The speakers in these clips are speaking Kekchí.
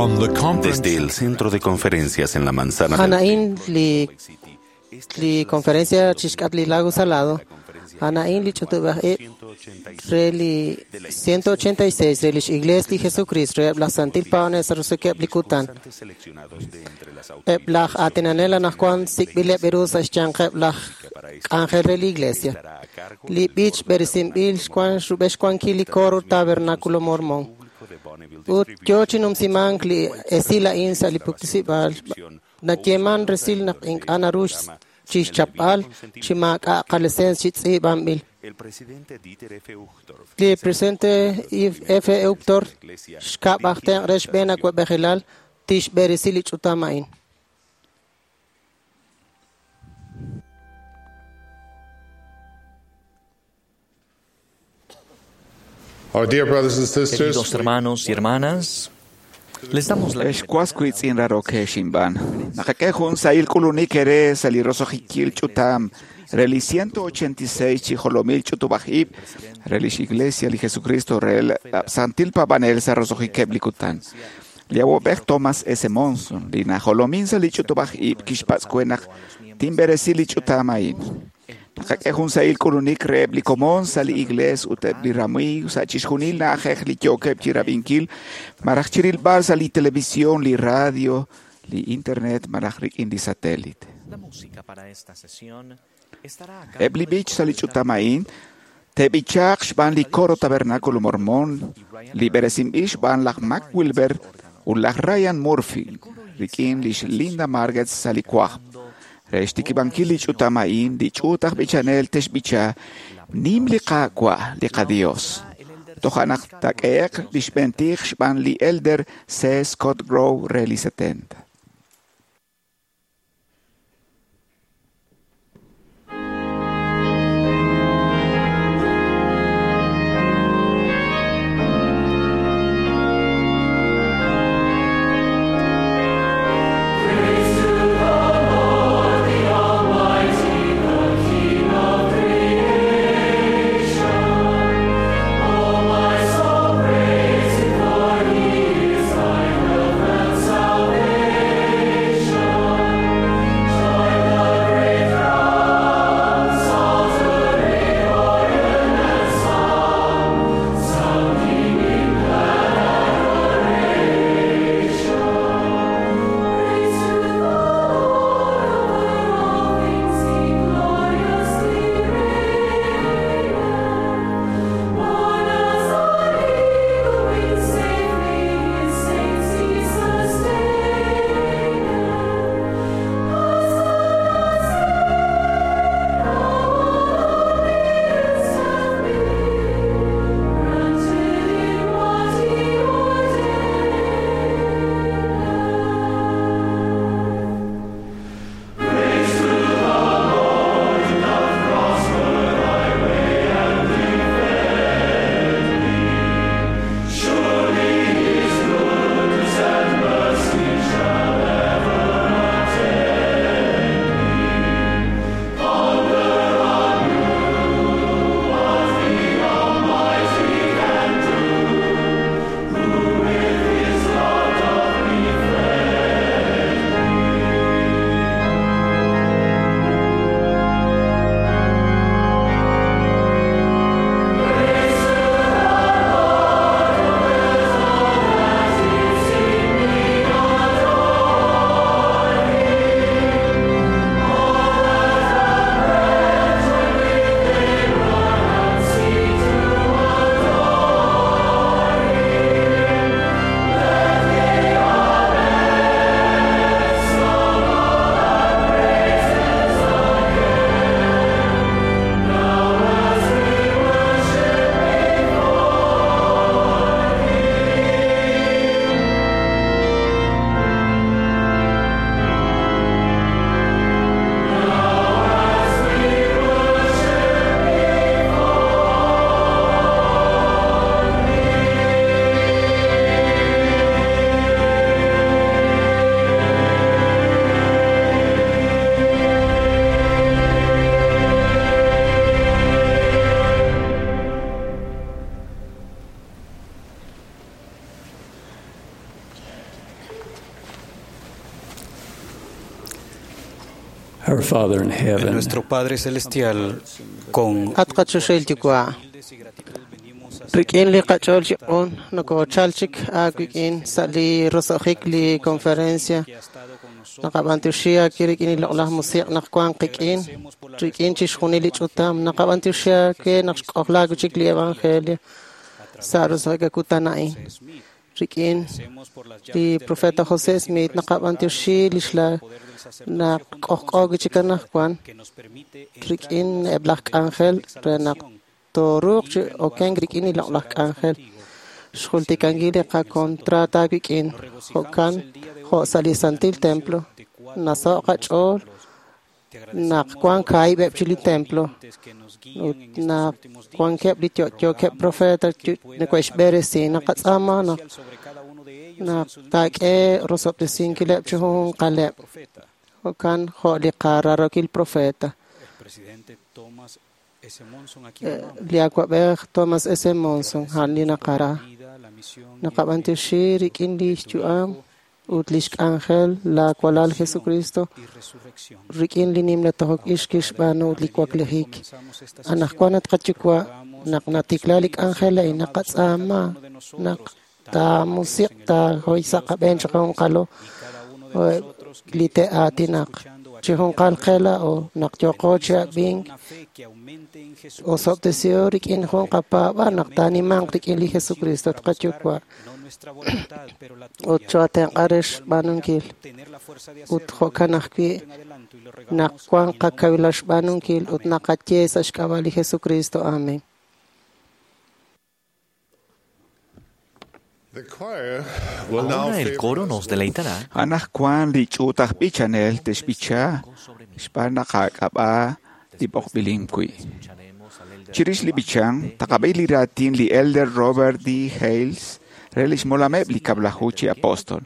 From the conference Desde el centro de conferencias en la manzana del Anaín li li conferencia chixk'at li Lago Salado, Anaín li ch'utub'aj ib' re li 186 re lix Iglesia li Jesucristo re laj Santil Paones rusukeb' li kutan. Eb' laj aatinanel anaqwan sik'b'ileb' ru sa' xyanqeb' laj k'anjel re li Iglesia. Li b'ich b'eresinb'il xwan rub'el xwankil li coro Tabernáculo Mormón. Ut yoo chi numsimank li esil a'in sa' li puktisib'aal nayeeman resil naq ink'a' naru chixchapb'al chi maak'a' qalicencia chi tz'iib'anb'il. Li presidente F. Uchtdorf xkab' aj tenq' re xb'een awa'b'ejilal tixb'eresi li ch'utam a'in. Our dear brothers and sisters, Queridos hermanos y hermanas, les damos la Ex wiitz'in raroke xinb'an. Naqak'e jun sahil k'ulunik ere sa li roso'jikil ch'utam re li 186 chi jolomil ch'utub'aj ib' re lix Iglesia li Jesucristo re el Santil Paab'anel sa roso'jikeb' li kutan. Li awob'ej Thomas S. Monson, li najolomin sa li ch'utub'aj ib' kixpatz' we naq tinb'eresi li ch'utam a'in. Naqak'e jun sahil k'ulunik reheb' li komon sa' li iglees ut eb' li ramiiw sa' chixjunil na'ajej li yookeb' chi rab'inkil malaj chirilb'al sa' li televisión, li radio, li internet malaj rik'in li satélite. La música para esta sesión estará a cargo Eb' li b'ich sa' li ch'utam a'in te'b'ichaaq xb'aan li coro Tabernáculo Mormón, li b'eresinb'il xb'aan laj Mac Wilber ut laj Ryan Murphy rik'in lix Linda Margetts sa' li kwajb'. Re xtikib'ankil li ch'utam a'in, li ch'uut aj b'ichanel texb'icha nim li Qaawa' li qaDios. Toja' naq taak'ehe'q li xb'een tij xb'aan li elder C. Scott Grove re li 70. Praise the Lord, He is thy help and salvation. Our Father in heaven, Nuestro Padre Celestial, con At qachoxahil yuwa'. Rik'in li qach'ool chi q'un nokochal chik aawik'in sa' li roso'jik li conferencia naqab'antioxi aaki rik'in li loq'laj musiq' naq wan qik'in rik'in chixjunil li ch'utam naqab'antioxi aake naq xk'ojlaak chik li evangelio sa' roso'jik akutan a'in rik'in li profeta José Smith naqab'antioxi lix la naq k'ojk'o chik anaqwan rik'in eb' laj k'anjel re naq tooruuq chi okenk rik'in li loq'laj k'anjel xjultikankil li qakontrato aawik'in jo'kan jo' sa' li santil templo nasaho' qach'ool naq wan kaahib'eb' chi li templo ut naq wankeb' li yo'yookeb' profeta neke'xb'eresi naqatz'aama naq naq taak'e rosob'tesinkileb' chi junjunqaleb' jo'kan jo' li qararokil profeta li awa'b'ej Thomas S. Monson a'an li naqara naqab'antioxi rik'in li xyu'am ut lix k'anjel la walal Jesucristo rik'in li nimla tojok ix kixb'aanu ut li waklijik anaqwan at qayuwa' naq natikla li k'anjel a'in naqatz'aama naq taamusiq' taahoy sa' qab'een chi junqalo li te'aatinaq chi junqal qe laa'o naq yooqo chi ab'ink osob'tesihom rik'in jun qapaab'aal naq taanimanq rik'in li Jesucristo at qayuwa' ut choatenq'a re xb'aanunkil ut jo'kan ajwi' naq wan qakawilal xb'aanunkil ut naqaye sa' xk'ab'a' li Jesucristo. Amen. The choir will now Ahora el favor coro us nos with deleitará Anaqwan li ch'uut aj b'ichanel te'xb'icha xb'aan naq aak'ab'a li b'oqb'ilin wi'. Chirix li b'ichan, taqab'i li raatin li Elder Robert D. Hales re lix molameb' li kab'laju chi apóstol.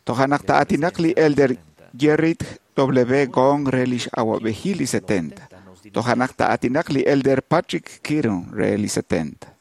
Toja' naq ta'aatinaq li Elder Gerrit W. Gong re lix awa'b'ejil li 70. Toja' naq ta'aatinaq li Elder Patrick Kearon re li 70.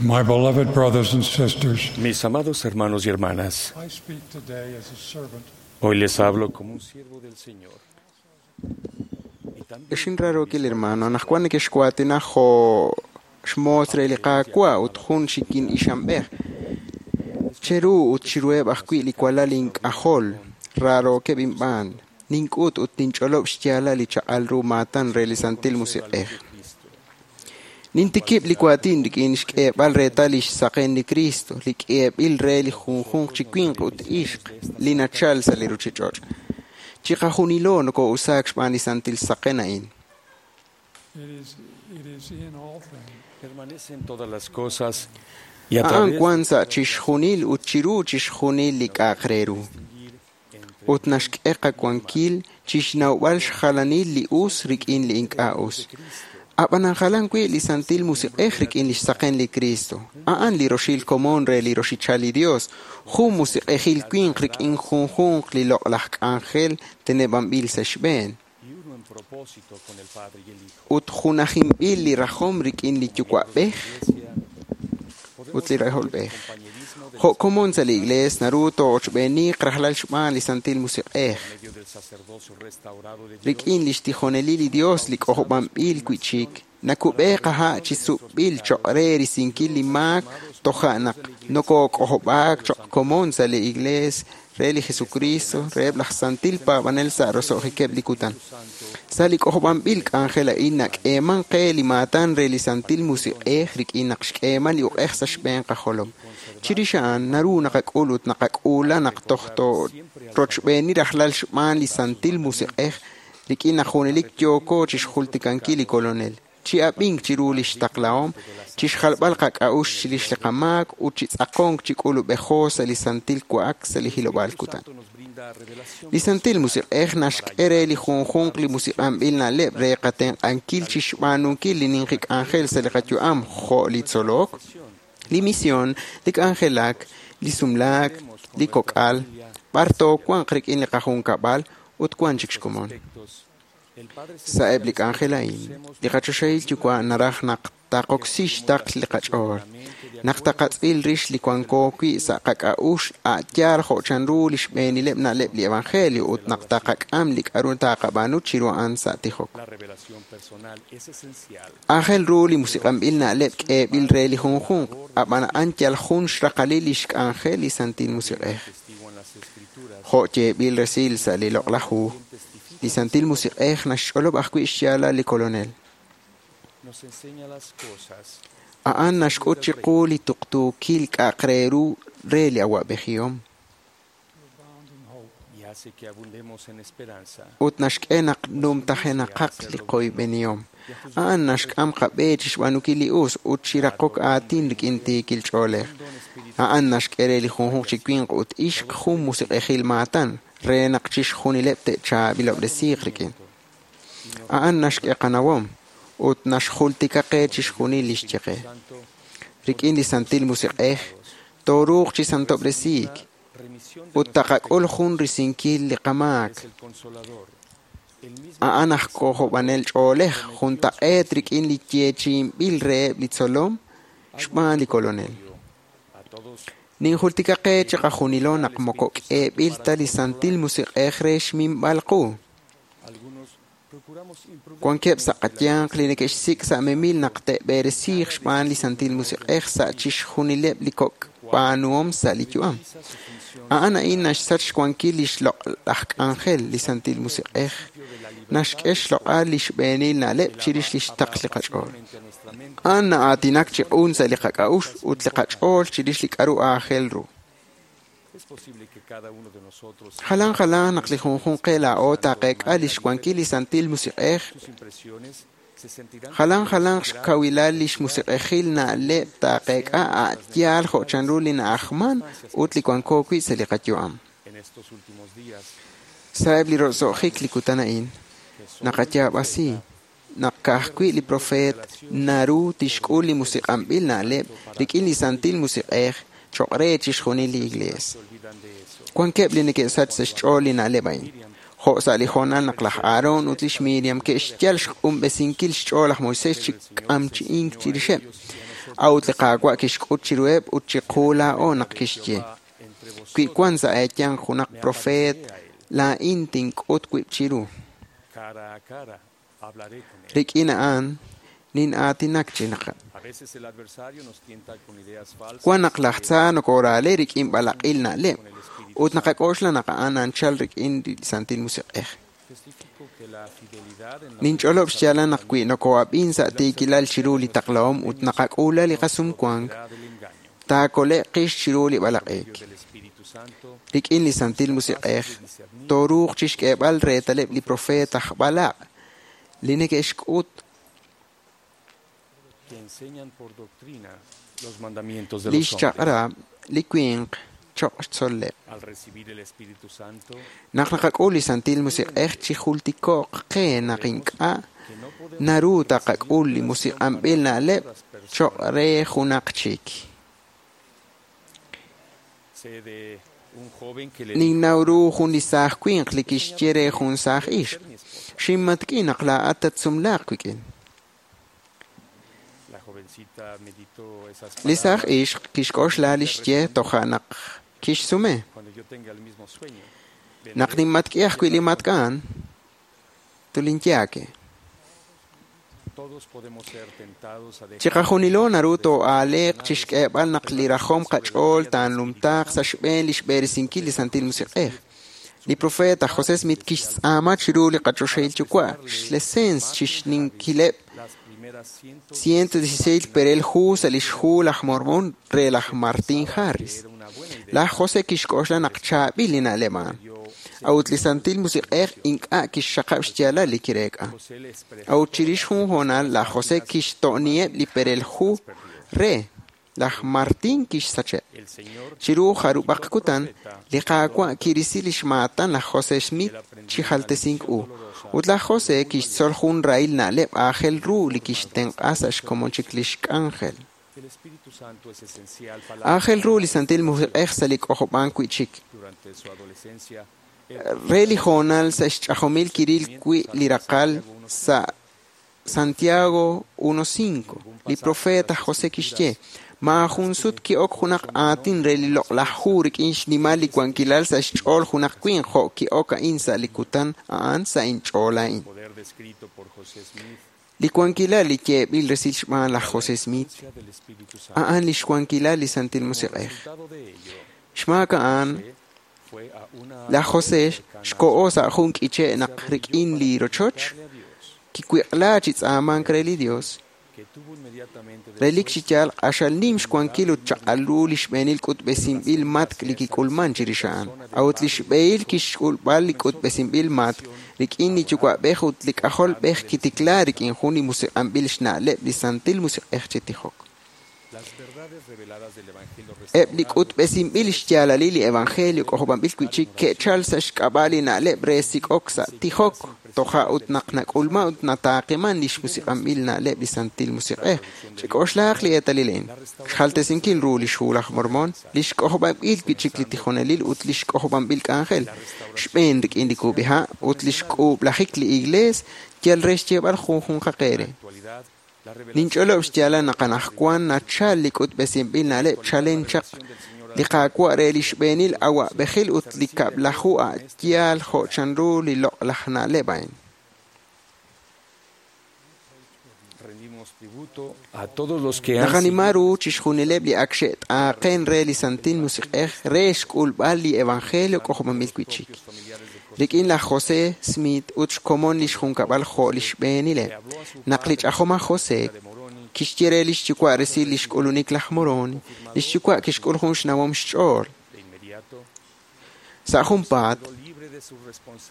My beloved brothers and sisters, Mis amados hermanos y hermanas, I speak today as a servant hoy les hablo como un siervo del Señor. Exinrarokil hermano, anaqwan nekexkuatinaj jo' xmoos re li Qaawa' ut jun xikin ixamb'ej. Cheru ut chiruheb' ajwi' li walal ink'ajol, rarookeb' inb'aan. Nink'ut ut ninch'olob' xyaalal li chaq'al ru maatan re li Santil Musiq'ej. Nintikib' li waatin rik'in xk'eeb'al reetal lix saqen li Kristo, li k'eeb'il re li junjunq chi winq ut ixq li nachal sa' li ruchich'och'. Chiqajunilo noko'usaak xb'aan li santil saqen a'in. Permanece en todas las cosas y a A'an través wan sa' chixjunil ut chiru chixjunil li k'a'aq re ru. Ut naxk'e qawankil chixnawb'al xjalanil li us rik'in li ink'a' us. Ab'anan jalan wi' li Santil Musiq'ej rik'in lix saqen li Cristo. A'an li roxil komon re li roxichal li Dios, jun musiq'ejil winq rik'in junjunq li loq'laj k'anjel teneb'anb'il sa' xb'een. y uno en propósito con el Padre y el Hijo. Ut junajinb'il li rajom rik'in li Yuwa'b'ej ut li Rajolb'ej. Jo' komon sa' li Iglees naru too'ochb'eeniq rajlal xb'aan li Santil Musiq'ej. Medio del sacerdocio restaurado de Dios, Rik'in lix tijonelil li Dios li k'ojob'anb'il wi'chik, nakub'e qaha' chi sub'b'il choq' re risinkil li maak toja' naq nokok'ojob'aak choq' komon sa' li Iglees re li Jesucristo reheb' laj santil paab'anel sa' roso'jikeb' li kutan. Sa' li k'ojob'anb'il k'anjel a'in nak'eeman qe li maatan re li Santil Musiq'ej rik'in naq xk'eeman li uq'ej sa' xb'een qajolom. Chirix a'an naru naqak'ul ut naqak'uula naq toj rochb'eeni rajlal xb'aan li Santil Musiq'ej rik'in naq junelik yooko chixjultikankil li Kolonel, chi ab'ink chiru lix taqlahom, chixjalb'al qak'a'uxl chirix li qamaak ut chi tz'aqonk chi k'ulub'ejo sa' li santil wa'ak sa' li hilob'aal kutan. nos brinda revelación Li Santil Musiq'ej naxk'e re li junjunq li musiq'anb'il na'leb' re qatenq'ankil chixb'aanunkil li ninqi k'anjel sa' li qayu'am jo' li tzolok, li misión, li k'anjelak, li sumlaak, li kok'al, b'ar toowanq rik'in li qajunkab'al ut wan chik xkomon. El Padre Sa' eb' li k'anjel a'in, li qachoxahil Yuwa' naraj naq taqoksi xtaql li qach'ool, naq taqatz'il rix li wanko wi' sa' qak'a'uxl a' yaal jo' chanru li xb'eenileb' na'leb' li Evangelio ut naq taqak'am li k'a'ru taqab'aanu chiru a'an sa' tijok. La revelación personal es esencial. Aajel ru li musiq'anb'il na'leb' k'eeb'il re li junjunq, ab'an a'an yal jun xraqalil lix k'anjel li Santil Musiq'ej. Testigo en las Escrituras Jo' yeeb'il resil sa' li loq'laj hu, li Santil Musiq'ej naxch'olob' ajwi' xyaalal li Kolonel. nos enseña las cosas A'an naxk'ut chiqu li tuqtuukil k'a'aq re ru re li awa'b'ejihom y hace que abundemos en esperanza. ut naxk'e naq numtajenaqaq li qoyb'enihom. A'an naxk'am qab'e chixb'aanunkil li us ut chiraqok aatin rik'in tiikil ch'oolej. A'an naxk'e re li junjunq chi winq ut ixq jun musiq'ejil maatan re naq chixjunileb' te'chaab'ilob'resiiq rik'in. A'an naxk'e qanawom ut naxjultika qe chixjunil li xye qe. Rik'in li Santil Musiq'ej tooruuq chi santob'resiik Remisión ut taqak'ul jun risinkil li qamaak. es el consolador. El mismo A'an aj k'ojob'anel ch'oolej juntaq'eet rik'in li yeechi'inb'il reheb' li tzolom xb'aan li Kolonel. a todos Ninjultika qe chiqajunilo naq moko k'eeb'il ta li Santil Musiq'ej re xminb'al qu. algunos procuramos Wankeb' sa' qayanq li neke'xsik' sa' memil naq te'b'eresiiq xb'aan li Santil Musiq'ej sa' chixjunileb' li kok' b'aanuhom sa' li yu'am. A'an a'in naxsach xwankil li xloq'laj k'anjel li Santil Musiq'ej. Naxk'e xloq'al li xb'eenil na'leb' chirix li xtaql li qach'ool. A'an na'aatinak chi q'un sa' li qak'a'uxl ut li qach'ool chirix li k'a'ru aajel ru. Es posible que cada uno de nosotros Jalan jalan naq li junjunq qe laa'o taqeek'a li xwankil li Santil Musiq'ej sus impresiones se sentirán jalan jalanq xkawilal li xmusiq'ejil na'leb' taqeek'a a' yaal jo' chanru li na'ajman ut li wanko wi' sa' li qayu'am. en estos últimos días Sa'eb' li roso'jik li kutan a'in, naqayaab'asi naq ka'ajwi' li profeet naru tixk'ul li musiq'anb'il na'leb' rik'in li Santil Musiq'ej choq' re chixjunil li Iglees. se olvidan de eso. Wankeb' li neke'sach sa' xch'ool li na'leb' a'in. Jo' sa' li hoonal naq laj Aarón ut lix Miriam ke'xyal xq'unb'esinkil xch'ool laj Moisés chi k'amchi'ink chirixeb'. A'ut li Qaawa' kixk'ut chiruheb' ut chiqu laa'o naq kixye: Wi wan sa' eeyanq junaq profeet, laa'in tink'ut wib' chiru. Cara a cara hablaré con él. Rik'in a'an, Nin'aatinak chi naq wan naq laj tza nokoraale rik'in b'alaq'il na'leb' ut naqak'oxla naq a'an anchal rik'in li Santil Musiq'ej. Ninch'olob' xyaalal naq wi noko'ab'in sa' tiikilal chiru li taqlahom ut naqak'uula li qasumwank, taakole'q qix chiru li b'alaq'eek. Rik'in li Santil Musiq'ej, tooruuq chixk'eeb'al reetaleb' li profeet aj b'alaq' li neke'xk'ut lix chaq'rab' li winq choq' xtzol'leb'. Naq naqak'ul li Santil Musiq'ej chijultiko'q qe naq ink'a' naru taqak'ul li musiq'anb'il na'leb' choq' re junaq chik. Ninnaw ru jun li saaj winq li kixye re jun saaj ixq: Xinmatk'i naq laa'at tatsumlaaq wik'in. Li saaj ixq kixk'oxla li xye toja' naq kixsume: Naq ninmatk'i ajwi' li matk'a'an, tulinyaake. Chiqajunilo naru too'aaleeq chixk'eeb'al naq li rajom qach'ool taanumtaaq sa' xb'een lix b'eresinkil li Santil Musiq'ej. Li profeet aj José Smith kixtz'aama chiru li qaChoxahil Yuwa' xlesens chixninkileb' 116 perel hu sa' lix hu laj Mormon re laj Martin Harris. Laj José kixk'oxla naq chaab'il li na'leb' a'an. A'ut li Santil Musiq'ej ink'a' kixxaqab' xyaalal li kireek'a. A'ut chirix jun hoonal laj José kixto'niheb' li perel hu re laj Martin kixsacheb'. Chiru jarub'aq kutan, li Qaawa' kirisi lix maatan laj José Smith chi jaltesink u. Ut laj José kixtzol jun rahil na'leb' aajel ru li kixtenq'a sa' xkomon chik lix k'anjel. Aajel ru li Santil Musiq'ej sa' li k'ojob'ank wi'chik. Re li hoonal sa' xch'ajomil kiril wi' li raqal sa' Santiago 1.5, li profeet aj José kixye: Maajun sut ki'ok junaq aatin re li loq'laj hu rik'in xnimal li wankilal sa' xch'ool junaq winq jo' ki'ok a'in sa' li kutan a'an sa' inch'ool a'in. Li wankilal li yeeb'il resil xb'aan laj José Smith a'an lix wankilal li Santil Musiq'ej. Xmaak a'an, laj José xko'o sa' jun k'iche' naq rik'in li rochoch kiwiq'la chi tz'aamank re li Dios. Relik chi yaal q'axal nim xwankil ut chaq'al ru li xb'eenil k'utb'esinb'il matk' li kik'ulman chirix a'an. A'ut li xb'ehil kixk'ulb'al li k'utb'esinb'il matk' rik'in li yuwa'b'ej ut li k'ajolb'ej kitikla rik'in jun li musiq'anb'il xna'leb' li Santil Musiq'ej chi tijok. Eb' li k'utb'esinb'il xyaalalil li Evangelio k'ojob'anb'il wi'chik ke'chal sa' xk'ab'a' li na'leb' re sik'ok sa' tijok toja' ut naq nak'ulman ut nataaqiman lix musiq'anb'il na'leb' li Santil Musiq'ej. Chik'oxlaaq li eetalil a'in: xjaltesinkil ru lix hu laj Mormon, lix k'ojob'anb'il wi'chik li tijonelil ut lix k'ojob'anb'il k'anjel, xb'een rik'in li kub'iha' ut lix k'uub'lajik li Iglees yal re xyeeb'al junjunqaq eere. Ninch'olob' xyaalal naq anaqwan nachal li k'utb'esinb'il na'leb' chalen chaq li Qaawa' re li xb'eenil awa'b'ejil ut li kab'laju a'yaal jo' chanru li loq'laj na'leb' a'in. Naqanima ru chixjunileb' li ak xe't'aaqen re li Santil Musiq'ej re xk'ulb'al li Evangelio k'ojob'anb'il wi'chik. Rik'in laj José Smith ut xkomon lix junkab'al jo' li xb'eenileb'. Naq li ch'ajom aj José kixye re lix yuwa' resil lix k'ulunik laj Moroni, lix yuwa' kixk'ul jun xnawom xch'ool. Sa' junpaat,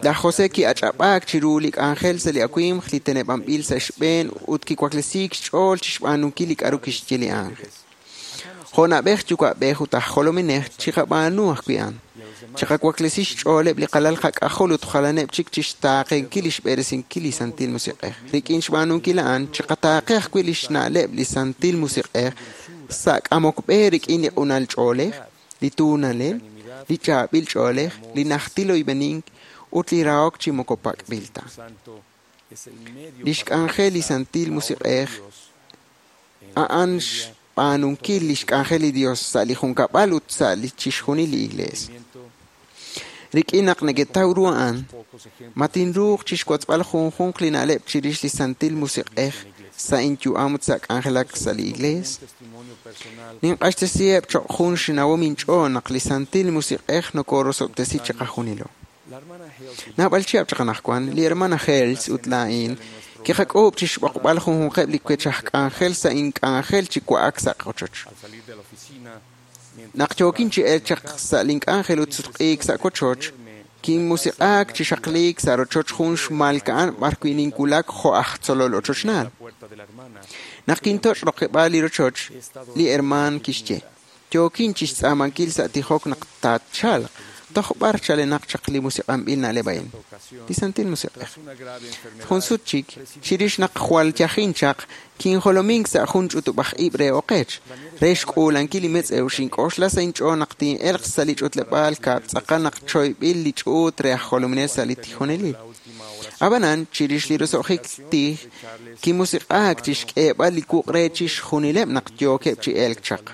laj José ki'ach'ab'aak chiru li k'anjel sa' li awimq li teneb'anb'il sa' xb'een ut kiwaklesiik xch'ool chixb'aanunkil li k'a'ru kixye li ángel. Jo' na'b'ej yuwa'b'ej ut aj jolominej chiqab'aanu ajwi' a'an. Chiqawaklesi xch'ooleb' li qalal qak'ajol ut jalaneb' chik chixtaaqenkil lix b'eresinkil li Santil Musiq'ej. Rik'in xb'aanunkil a'an, chiqataaqe ajwi' lix na'leb' li Santil Musiq'ej sa' k'amok b'e rik'in li q'unal ch'oolej, li tuunalel, li chaab'il ch'oolej, li najtil oyb'enink ut li rahok chi moko pak'b'il ta. Lix k'anjel li Santil Musiq'ej a'an xb'aanunkil lix k'anjel li Dios sa' li junkab'al ut sa' li chixjunil li Iglees. Rik'in naq neketaw ru a'an, ma tinruuq chixwotzb'al junjunq li na'leb' chirix li Santil Musiq'ej sa' inyu'am ut sa' k'anjelak sa' li Iglees? Ninq'axtesiheb' choq' jun xnawom inch'ool naq li Santil Musiq'ej nokorosob'tesi chiqajunilo. Naab'al chihab' chaq anaqwan, li hermana Hales ut laa'in kiqak'uub' chixb'oqb'al junjunqeb' li wech aj k'anjel sa' ink'anjel chi wa'ak sa' qochoch. Naq yookin chi elk chaq sa' link'anjel ut sutq'iik sa' wochoch, kinmusiq'aak chi xaqliik sa' rochoch jun xmalka'an b'arwi' ninwulak jo' aj tzolol ochochnaal. Naq kintoch' roqeb'aal li rochoch, li hermaan kixye: Yookin chixtz'aamankil sa' tijok naq taachalq. Toj b'ar chalenaq chaq li musiq'anb'il na'leb' a'in? Li Santil Musiq'ej. Jun sut chik, chirix naq jwal yajin chaq, kinjolomink sa' jun ch'utub'aj ib' re oqech. Re xk'uulankil li metz'ew xink'oxla sa' inch'ool naq tin'elq sa' li ch'utleb'aal kab'l tz'aqal naq choyb'il li ch'uut re aj jolominel sa' li tijonelil. Ab'anan, chirix li roso'jik tij, kimusiq'aak chixk'eeb'al li wuq' re chixjunileb' naq yookeb' chi elk chaq.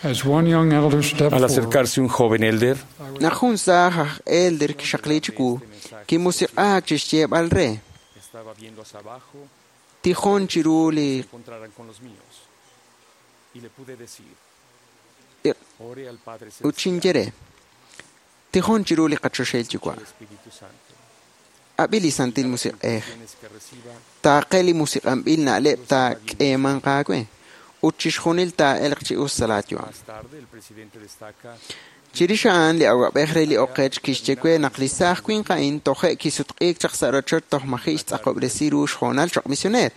As one young elder stepped Al forward, acercarse un joven elder, Naq jun saaj aj elder kixaqli chiwu, kimusiq'aak chixyeeb'al re: Estaba viendo hacia abajo, Tijon chiru li se encontraran con los míos. Y le pude decir, ore al Padre ut Celestial, xinye re: Tijon chiru li qachoxahil Yuwa'. al Espíritu Santo. Ab'i li Santil Musiq'ej. Tienes que reciba Taaqe li musiq'anb'il na'leb' taak'eemanq aawe ut chixjunil taa'elq chi us sa' laayu'am. Más tarde, el presidente destaca Chirix a'an li awab'ej re li oqech kixye we naq li saaj winq a'in toje' kisutq'iik chaq sa' rochoch toj maji' xtz'aqob'resi ru xhoonal choq' misioneer.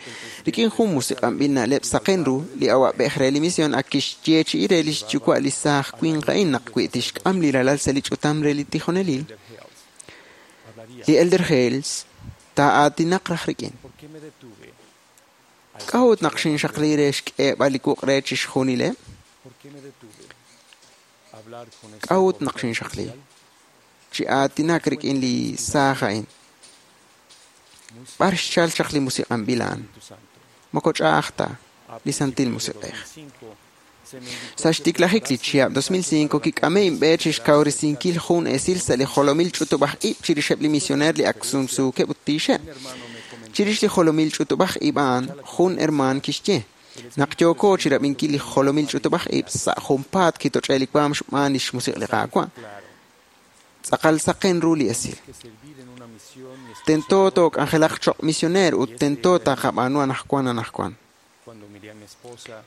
Rik'in jun musiq'anb'il na'leb' saqen ru, li awab'ej re li mision ak kixyeechi'i re li xyuwa' li saaj winq a'in naq wi tixk'am li ralal sa' li ch'utam re li tijonelil. Li Elder Hales taa'aatinaq raj rik'in. ¿Por qué me detuve? K'a'ut naq xinxaqli re xk'eeb'al li wuq' re chixjunileb'? ¿Por qué me detuve? Hablar con este K'a'ut joven naq xinxaqli? oficial, Chi aatinak rik'in li saaj a'in. B'ar xchal chaq li musiq'anb'il a'an? Espíritu Santo. Moko ch'a'aj ta, A li Santil principios de Musiq'ej. 2005, se me invitó Sa' a xtiklajik li prepararse chihab' 2005 kik'ame inb'e chixkawresinkil jun esil sa' li jolomil ch'utub'aj ib' chirixeb' li misioneer li ak sumsuukeb' ut tiixeb'. Un hermano me comentó Chirix li jolomil ch'utub'aj ib' a'an, jun hermaan kixye: Naq yooko chirab'inkil li jolomil ch'utub'aj ib' sa' junpaat kitoch'e li waam xb'aan li xmusiq' li Qaawa'. claro Tz'aqal saqen ru li esil. que servir en una misión y Tento escuchar took'anjelaq choq' misioneer ut tento taqab'aanu anaqwan anaqwan. cuando miré a mi esposa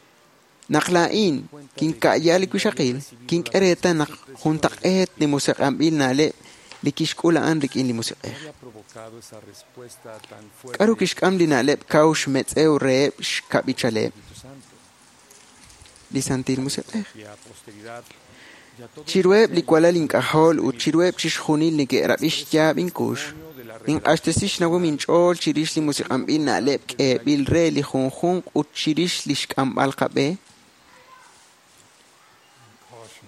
Naq laa'in kinka'ya li wixaqil, kink'e reetal naq juntaq'eet li musiq'anb'il na'leb' li kixk'ul a'an rik'in li musiq'ej. ¿qué había provocado esa respuesta tan fuerte K'aru kixk'am li na'leb' kaw xmetz'ew reheb' xkab'ichaleb' Espíritu Santo? li Santil Musiq'ej. Y a posteridad y a todos Chiruheb' li walal ink'ajol ut chiruheb' chixjunil neke'rab'i xyaab' inkux, ninq'axtesi xnawom inch'ool chirix li musiq'anb'il na'leb' k'eeb'il re li junjunq ut chirix li xk'amb'al qab'e. caution.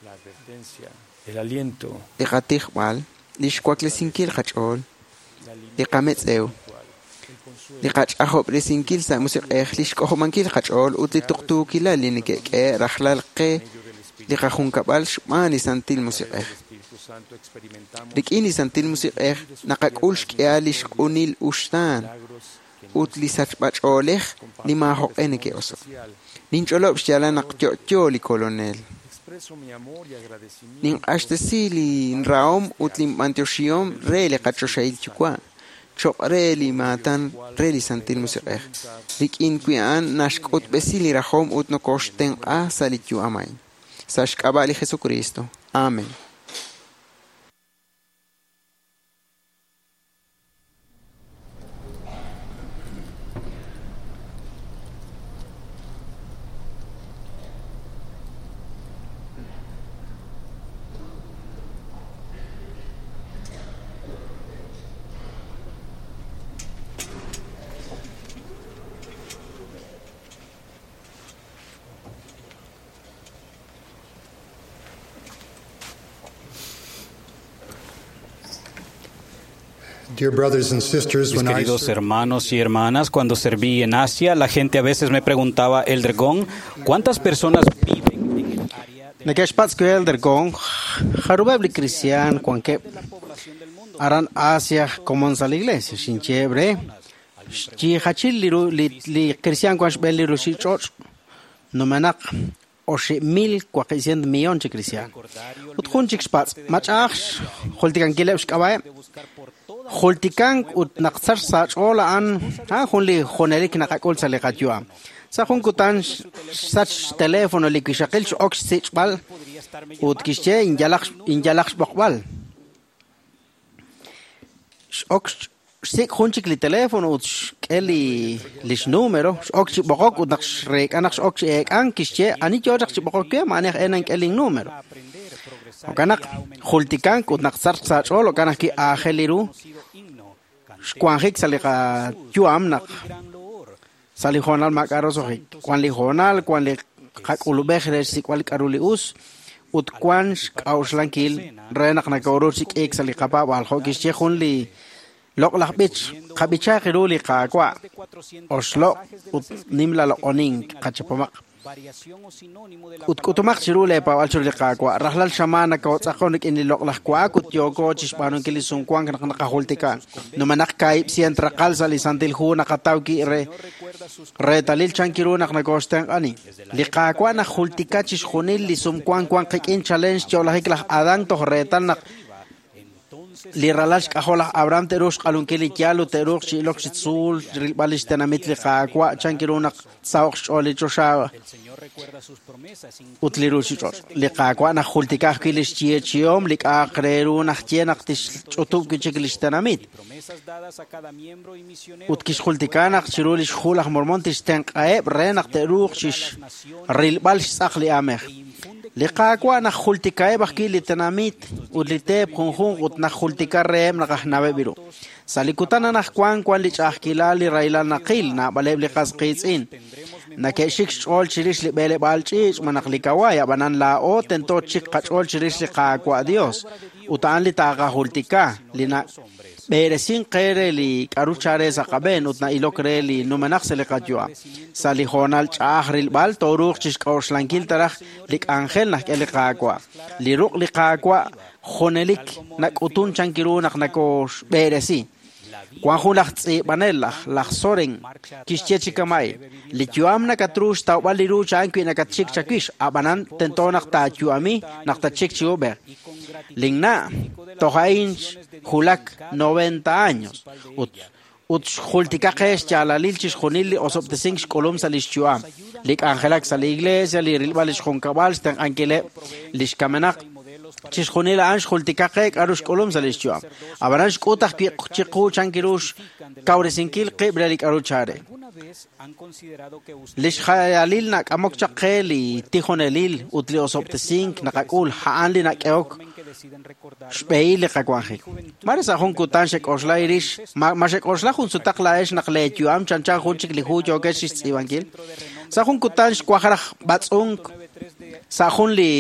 la advertencia, el aliento, li qatijb'al, li xwaklesinkil qach'ool, la li qametz'ew, espiritual, el consuelo, li qach'ajob'resinkil sa' musiq'ej, li xk'ojob'ankil qach'ool ut li tuqtuukilal li neke'k'e rajlal qe medio del Espíritu, li qajunkab'al xb'aan li Santil Musiq'ej. del Espíritu Santo experimentamos Rik'in li Santil Musiq'ej naqak'ul xk'ihal li xq'unil uxtaan milagros que no ut li sachb'ach'oolej li maajoq'e neke'oso'. especial. Ninch'olob' xyaalal naq yo'yo li Kolonel. Expreso mi amor y agradecimiento Ninq'axtesi linrahom ut linb'antioxihom re li qachoxahil Yuwa' choq' re li maatan re li Santil Musiq'ej. Rik'in wi' a'an naxk'utb'esi li rajom ut nokoxtenq'a sa' li yu'am a'in. Sa' xk'ab'a' li Jesucristo. Amen. Dear brothers and sisters, Mis when I queridos served hermanos y hermanas, cuando serví en Asia, la gente a veces me preguntaba, Elder Gong, ¿cuántas personas viven en el área de Neke'xpatz' we Elder Gong, jarub'eb' li kristiaan wankeb' la población del mundo? aran Asia komon sa' li iglesia. Xinyeeb' re xyiijachil li ru li kristiaan wan xb'een li ruchich'och' numenaq 8,400 millón chi kristiaan. Ut jun chik xpatz' ma ch'a'aj xjultikankileb' xk'ab'a'eb'. Jultikank ut naq sach sa' ch'ool a'an jun li junelik naqak'ul sa' li qayu'am. Sa' jun kutan xsach xteléfono li wixaqil x'ok xsich'b'al ut kixye inyalaq xb'oqb'al. X'ok xsik' jun chik li teléfono ut xk'e li xnúmero, x'ok chi b'oqok ut naq xreek'a naq x'ok chi eek'an kixye ani yo chaq chi b'oqok we ma ani aj e nank'e linnúmero. Jo'kan naq jultikank ut naq sach sa' ch'ool jo'kan ajwi' aajel li ru xwanjik sa' li qayu'am naq sa' li hoonal maak'a' roso'jik. Wan li hoonal, wan li qak'ulub'ej re xsik'b'al k'aru li us ut wan xk'a'uxlankil re naq nakoru chi k'iik sa' li qapaab'aal. Jo' kixye jun li loq'laj b'ich, qab'ichaaq ru li Qaawa', oxloq' ut nimla loq'onink qachapomaq. Ut k'utumaq chiru leepaab'al chiru li Qaawa'. Rajlal xamaan nakootz'aqon rik'in li loq'laj wa'ak ut yooko chi xb'aanunkil li sumwank naq naqajultika. Numenaq 200 raqal sa' li Santil Hu naqataw ki re reetalil chan kiru naq nakooxtenq'ani. Li Qaawa' najultika chixjunil li sumwank wan qik'in chalen xyo'lajik laj Adán toj reetal naq li ralal xk'ajol laj Abraham te'ruuq xq'alunkil li yaal ut te'ruuq chi ilok chi tzuul rilb'al li xtenamit li Qaawa' chan kiru naq tsaho'q xch'ool li choxa ut li ruchich'och'. Li Qaawa' najultika ajwi' li xyeechi'om li k'a'aq re ru najye naq tixch'utub' wi' chik li xtenamit. Ut kixjultika naq chiru li xhu laj Mormón tixtenq'aheb' re naq te'ruuq chi rilb'al xtz'aq li aamej. Li Qaawa' najultikaheb' ajwi' li tenamit ut li teep junjunq ut najultika reheb' naq aj naweb' ru. Sa' li kutan anaqwan wan li ch'a'ajkilal li rahilal naqil naab'aleb' li qas qiitz'in. Nake'xik xch'ool chirix li b'eleb'aal ch'iich' malaj li kawaay, ab'anan laa'o tento txik qach'ool chirix li Qaawa' Dios ut a'an li taaqajultika li nab'eresink qe re li k'aru chare sa' qab'een ut na'ilok re li numenaq sa' li qayu'am. Sa' li hoonal ch'a'aj rilb'al tooruuq chi xk'a'uxlankil taraj li k'anjel najk'e li Qaawa'. Li ruq' li Qaawa' junelik nak'utun chan kiru naq nakooxb'eresi. Wan jun laj tz'iib'anel laj Soren kixye chi kama'in, li yu'am nakatru xtawb'al li ru cha'an wi' nakatxik chawix, ab'anan tento naq taayu'ami naq tatxik chi ub'ej. Linna' toj a'in xwulak 90 años ut xjultika qe xyaalalil chixjunil li osob'tesink xk'ulum sa' li xyu'am, li k'anjelak sa' li iglesia, li rilb'al li xjunkab'al, xtenq'ankileb' li xkamenaq. Chixjunil a'an xjultika qe k'aru xk'ulum sa' li xyu'am. Ab'anan xk'ut ajwi' chiqu chan kiru xkawresinkil qib' re li k'aru chare. Li xjayalil nak'amok chaq qe li tijonelil ut li osob'tesink naqak'ul a'an li nak'ehok xb'ehil li qawanjik. Mare sa' jun kutan xek'oxla irix, ma xek'oxla jun sutaq laa'ex naq leeyu'am chanchan jun chik li hu yookex xtz'iib'ankil. Sa' jun kutan xwaj raj b'atz'unk sa' jun li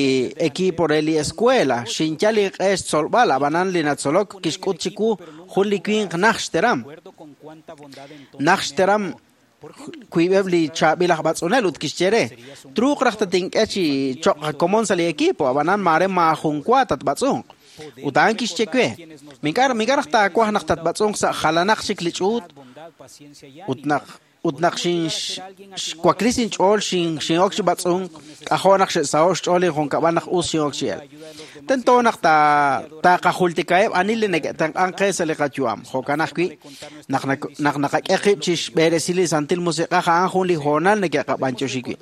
equipo re li escuela, xinyal inq'e xtzolb'al, ab'anan li natzolok kixk'ut chiwu jun li winq naj xteram. Naj xteram wiib'eb' li chaab'il aj b'atz'unel ut kixye re, truuq raj tatink'e chi cho'q qakomon sa' li equipo, ab'anan maare maajun wa tatb'atz'unq. Ut a'an kixye we, mink'a' raj taawaj naq tatb'atz'unq sa' jalanaq chik li ch'uut ut naq xwaklis inch'ool xin'ok chi b'atz'unk k'ajo' naq xe'saho' xch'ool injunkab'al naq us xin'ok chi el. Tento naq taaqajultikaheb' ani li neke'tenq'ank qe sa' li qayu'am. Jo'kan ajwi' naq naqak'e qib' chi xb'eresi li Santil Musiq'ej a'an jun li hoonal neke'qab'anyoxi wi'.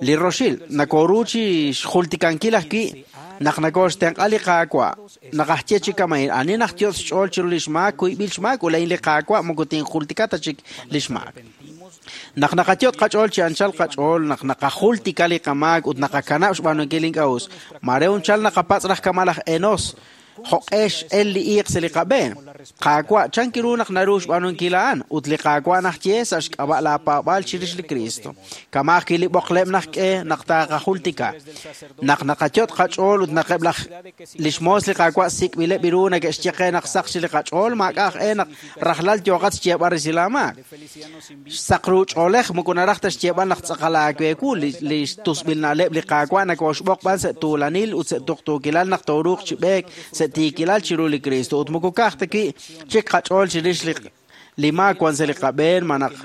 Li roxil nakoru chi xjultikankil ajwi' naq nakooxtenq'a li Qaawa'. Naqajye chi kama'in ani najyotz' xch'ool chiru li xmaak kuyb'il xmaak ulain li Qaawa' moko tinjultika ta chik li xmaak. Naq naqayot' qach'ool chi anchal qach'ool, naq naqajultika li qamaak ut naqakanab' xb'aanunkil ink'a' us, mare unchal naqapatz' raj kama' laj Enos, jo'q'ex el li iiq sa' li qab'een. Qaawa' chan kiru naq naru xb'aanunkil a'an ut li Qaawa' najye sa' xk'ab'a' laapaab'aal chirix li Cristo. Kama ajwi' li b'oqleb' najk'e naq taaqajultika. Naq naqayot' qach'ool ut naqeb' laj li xmoos li Qaawa' sik'b'ileb' ru neke'xye qe naq saq chi li qach'ool maak'a' aj e naq rajlal yooqat xyeeb'al resil aamaak. Xsaq ru ch'oolej moko naraj ta xyeeb'al naq tz'aqal aaweewu li xtusb'il na'leb' li Qaawa' nakooxb'oq b'an sa' tuulanil ut sa' tuqtuukilal naq tooruuq chi b'eek sa' sa' tiikilal chiru li Kristo ut moko ka'aj ta wi' chik qach'ool chirix li maak wan sa' li qab'een ma naq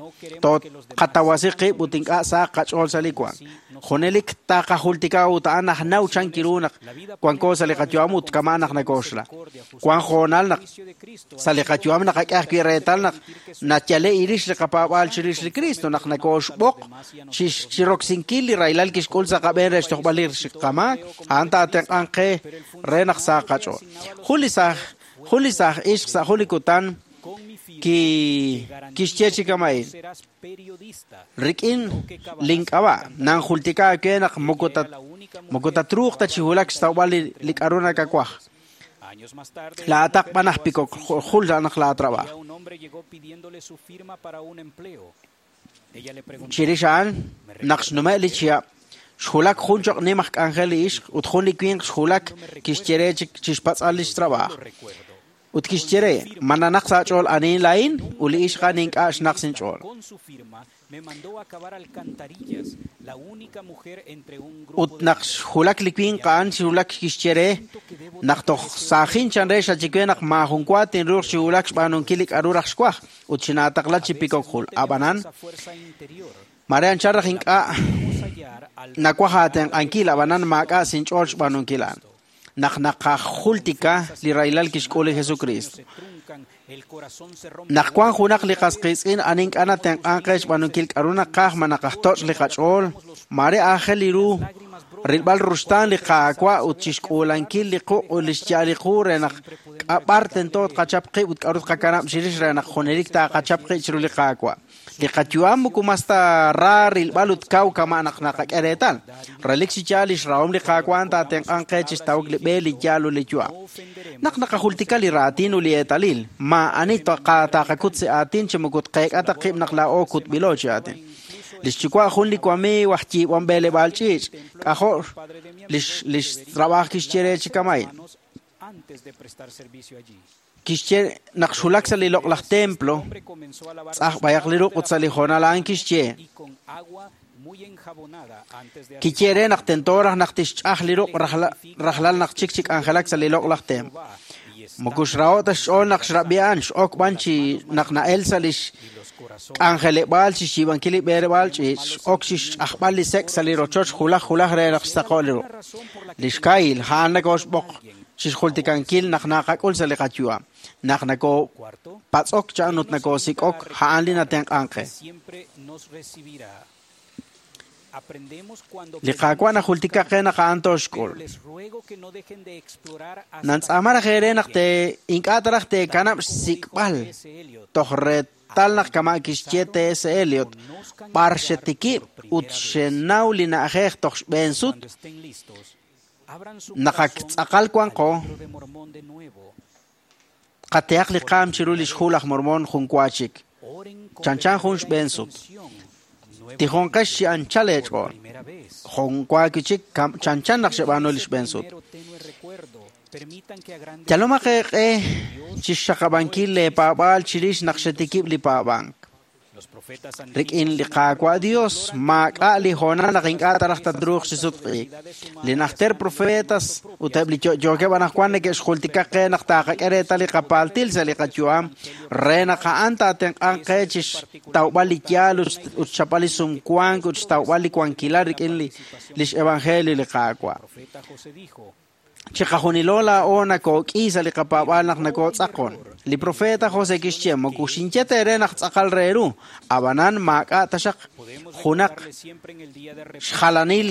toqatawasi qib' ut ink'a' saq qach'ool sa' li wank. Junelik taqajultika ut a'an aj naw chan kiru naq wanko sa' li qayu'am ut kama' naq nakoxla. Wan hoonal naq sa' li qayu'am naqak'e ajwi' reetal naq nayale irix li qapaab'aal chirix li Kristo naq nakoxb'oq chiroksinkil li rahilal kixk'ul sa' qab'een re xtojb'al li qamaak, a'an taatenq'anq qe re naq saq qach'ool. Jun li saaj ixq sa' jun li kutan kixye chi kama'in rik'in link'ab'a' nanjultika aawe naq moko tatruuq ta chi wulak xtawb'al li k'aru nakawaj. Laataq b'an aj pikok jul naq laatrab'aj. Chirix a'an naq xnume' li chihab' xwulak jun choq' nim aj k'anjel li ixq ut jun li winq xwulak kixye re chixpatz'al lix trab'aj. Ut kixye re, ma nanaq sa' ch'ool anihin laa'in ut li ixq a'an ink'a' xnaq sinch'ool. Ut naq xwulak li winq a'an xwulak kixye re naq toj saajin chan re xachiwe naq maajun wa tinruuq chi wulak xb'aanunkil li k'aru raj xwaj ut chinaataqla chi pikok jul. Ab'anan, mare anchal raj ink'a' nawaj aatenq'ankil, ab'anan maak'a' sinch'ool xb'aanunkil a'an. Naq naqajultika li rahilal kixk'ul li Jesucristo. Naq wan junaq li qas qiitz'in a'an ink'a' natenq'anq qe xb'aanunkil k'aru naqaj ma naqajtoch' li qach'ool, mare aajel li ru rilb'al ruxtaan li Qaawa' ut chixk'uulankil li quq' ut li xya'al li qu re naq k'ab'ar tento tqachap qib' ut k'aru tqakanab' chirix re naq junelik taaqachap qib' chiru li Qaawa'. Li qayu'am moko mas ta ra rilb'al ut kaw kama' naq naqak'e reetal. Relik chi yaal lix rahom li Qaawa' taatenq'anq qe chixtawok li b'e li yaal ut li yu'am. Naq naqajultika li raatin ut li eetalil, maa'ani taqakut si aatin chi moko tqeek'a ta qib' naq laa'o kutb'ilo chi aatin. Lix yuwa' jun li wamiiw aj yiib'om b'eleb'aal ch'iich', k'ajo' lix trab'aj kixye re chi kama'in. Kixye naq xwulak sa' li loq'laj templo, tz'aj b'ayaq li ruq' ut sa' li hoonal a'an kixye. Kiye re naq tento raj naq tixch'aj li ruq' rajlal naq chik chi k'anjelak sa' li loq'laj templo. Moko xraho' ta xch'ool naq xrab'i a'an, x'ok b'an chi naq na'el sa' lix k'anjeleb'aal chi xyiib'ankil li b'eleb'aal ch'iich', x'ok chi xch'ajb'al li sek' sa' li rochoch julaj julaj re naq xsaqo' li ruq'. Li xkahil a'an nakoxb'oq chixjultikankil naq naqak'ul sa' li qayu'am. Naq nakopatz'ok chan ut nakosik'ok a'an li natenq'anq qe. Li Qaawa' najultika qe naq a'an tooxk'ul. Nantz'aama raj eere naq ink'a' ta raj teekanab' xsik'b'al toj reetal naq kama' kixye T.S. Eliot, b'ar xetikib' ut xenaw li na'ajej toj xb'een sut, naq ak tz'aqal wanqo, qatehaq li qaam chiru lix hu laj Mormon jun wa chik, chanchan jun xb'een sut. Tijonqex chi anchal eech'ool, jun wa chik chanchan naq xeb'aanu li xb'een sut. Yalomaq eeq'e chixxaqab'ankil leepaab'aal chirix naq xetikib' li paab'ank. Rik'in li Qaawa' Dios maak'a' li hoonal naq ink'a' ta raj tatruuq chi sutq'iik. Li najter profetas ut eb' li yo'yookeb' anaqwan neke'xjultika qe naq taaqak'e reetal li qapaaltil sa' li qayu'am re naq a'an taatenq'anq qe chixtawb'al li yaal ut xchapb'al li sumwank ut xtawb'al li wankilal rik'in lix evangelio li Qaawa'. Chiqajunilo laa'o nakook'i sa' li qapaab'aal naq nakotz'aqon. Li profeta José kixye moko xinye teere naq tz'aqal re ru, ab'anan maak'a' taxaq junaq xjalanil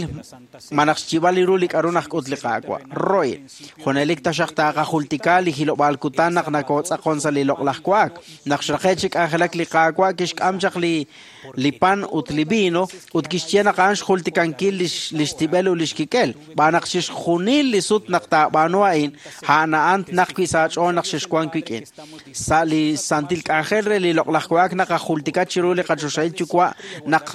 ma naq xyib'al li ru li k'aru najk'ut li Qaawa'. Roy, junelik taxaq taaqajultika li hilob'aal kutan naq nakotz'aqon sa' li loq'laj wa'ak. Naq xraqe' chi k'anjelak li Qaawa' kixk'am chaq li pan ut li vino ut kixye naq a'an xjultikankil lix tib'el ut lix kik'el. B'aan naq chixjunil li sut naq taab'aanu a'in, a'an a'an naq wi' sa' ach'ool naq xexwank wik'in. Sa' li santil k'anjel re li loq'laj wa'ak naqajultika chiru li qachoxahil yuwa' naq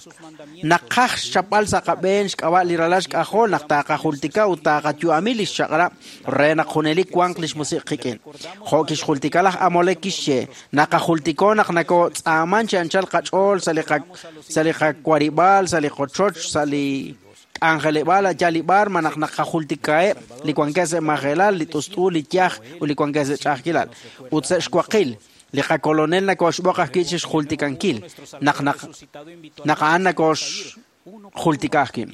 naqaj xchapb'al sa' qab'een xk'ab'a' li ralal xk'ajol naq taaqajultika ut taaqayu'ami lix chaq'rab' re naq junelik wanq lix musiq' qik'in. Jo' kixjultika laj Amolek kixye, naqajultiko naq nakotz'aaman chi anchal qach'ool sa' li qawarib'aal, sa' li qochoch, sa' li k'anjeleb'aal yalib'ar malaj naqajultikaheb' li wankeb' sa' majelal, li t'ust'u, li yaj ut li wankeb' sa' ch'a'ajkilal. Ut sa' xwaqil, li qakolonel nakoxb'oq ajwi' chi xjultikankil naq naq a'an nakoxjultika ajwi'.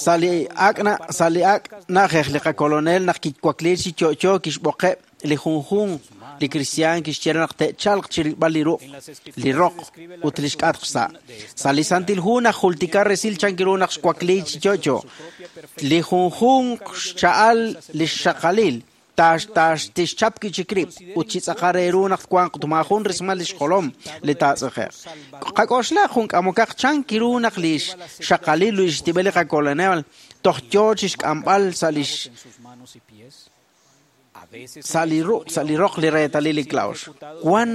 Sa' li ak' na'ajej li qakolonel naq kiwakliik chi yo'yo kixb'oqeb' li junjunq li kristiaan kixye naq te'chalq chi rilb'al li ruq', li roq ut li xk'atq xsa'. Sa' li Santil Hu najultika resil chankiru naq xwakliik chi yo'yo. Li junjunq xcha'al li xxaqalil tixchap chik rib' ut chi tz'aqal re ru naq twanq ut maajun rismal li xjolom li taatz'eqe'q. Qak'oxla jun k'amokaq chankiru naq li xxaqalil li xtib'el li qakolonel toj yoo chi xk'amb'al sa' li sa' li roq li reetalil li klawx. Wan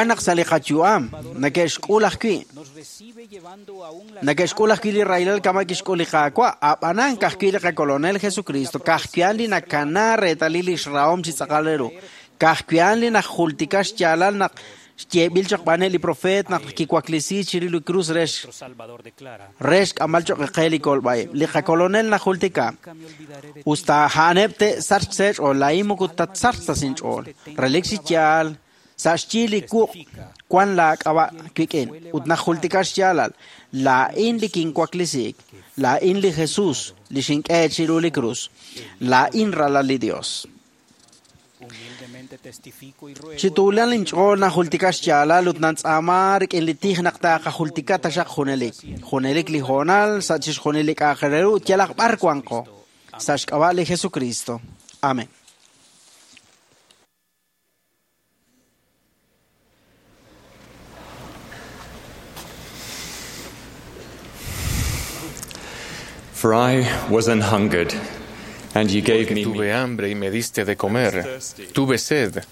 naq sa' li qayu'am neke'xk'ul ajwi' li rahilal kama' kixk'ul li Qaawa', ab'anan ka'ajwi' li qakolonel Jesucristo, ka'ajwi'an li nakana reetalil li xrahom chi tz'aqal re ru, ka'ajwi'an li najultika xyaalal naq xyeeb'il choq' b'aneb' li profeet naq kiwaklisi chirix li krus re xk'amb'al choq' qe li kolb'a'ib'. Li qakolonel najultika usta a'aneb' te'sachq sa' xch'ool, laa'in moko tatsachq ta sa' inch'ool. Relik chi yaal sa' xyi li wuq' wan laak'ab'a' wik'in ut najultika xyaalal laa'in li kinwaklisiik, laa'in li Jesus li xink'e chiru li krus, laa'in ralal li Dios. Chi tuulan inch'ool najultika xyaalal ut nantz'aama rik'in li tij naq taaqajultika taxaq junelik. Junelik li hoonal sa' chixjunil li k'a'aq re ru ut yalaq b'ar wanqo. Sa' xk'ab'a' li Jesucristo. Amén. For I was an hungered, and you gave me Tuve hambre y me diste de comer. Tuve sed.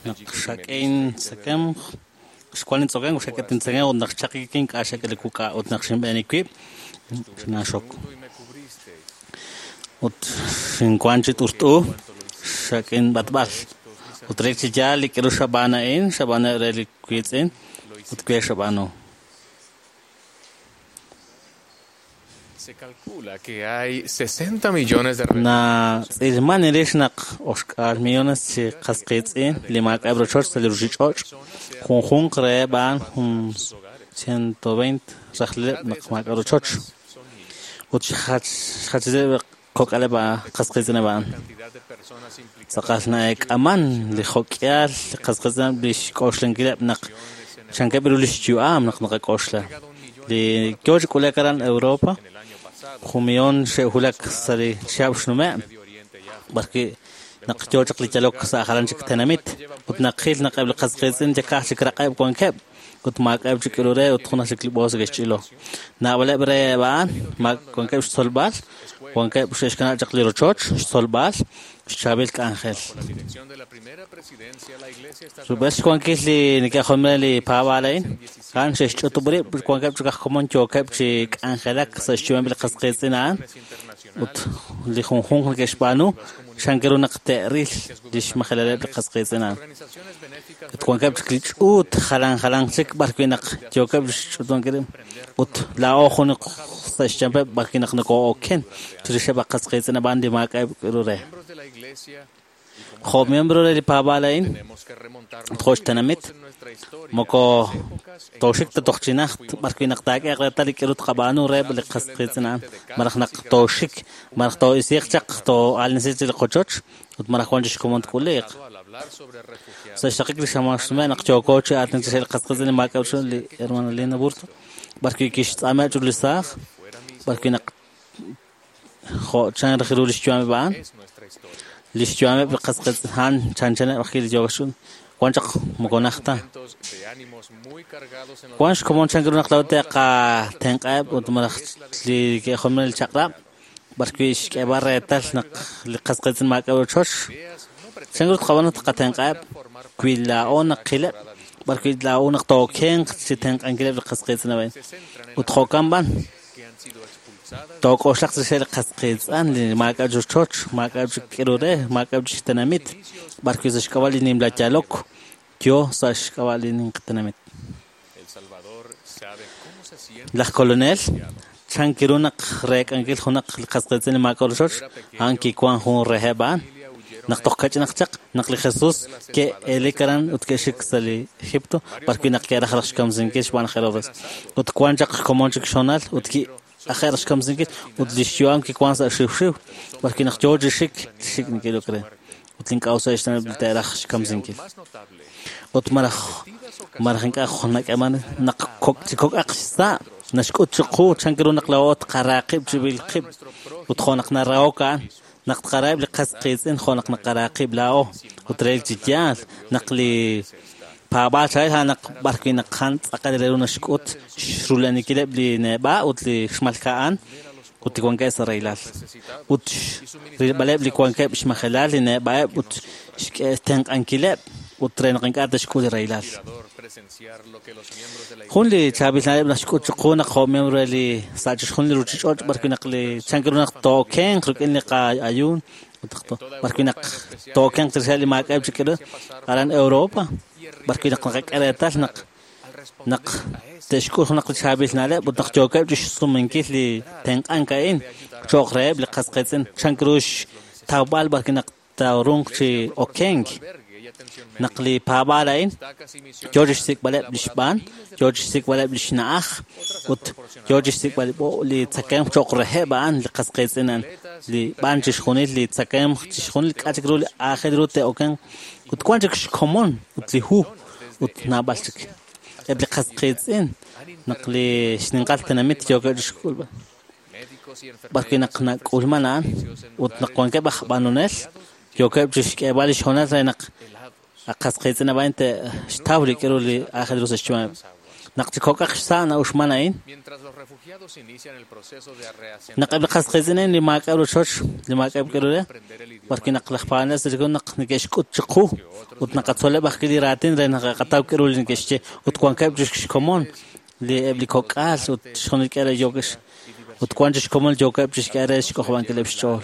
Se calcula que hay 60 millones de Na tz'ilman irix naq oxk'al millones chi qasqitz'in li maak'ab' rochoch sa' li ruchich'och' junjunq reheb' a'an jun 120 rajlileb' naq maak'a' rochoch ut xjachileb' kok'aleb' qasqitz'ineb' a'an. Tz'aqal na'eek'aman li jok'ihal li qasqitz'ineb' li xk'oxlankileb' naq chankeb' ru li xyu'am naq naqak'oxla. Li yoo chi k'ulek aran Europa jun millón xe'wulak sa' li chihab' xnume' b'arwi' naq yoo chaq li yalok sa' jalan chik tenamit ut naqil naq eb' li qasqiitz'in yakaj chik raq'eb' wankeb' ut maak'a'eb' chik k'iru re ut jun aj chik li b'oos ke'xch'ilo. Naab'aleb' reheb' a'an wankeb' xtzolb'al, wankeb' xe'xkanab' chaq li rochoch, xtzolb'al, xchaab'il k'anjel. Rub'el xwankil li neke'jolomil li paab'aal a'in, a'an xe'xch'utub' rib' wankeb' chik aj komon yookeb' chi k'anjelak sa' xyu'ameb' li qasqiitz'in a'an ut li junjunq neke'xb'aanu xankiru naq te'ril li xmajelaleb' li qasqiitz'in a'an. Ut wankeb' chik li ch'uut jalan jalan chik b'arwi' naq yookeb' xch'utunkil ut laa'o jun sa' xchampeb' b'arwi' naq nokoo'oken chirixeb' aj qasqiitz'in a'an li maak'a'eb' k'iru re. Jo' miembro re li paab'aal a'in ut jo' xtenamit moko tooxik ta toj chi najt b'arwi' naq taak'eeq reetal li k'iru tqab'aanu reheb' li qasqiitz'in a'an malaj naq tooxik malaj too'isiiq chaq too'aalnisiiq chi li qochoch ut malaj wan chi xkomon tk'uliiq. Sa' xraqik li xamaan xnume' naq yooko chi aatinak chirix li qasqiitz'in li maak'a'eb' xch'ool li hermana Lina Burto b'arwi' kixtz'aame' chiru li saaj b'arwi' naq jo' chan raj ru li xyu'ameb' a'an li xyu'ameb' li qasqiitz'in a'an chanchaneb' ajwi' li yook xch'ool wan chaq moko najt ta. Wan xkomon chan ru naq laa'o te'qatenq'aheb' ut malaj li ke'jolomil li chaq'rab' b'arwi' xk'eeb'al reetal naq li qasqiitz'in maak'a' rochoch chan ru tqab'aanu tqatenq'aheb' wi laa'o naqileb' b'arwi' laa'o naq tookenq chi tenq'ankileb' li qasqiitz'in a'in ut jo'kan b'an took'oxlaq chirix li qasqiitz'an li maak'a' rochoch maak'a' chik k'iru re maak'a' chik tenamit b'arwi' sa' xk'ab'a' li nimla yalok yoo sa' xk'ab'a' li ninqi tenamit. Laj kolonel Chan kiru naq reek'ankil junaq li qas qiitz'in li maak'a' rochoch, a'an kiwan jun reheb' a'an. Naq toj kach'inaq chaq, naq li Jesus ke'elik aran ut ke'xik sa' li Egipto, b'arwi' naq ke'raj raj xkamsinkil xb'aan laj Herodes. Ut wan chaq xkomon chik xhoonal ut ki'aje' raj xkamsinkil ut lix yu'am kiwan sa' xiwxiw, b'arwi' naq yoo chi xik, li xik' neke'ilok re. Ut li ink'a' us xtenamit li te'raj xkamsinkil. Ut malaj malaj ink'a' nak'eeman naq chi kok'aq xsa' naxk'ut chiqu chan ru naq laa'o tqara qib' chirib'il qib' ut jo' naq narahok a'an naq tqaraheb' li qas qiitz'in jo' naq naqara qib' laa'o ut relik chi yaal naq li paab'aal cha'el a'an naq b'arwi' naq a'an tz'aqal re ru naxk'ut xrula'anikileb' li neb'a' ut li xmalka'an ut li wankeb' sa' rahilal ut rilb'aleb' li wankeb' xmajelal li neb'a'eb' ut xtenq'ankileb' ut re naq ink'a' te'xk'ul li rahilal. Jun li chaab'il na'leb' naxk'ut chiqu naq jo' miembro re li sa' chixjunil li ruchich'och' b'arwi' naq li chan ru naq tookenq rik'in li qa'ayuun ut b'arwi' naq tookenq chirixeb' li maak'a'eb' chik ru aran Europa b'arwi' naq naqak'e reetal naq naq te'xk'ul junaq li chaab'il na'leb' ut naq yookeb' chixsumenkil li tenq'ank a'in cho'q reheb' li qas qiitz'in chan ru xtawb'al b'arwi' naq taarunq chi okenk. Naq li paab'aal a'in yoo chixsik'b'aleb' li xb'aan, yoo chixsik'b'aleb' li xna'aj ut yoo chixsik'b'al li tzakemq cho'q reheb' a'an li qas qiitz'in a'an li b'aan chixjunil li tzakemq chixjunil k'a' chik ru li aajel ru te'okenq ut wan chik xkomon ut li hu ut naab'al chik. Eb' li qas qiitz'in naq li xninqal tenamit yookeb' chixk'ulb'al b'arwi' naq nak'ulman a'an ut naq wankeb' aj b'anonel yookeb' chixk'eeb'al li xhoonal re naq qas qiitz'in ab'an te'xtaw li k'aru li aajel ru sa' xyu'ameb'. Naq chi kok'aq xsa' na'uxman a'in, naq eb' li qas qiitz'in li maak'a'eb' rochoch, li maak'a'eb' k'aru re, b'arwi' naq laj paab'anel sa' naq neke'xk'ut chiqu ut naqatzoleb' ajwi' li raatin re naq qataw k'aru li neke'xye ut wankeb' chik xkomon li eb' li kok'al ut xjunil k'e re yookeb' ut wan chik xkomon yookeb' chixk'e re xk'ojob'ankileb' xch'ool.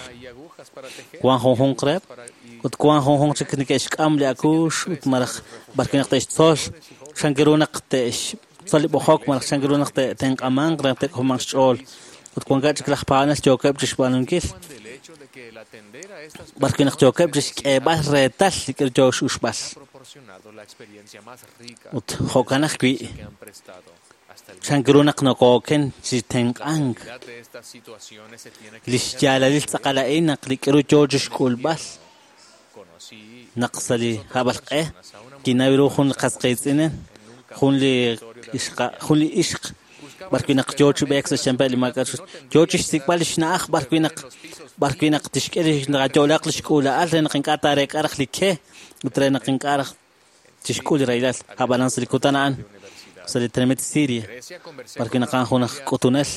Wan junjunq reheb' ut wan junjunq chik neke'xk'am li akuux ut malaj b'arwi' naq te'xtzol chan ru naq te'xtzol li b'ojok malaj chan ru naq te'tenq'amanq re naq te'k'ojob'anq xch'ool ut wankeb' chik laj paab'anel yookeb' chixb'aanunkil b'arwi' naq yookeb' chixk'eeb'al reetal li k'aru yoo x'uxb'al. Ut jo'kan ajwi' chan ru naq nokooken chi tenq'ank li xyaalalil tz'aqal a'in naq li k'aru yoo chixk'ulb'al naq sa' li hab'alq'e kinaw ru jun li qas qiitz'in jun li ixq b'arwi' naq yoo chi b'eek sa' xyanpeb' li maak'a' yoo chixsik'b'al li xna'aj b'arwi' naq tixk'e li yo'laaq li xk'uula'al re naq ink'a' taareek'a raj li ke ut re naq ink'a' raj chixk'ul li rahilal ab'anan sa' li kutan a'an sa' li tenamit Siria b'arwi' naq a'an jun aj k'utunel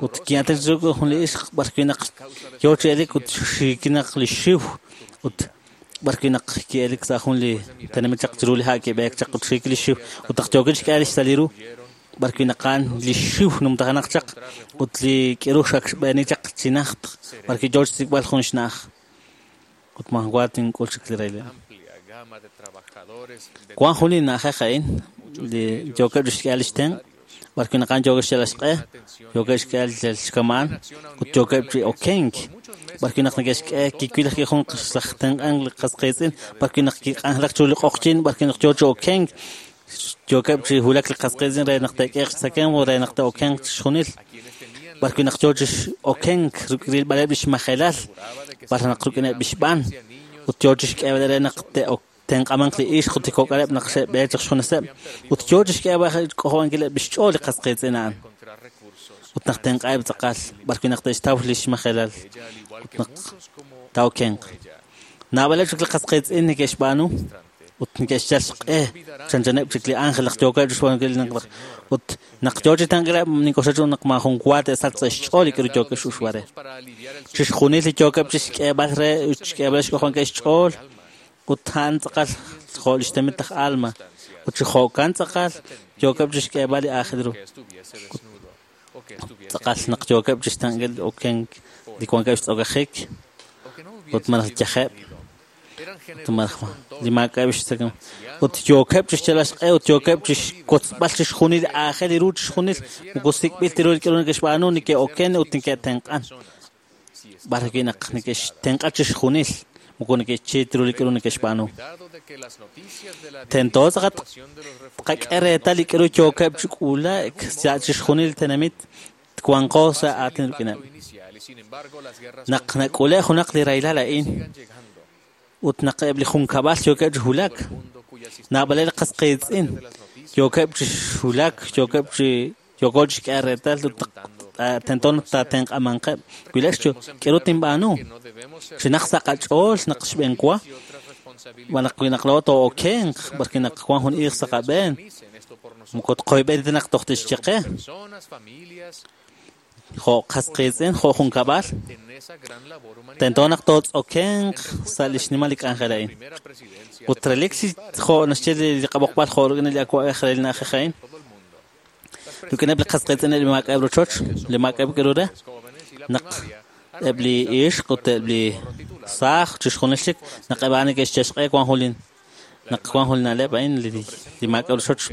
ut ki'aatinak chiru jun li ixq b'arwi' naq yoo chi elik ut xiikinaq li xiw ut b'arwi' naq ki'elik sa' jun li tenamit chaq chiru li ha' kib'eek chaq ut xiik li xiw ut naq yookil xk'e li xsali ru b'arwi' naq a'an li xiw numtajenaq chaq ut li k'aru xak xb'eeni chaq chi najt b'arwi' yoo chixsik'b'al jun xna'aj ut maajun tink'ul chik li rahilal. Wan jun li na'ajej a'in li yookeb' chixk'e li xtenq' b'arwi' naq a'an yookeb' xyal xq'e yookeb' xk'e li xkamaan ut yookeb' chi okenk b'arwi' naq neke'xk'e kiwil ajwi' jun laj tenq'ank li qas qiitz'in b'arwi' naq kik'anjelak chiru li q'oqyin b'arwi' naq yoo chi okenk yookeb' chi wulak li qas qiitz'in re naq te'k'eeq xtzakemq re naq te'okenq chixjunil b'arwi' naq yoo chi okenk rilb'aleb' li xmajelal b'ar naq rik'ineb' li xb'aan ut yoo chixk'eeb'al re naq te'tenq'amanq li ixq ut li kok'aleb' naq xe'b'eek chaq xjuneseb' ut yoo chixk'eeb'al k'ojob'ankileb' li xch'ool li qas qiitz'in a'an ut naq tenq'a'eb' tz'aqal b'arwi' naq te'xtaw li xmajelal ut naq taa'okenq. Naab'aleb' chik li qas qiitz'in neke'xb'aanu ut neke'xyal xq'e chanchaneb' chik li ángel naq yookeb' chixb'aanunkil ut naq yoo chi tenq'ileb' nink'oxla chu naq maajun wa te'sachq sa' xch'ool li k'aru yookeb' x'uxb'al re. Chixjunil li yookeb' chixk'eeb'al re ut chixk'eeb'al xk'ojob'ankil xch'ool ut a'an tz'aqal jo' li xtenamit laj Alma ut chi jo'kan tz'aqal yookeb' chixk'eeb'al li aajel ru. Tz'aqal naq yookeb' chixtenq'il okenk li wankeb' xtz'okajik ut malaj yajeb' Li maak'a'eb' xtzakemq ut yookeb' chixyalb'al xq'e ut yookeb' chixkotzb'al chixjunil aajel ru chixjunil moko sik'b'il ta ru li k'aru neke'xb'aanu neke'oken ut neke'tenq'an b'ar wi' naq neke'xtenq'a chixjunil moko neke'xchiit ru li k'aru neke'xb'aanu. Tento tz'aqat tqak'e reetal li k'aru yookeb' chi k'uulaak sa' chixjunil li tenamit twanqo sa' aatin rik'ineb'. Naq nak'ule' junaq li rahilal a'in ut naq eb' li junkab'al yookeb' chi wulak, naab'aleb' li qas qiitz'in yookeb' chi wulak, yookeb' chi yooko chi xk'e reetal ut tento naq taatenq'amanqeb'. Wilek k'aru tinb'aanu chinaq sa' qach'ool naq xb'eenwa naq wi naq laa'o too'okenq b'arwi' naq wank jun iiq sa' qab'een moko tqoyb'eni ta naq toj tixye qe jo' qas qiitz'in jo' junkab'al tento naq tootz'okenq sa' li xnimal li k'anjel a'in ut relik chi jo' naxye li qab'oqb'al jo' rik'in li awa'b'ej re li na'ajej a'in rik'ineb' li qas qiitz'in li maak'a'eb' rochoch li maak'a'eb' k'aru re naq eb' li ixq ut eb' li saaj chixjunil chik naq eb' a'an neke'xye xq'e wank jun li naq wank jun li na'leb' a'in li maak'a'eb' rochoch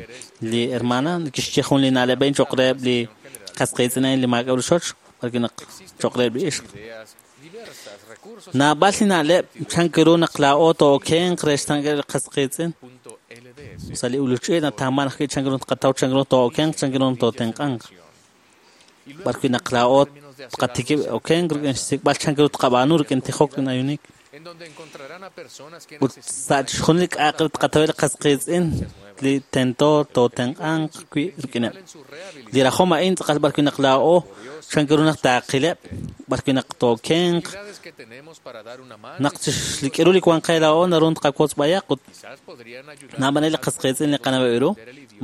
li hermana kixye jun li na'leb' a'in cho'q reheb' li qas qiitz'in a'in li maak'a'eb' rochoch b'arwi' naq cho'q reheb' li ixq. Naab'al li na'leb' chan ru naq laa'o too'okenq re xtenq'ankil li qas qiitz'in sa' li uluch'i nataaman ajwi' chan ru tqataw chan ru too'okenq chan ru tootenq'anq b'arwi' naq laa'o tqatikib' okenq rik'in xsik'b'al chan ru tqab'aanu rik'in tijok rik'in ayuunik ut sa' chixjunil li k'a'aq re tqataweb' li qas qiitz'in li tento tootenq'anq wi' rik'ineb'. Li rajom a'in tz'aqal b'arwi' naq laa'o chan ru naq taaqileb' b'arwi' naq tookenq naq li k'aru li wank qe laa'o naru tqawotz b'ayaq ut naab'aleb' li qas qiitz'in li qanaweb' ru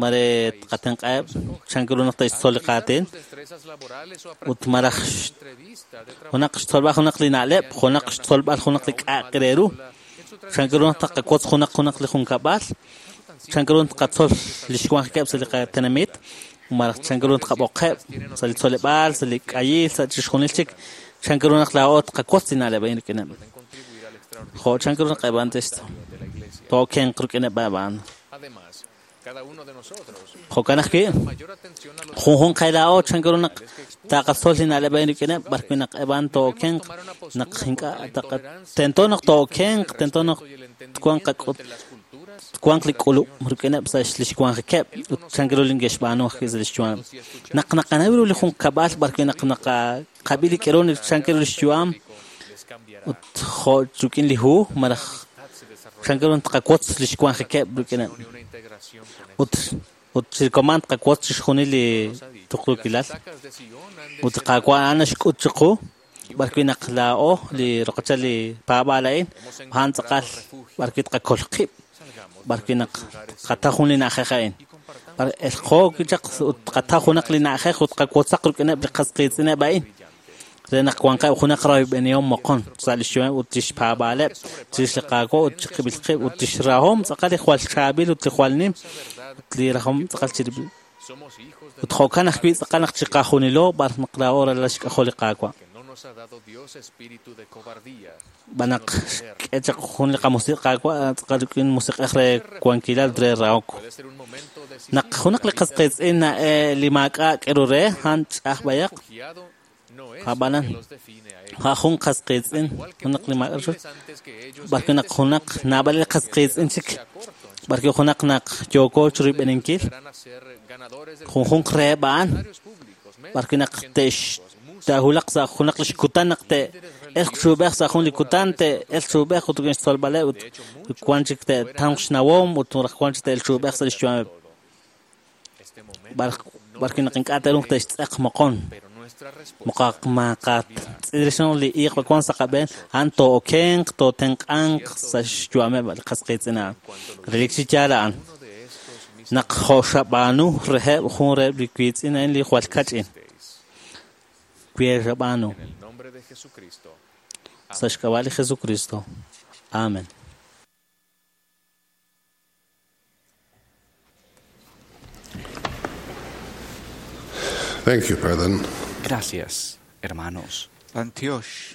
mare tqatenq'aheb' chan ru naq te'xtzol li qaatin ut malaj junaq xtzolb'al junaq li na'leb' junaq xtzolb'al junaq li k'a'aq re ru chan ru naq tqawotz junaq li junkab'al chan ru tqatzol li xwanjikeb' sa' li qatenamit malaj chan ru tqab'oqeb' sa' li tzoleb'aal sa' li k'ayil sa' chixjunil chik chan ru naq laa'o tqawotz li na'leb' a'in rik'ineb' jo' chan ru naq eb' a'an tookenq rik'ineb' a'an. Jo'kan ajwi' junjunq qe laa'o chan ru naq taqatzol li na'leb' a'in rik'ineb' b'arwi' naq eb' a'an tookenq naq ink'a' tento naq tookenq tento naq twanq qak'ut twanq li k'ulub' rik'ineb' sa' li xwanjikeb' ut chan ru li neke'xb'aanu ajwi' sa' li xyu'am. Naq naqanaw ru li junkab'al b'arwi' naq naqab'i li k'aru chan ru li xyu'am ut jo' rik'in li hu malaj chan ru tqawotz li xwanjikeb' rik'ineb' ut chirikoman tqawotz chixjunil li tuqtuukilal ut li Qaawa' a'an naxk'ut chiqu b'arwi' naq laa'o li roqechal li paab'aal a'in a'an tz'aqal b'arwi' tqakol qib' b'arwi' naq tqataw jun li na'ajej a'in elqo chaq ut tqataw junaq li na'ajej ut tqawotzaq rik'ineb' li qas qiitz'ineb' a'in re naq wanqeb' junaq royb'enihom moqon sa' li xyu'am ut lix paab'aaleb' chirix li Qaawa' ut chiqib'il qib' ut lix rahom tz'aqal li jwal chaab'il ut li jwal nim ut li rahom tz'aqal chirib'il ut jo'kan ajwi' tz'aqal naq chiqajunilo b'ar naq laa'o ralal xk'ajol li Qaawa'. B'an naq xk'e chaq jun li qamusiq Qaawa' tz'aqal rik'in musiq'ej re wankilal re rahok. Naq junaq li qas qiitz'in li maak'a' k'aru re a'an ch'aj b'ayaq ab'anan a' jun qas qiitz'in junaq li maak'a' rochoch b'arwi' naq junaq naab'al li qas qiitz'in chik b'arwi' junaq naq yooko chirib'eninkil junjunq reheb' a'an b'arwi' naq te'xtaahulaq sa' junaq li xkutan naq te'elq chuub'ej sa' jun li kutan te'elq chuub'ej ut rik'in xtzolb'aleb' ut wank chik te'tamq xnawom ut wank chik te'elq chuub'ej sa' li xyu'ameb' b'arwi' naq ink'a' te'ruuq te'xtz'eq moqon maqatz'ilrix li iiq wank sa' qab'een a'an too'okenq tootenq'anq sa' xyu'ameb' li qas qiitz'in a'an relik chi yaal a'an naq jo' xab'aanu reheb' jun reheb' li wiitz'in a'in li jwal kach'in wi xab'aanu sa' xk'ab'a' li Jesucristo. Amen. Thank you, brethren. Gracias, hermanos. Antioch,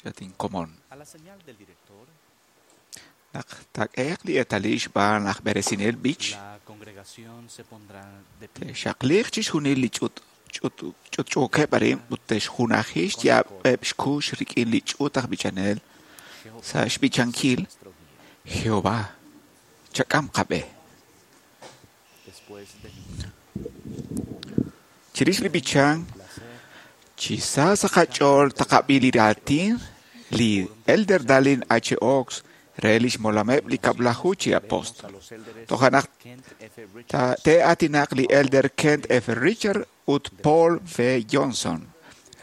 Latin común. A la señal del director, Naq taak'ehe'q li eetalil xb'aan aj b'eresinel b'ich, te'xaqliiq chixjunil li ch'utch'uukeb' arin ut te'xjunaji xyaab'eb' xkux rik'in li ch'uut aj b'ichanel sa' xb'ichankil Jehová, chak'am qab'e. Chirix li b'ichank, chi sa sa' qach'ool taqab'i li raatin li Elder Dallin H. Oaks re lix molameb' li kab'laju chi apóstol. Toja' naq te'aatinaq li Elder Kent F. Richards ut Paul V. Johnson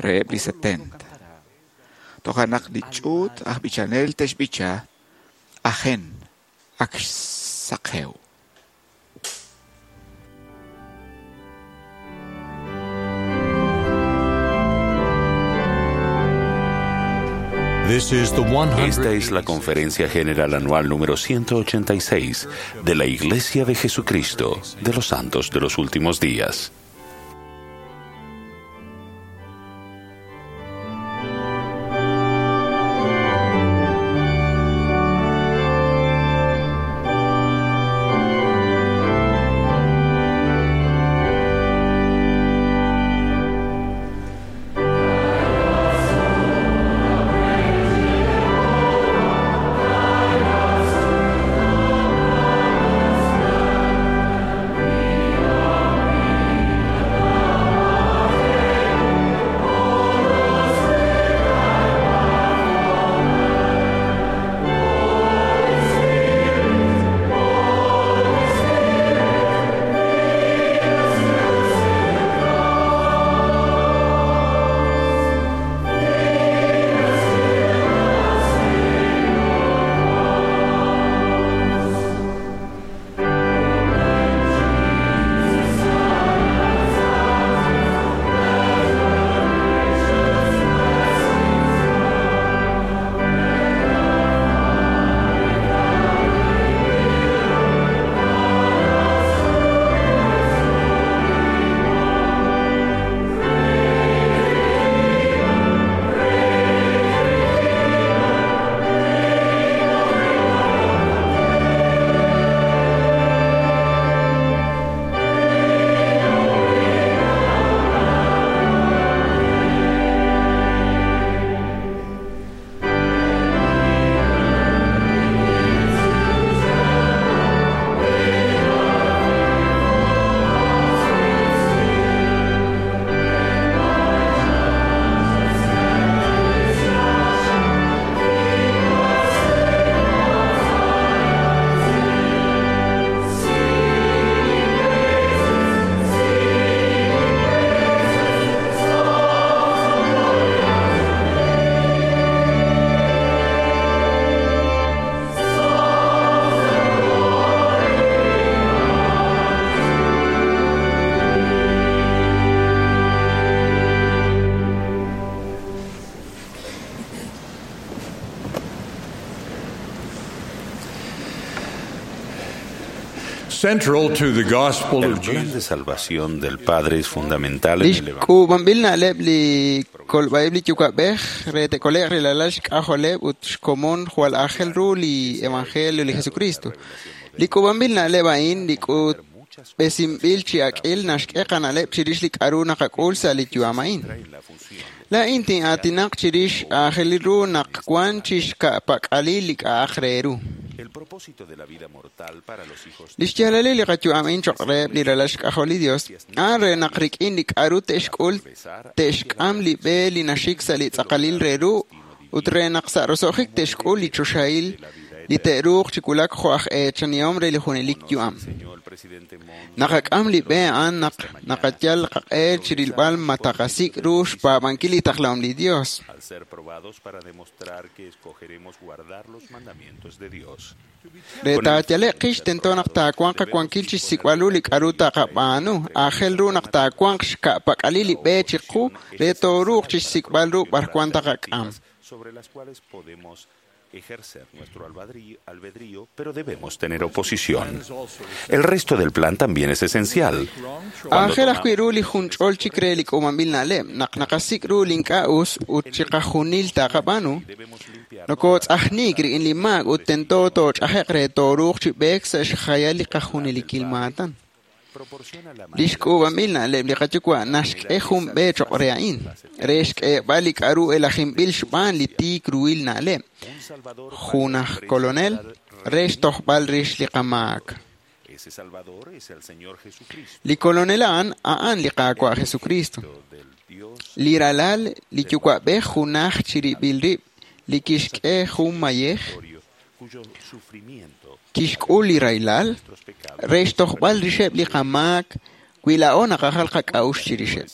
reheb' li 70. Toja' naq li ch'uut aj b'ichanel te'xb'icha Ajen, ak xsaqew. Esta es la Conferencia General Anual número 186 de la Iglesia de Jesucristo de los Santos de los Últimos Días. Central to the gospel El of plan Jesus de salvación del Padre es fundamental en Lix el Evangelio. k'uub'anb'il na'leb' li kolb'a'ib' li yuwa'b'ej re te'kole'q rilalal xk'ajoleb' ut xkomon jwal aajel ru li evangelio li Jesucristo. Li k'uub'anb'il na'leb' a'in li k'utb'esinb'il chi ak'il naxk'e qana'leb' chirix li k'a'ru naqak'ul sa' li yu'am a'in. Laa'in tin'aatinaq chirix aajelil ru naq wan chixka'pak'alil li k'a'aq re ru. El propósito de la vida mortal para los hijos Lix yaalalil li qayu'am a'in choq' reheb' li ralal xk'ajol li Dios, a'an re naq rik'in li k'a'ru te'xk'ul, te'xk'am li b'e li naxik sa' li tz'aqalil re ru ut re naq sa' roso'jik te'xk'ul li choxahil li te'ruuq chi wulak jo' aj eechanihom re li junelik yu'am. Naqak'am li b'e a'an naq naqayal qaq'e chirilb'al ma taqasik' ru xpaab'ankil li taqlahom li Dios. al ser probados para demostrar que escogeremos guardar los mandamientos de Dios. Re taayale'q qix tento naq taawanq qawankil chixsik'b'al ru li k'a'ru taqab'aanu. Aajel ru naq taawanq xka'pak'alil li b'e chiqu re tooruuq chixsik'b'al ru b'arwan taqak'am. Sobre las cuales podemos Ejercer nuestro albedrío, pero debemos tener oposición. El resto del plan también es esencial. Aajel ajwi' ru li junch'ol chik re li k'uub'anb'il na'leb' naq naqasik' ru li ink'a' us ut chiqajunil taqab'aanu. Nokotz'ajniik rik'in li maak ut tento tooch'aje'q re tooruuq chi b'eek sa' xjayal li qajunelikil maatan. Li xk'uub'anb'il na'leb' li qayuwa' naxk'e jun b'e choq' re a'in, re xk'eeb'al li k'a'ru elajinb'il xb'aan li tiik ruhil na'leb', jun aj kolonel re xtojb'al rix li qamaak. Li kolonel a'an, a'an li Qaawa' Jesucristo. Li ralal li yuwa'b'ej junaj chirib'il rib' li kixk'e jun mayej, kixk'ul li rahilal re xtojb'al rixeb' li qamaak wi laa'o naqajal qak'a'uxl chirixeb'.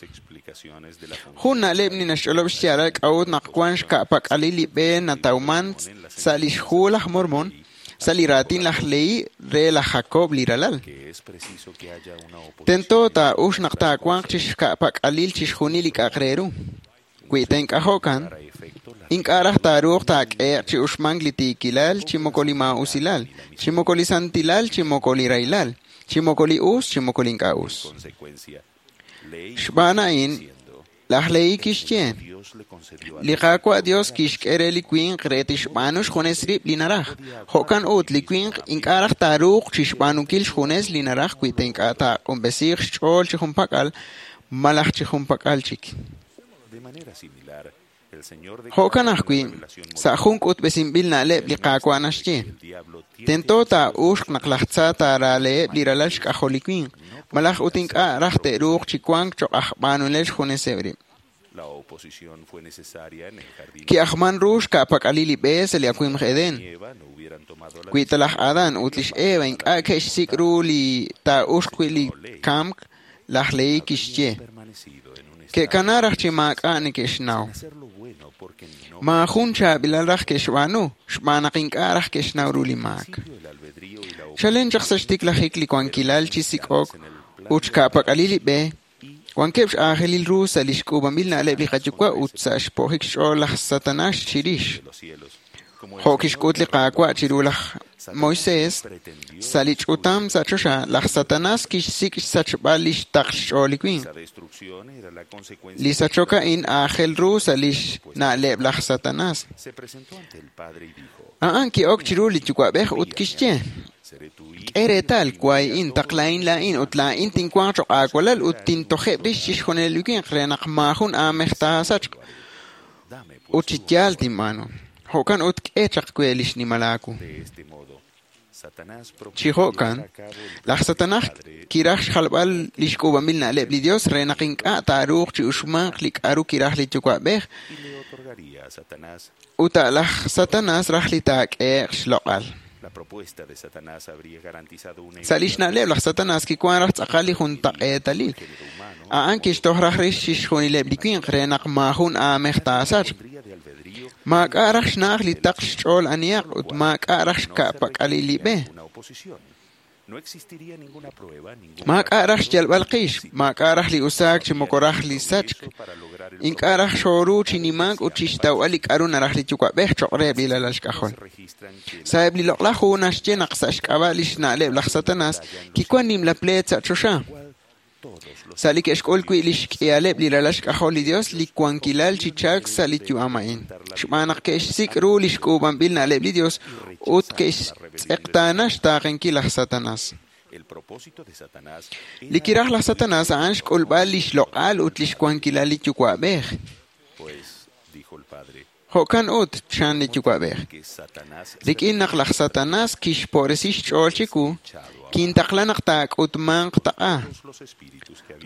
Jun na'leb' li naxch'olob' xyaalal k'a'ut naq wan xka'pak'alil li b'e natawman sa' lix hu laj Mormon, sa' li raatin laj Lehi re laj Jacob li ralal. Tento taa'ux naq taawanq chixka'pak'alil chixjunil li k'a'aq re ru. Wi ta ink'a' jo'kan, ink'a' raj taaruuq taak'ehe'q chi uxmank li tiikilal chi moko li maa'usilal, chi moko li santilal chi moko li rahilal, chi moko li us chi moko li ink'a' us. Xb'aan a'in, laj Lehi kixye, li Qaawa' Dios kixk'e re li winq re tixb'aanu xjunes rib' li naraj. Jo'kan ut, li winq ink'a' raj taaruuq chixb'aanunkil xjunes li naraj wi ta ink'a' taaq'unb'esiiq xch'ool chi junpak'al malaj chi junpak'al chik. Jo'kan ajwi', sa' jun k'utb'esinb'il na'leb' li Qaawa' naxye, tento taa'uxq naq laj tza taaraaleheb' li ralal xk'ajol li winq, malaj ut ink'a' raj te'ruuq chi wank choq' aj b'aanunel xjuneseb' rib'. Ki'ajman ru xka'pak'alil li b'e sa' li awimq Edén. Wi ta laj Adán ut lix Eva ink'a' ke'xsik' ru li taa'uxq wi' li kamk, laj Lehi kixye, ke'kana raj chi maak'a' neke'xnaw. Maajun chaab'ilal raj ke'xb'aanu, xb'aan naq ink'a' raj ke'xnaw ru li maak. Chalen chaq sa' xtiklajik li wankilal chi sik'ok ut xka'pak'alil li b'e, wankeb' x'aajelil ru sa' li xk'uub'anb'il na'leb' li qayuwa' ut sa' xpo'jik xch'ool laj Satanas chirix. Jo' kixk'ut li Qaawa' chiru laj Moisés, sa' li ch'utam sa' choxa, laj Satanas kixsik' xsachb'al li xtaql xch'ool li winq. Li sachok a'in aajel ru sa' lix na'leb' laj Satanas. A'an ki'ok chiru li yuwa'b'ej ut kixye, k'e reetal, wahi'in, taqlahin laa'in ut laa'in tinwanq choq' aawalal ut tintojeb' rix chixjunil li winq re naq maajun aamej taasachq ut chi yaal tinb'aanu. Jo'kan ut k'e chaq we li xnimal aawu. Chi jo'kan, laj Satanas kiraj xjalb'al li xk'uub'anb'il na'leb' li Dios re naq ink'a' taaruuq chi uxmanq li k'a'ru kiraj li yuwa'b'ej ut a' laj Satanas raj li taak'ehe'q xloq'al. Sa' lix na'leb' laj Satanas kiwan raj tz'aqal li juntaq'eetalil. A'an kixtoj raj rix chixjunileb' li winq re naq maajun aamej taasachq. Maak'a' raj xna'aj li taql xch'ool anihaq ut maak'a' raj xka'pak'alil li b'e. Maak'a' raj xyalb'al qix, maak'a' raj li usaak chi moko raj li sachk. Ink'a' raj xooru chi nimank ut chixtawb'al li k'a'ru naraj li yuwa'b'ej choq' reheb' li ralal xk'ajol. Sa'eb' li loq'laj hu naxye naq sa' xk'ab'a' lix na'leb' laj Satanas kiwan nimla pleet sa' choxa. Sa' li ke'xk'ul wi' lix k'ihaleb' li ralal xk'ajol li Dios li wankilal chi chalk sa' li yu'am a'in. Xb'aan naq ke'xsik' ru li xk'uub'anb'il na'leb' li Dios ut ke'xtz'eqtaana xtaaqenkil laj Satanas. Li kiraj laj Satanas a'an xk'ulb'al lix loq'al ut lix wankilal li yuwa'b'ej. Jo'kan ut, chan li yuwa'b'ej. Rik'in naq laj Satanas kixpo'resi xch'ool chiwu, kintaqla naq taak'utmanq taq'a.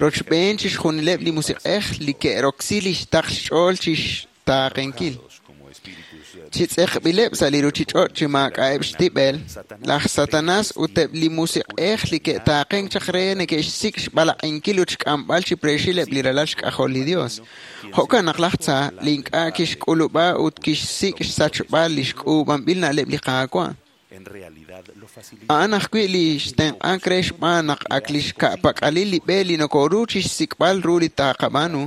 Rochb'een chixjunileb' li musiq'ej li ke'roksi li xtaql xch'ool chixtaaqenkil. Chi tz'eqb'ileb' sa' li ruchich'och' chi maak'a'eb' xtib'el, laj Satanas ut eb' li musiq'ej li ke'taaqenk chaq re neke'xsik' xb'alaq'inkil ut xk'amb'al chi preexil eb' li ralal xk'ajol li Dios. Jo'kan naq laj Tza li ink'a' kixk'ulub'a ut kixsik' xsachb'al li xk'uub'anb'il na'leb' li Qaawa'. A'an ajwi' li xtenq'ank re xb'aan naq ak li xka'pak'alil li b'e li nokoru chixsik'b'al ru li taqab'aanu,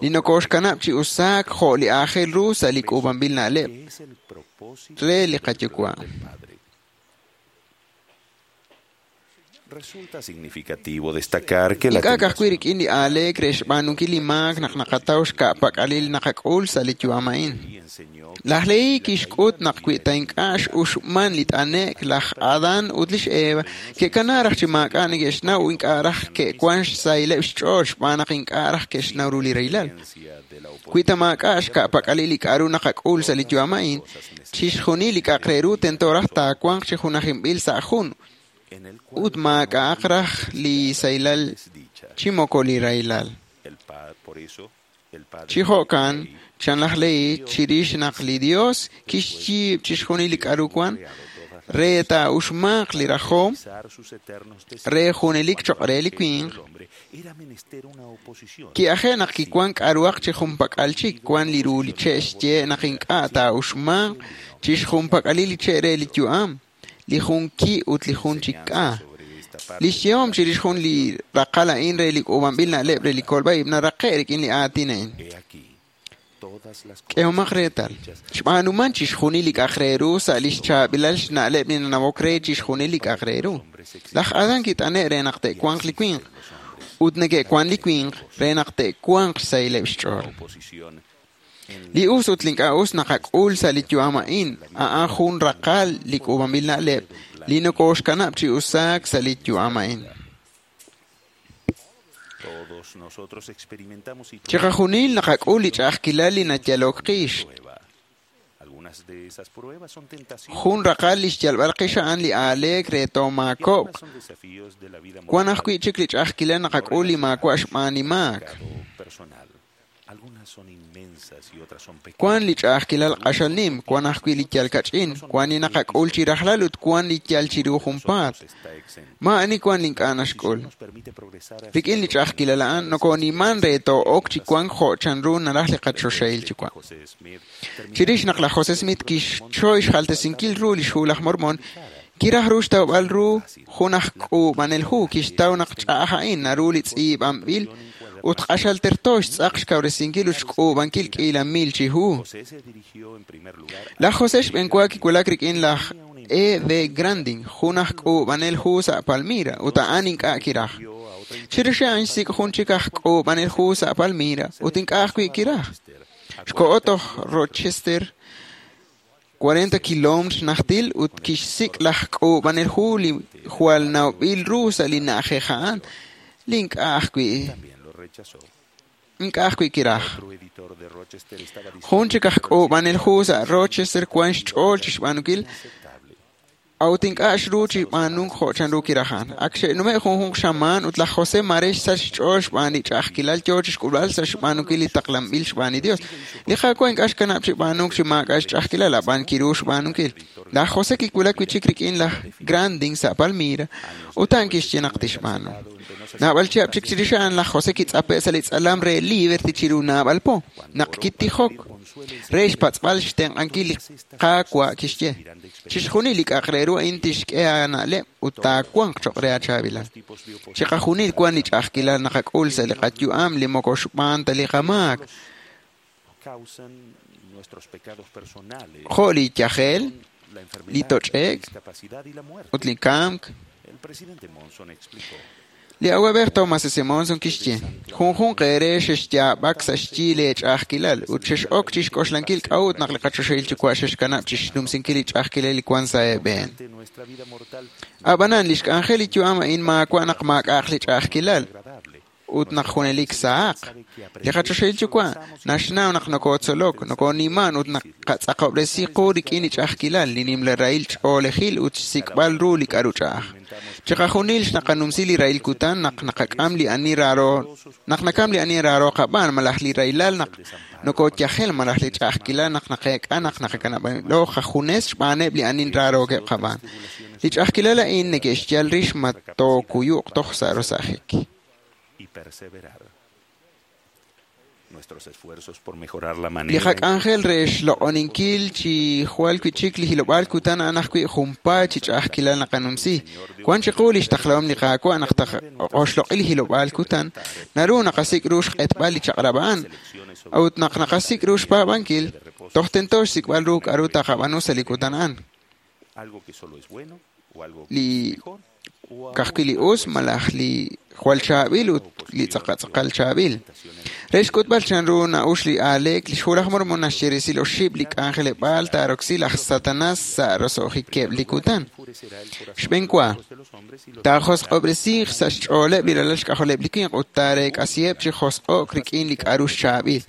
li nokoxkanab' chi usaak jo' li aajel ru sa' li k'uub'anb'il na'leb'. re li qaYuwa'. Resulta significativo destacar que la Ink'a' ka'ajwi' rik'in li aaleek re xb'aanunkil li maak naq naqataw xka'pak'alil naqak'ul sa' li yu'am a'in. Laj Lehi kixk'ut naq wi ta ink'a' x'uxman li t'ane'k, laj Adan ut lix Eva ke'kana raj chi maak'a' neke'xnaw ink'a' raj ke'wan xsahileb' xch'ool xb'aan naq ink'a' raj ke'xnaw ru li rahilal. Wi ta maak'a' xka'pak'alil li k'a'ru naqak'ul sa' li yu'am a'in, chixjunil li k'a'aq re ru tento raj taawanq chi junajinb'il sa' jun ut maak'a'aq raj li sahilal chi moko li rahilal. Chi jo'kan, chan laj Lehi chirix naq li Dios kixyiib' chixjunil li k'a'ru wan, re taa'uxmanq li rajom re junelik choq' re li winq, ki'aje' naq kiwan k'a'ruhaq chi junpak'al chik wan li ru li che' xye naq ink'a' taa'uxmanq chixjunpak'alil li che' re li yu'am, li jun ki' ut li jun chik k'a. Li xyehom chirix jun li raqal a'in re li k'uub'anb'il na'leb' re li kolb'a-ib' naraqe' rik'in li aatin a'in. K'ehomaq reetal. Xb'aanuman chixjunil li k'a'aq re ru sa' lix chaab'ilal xna'leb' li nanawok re chixjunil li k'a'aq re ru. Laj Adan kit'ane' re naq te'wanq li winq, ut neke'wan li winq re naq te'wanq xsahileb' xch'ool. Li us ut li ink'a' us naqak'ul sa' li yu'am a'in, a'an jun raqal li k'uub'anb'il na'leb' li nokoxkanab' chi usaak sa' li yu'am a'in. Chiqajunil naqak'ul li ch'a'ajkilal li nayalok qix. Jun raqal li xyalb'al qix a'an li aaleek re toomaakob'q. Wan ajwi' chik li ch'a'ajkilal naqak'ul li maawa' xb'aan li maak. Wan li ch'a'ajkilal q'axal nim, wan ajwi' li yal kach'in, wan li naqak'ul chi rajlal ut wan li yal chiru junpaat. Maa'ani wan li ink'a' naxk'ul. Rik'in li ch'a'ajkilal a'an, nokoniman re too'ok chi wank jo' chanru naraj li qachoxahil Yuwa'. Chirix naq laj Jose Smith kixchoy xjaltesinkil ru lix hu laj Mormon, kiraj ru xtawb'al ru jun aj k'uub'anel hu kixtaw naq ch'a'aj a'in naru li tz'iib'anb'il ut q'axal terto xtz'aq xkawresinkil ut xk'uub'ankil k'iila mil chi hu. Laj Jose xb'enwa kiwulak rik'in laj E. V. Grandin, jun aj k'uub'anel hu sa' Palmyra, ut a'an ink'a' kiraj. Chirix a'an xsik' jun chik aj k'uub'anel hu sa' Palmyra, ut ink'a' ajwi' kiraj. Xko'o toj Rochester, 40 kiloometr xnajtil ut kixsik' laj k'uub'anel hu li jwal nawb'il ru sa' li na'ajej a'an, li ink'a' ajwi' kiraj. Jun chik aj k'uub'anel hu sa' Rochester wan xch'ool chixb'aanunkil, a'ut ink'a' xru chi b'aanunk jo' chanru kiraj a'an. Ak xe'nume' junjunq xamaan ut laj Jose mare xsach xch'ool xb'aan li ch'a'ajkilal yoo chixk'ulb'al sa' xb'aanunkil li taqlanb'il xb'aan li Dios. Li Qaawa' ink'a' xkanab' chi b'aanunk chi maak'a' xch'a'ajkilal, ab'an kiru xb'aanunkil. Laj Jose kiwulak wi' chik rik'in laj Grandin sa' Palmyra, ut a'an kixye naq tixb'aanu. Naab'al chihab' chik chirix a'an laj Jose kitz'ape' sa' li tz'alam re Liberty chiru naab'al po, naq kitijok re xpatz'b'al xtenq'ankil li Qaawa' kixye. Chixjunil li k'a'aq re ru a'in tixk'e aana'leb' ut taawanq choq' re aachaab'ilal. Chiqajunil wan li ch'a'ajkilal naqak'ul sa' li qayu'am li moko xb'aan ta li qamaak. Jo' li yajel, li toch'e'k, ut li kamk. Li awab'ej Thomas S. Monson kixye, junjunq eere xexyaab'ak sa' xyi leech'a'ajkilal ut xex'ok chixk'oxlankil k'a'ut naq li qachoxahil Yuwa' xexkanab' chixnumsinkil li ch'a'ajkilal li wan sa' eeb'een. Ab'anan, li xk'anjel li yu'am a'in maawa' naq maak'a'aq li ch'a'ajkilal ut naq junelik sahaq. Li qachoxahil Yuwa' naxnaw naq nokotzolok, nokoniman ut naqatz'aqob'resi qu rik'in li ch'a'ajkilal, li nimla rahil ch'oolejil ut xsik'b'al ru li k'a'ru ch'a'aj. Chiqajunil xnaqanumsi li rahil kutan naq naqak'am li ani raaro, naq nakam li ani raaro qab'aan malaj li rahilal naq nokoyajel malaj li ch'a'ajkilal naq naqeek'a naq naqakanab'lo qajunes xb'aaneb' li ani raarookeb' qab'aan. Li ch'a'ajkilal a'in neke'xyal rix ma tookuyuq toj sa' rosajik. Y perseverar. Li qak'anjel re xloq'oninkil chi jwal wi'chik li hilob'aal kutan a'an ajwi' junpaat chi ch'a'ajkilal naqanumsi. Wan chiqu lix taqlahom li Qaawa' naq taqoxloq'i li hilob'aal kutan, naru naqasik' ru xq'etb'al li chaq'rab' a'an. A'ut naq naqasik' ru xpaab'ankil, toj tento xsik'b'al ru k'a'ru taqab'aanu sa' li kutan a'an. Li ka'ajwi' li us malaj li jwal chaab'il ut li tz'aqal chaab'il. Re xk'utb'al chanru na'ux li aaleek, lix Hu laj Mormon naxye resil oxib' li k'anjeleb'aal taaroksi laj Satanas sa' roso'jikeb' li kutan. Xb'een wa, taajosq'ob'resiiq sa' xch'ooleb' li ralal xk'ajoleb' li winq ut taareek'asiheb' chi josq'o'k rik'in li k'a'ru xchaab'il.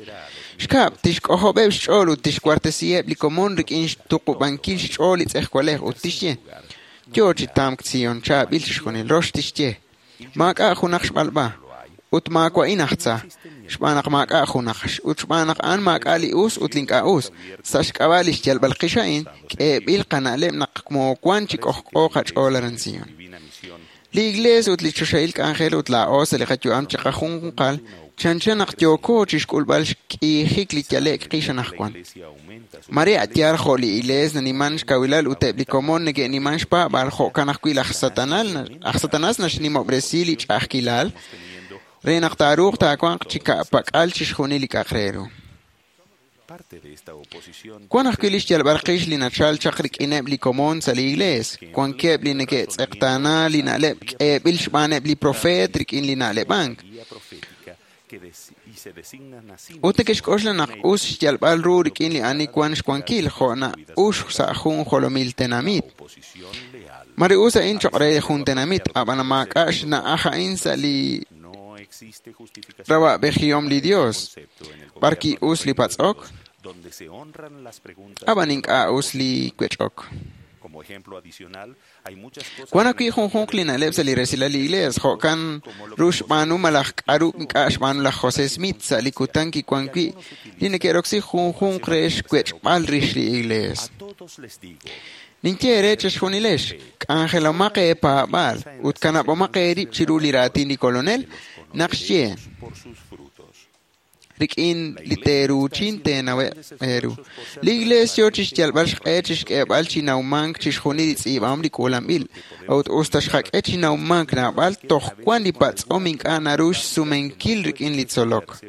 Xkab', tixk'ojob'eb' xch'ool ut tixwartesiheb' li komon rik'in xtuqub'ankil xch'ool li tz'ejwalej ut tixye: Yo chi tamk Sion, chaab'il chixjunil. Rox tixye: Maak'a' junaq xb'alb'a, ut maawa'in aj tza, xb'aan naq maak'a' junaq, ut xb'aan naq a'an maak'a' li us ut li ink'a' us. Sa' xk'ab'a' li xyalb'al qix a'in, k'eeb'il qana'leb' naq moowan chi k'ojk'o qach'ool aran Sion. Li Iglees ut li choxahil k'anjel ut laa'o sa' li qayu'am chiqajunjunqal chanchan naq yooko chixk'ulb'al xk'iijik li yale'k qix anaqwan. Mare a'yaal jo' li Iglees naniman xkawilal ut eb' li komon neke'niman xpaab'aal, jo'kan ajwi' laj Satanas naxnimob'resi li ch'a'ajkilal re naq taaruuq taawanq chi ka'pak'al chixjunil li k'a'aq re ru. Wan ajwi' li xyalb'al qix li nachal chaq rik'ineb' li komon sa' li Iglees. Wankeb' li neke'tz'eqtaana li na'leb' k'eeb'il xb'aaneb' li profeet rik'in li na'leb'ank. Ut neke'xk'oxla naq us xyalb'al ru rik'in li ani wan xwankil jo' na'ux sa' jun jolomil tenamit. Mare us a'in choq' re jun tenamit, ab'an maak'a' xna'aj a'in sa' li rawa'b'ejihom li Dios. B'arki us li patz'ok, ab'an ink'a' us li wech'ok. Wan ajwi' junjunq li na'leb' sa' li resilal li Iglees, jo'kan ru xb'aanu malaj k'a'ru ink'a' xb'aanu laj José Smith sa' li kutan kiwan wi' li neke'roksi junjunq re xwech'b'al rix li Iglees. Ninye eere chixjunilex, k'anjelomaq eepaab'aal ut kanab'omaq eerib' chiru li raatin li Kolonel naq xye: Rik'in li teeruuchin teenaweb' eeru. Li Iglees yo chixyalb'al xq'e chixk'eeb'al chi nawmank chixjunil li tz'iib'ahom li k'uulanb'il. A'ut us ta xqak'e chi nawmank naab'al, toj wan li patz'om ink'a' naru xsumenkil rik'in li tzolok.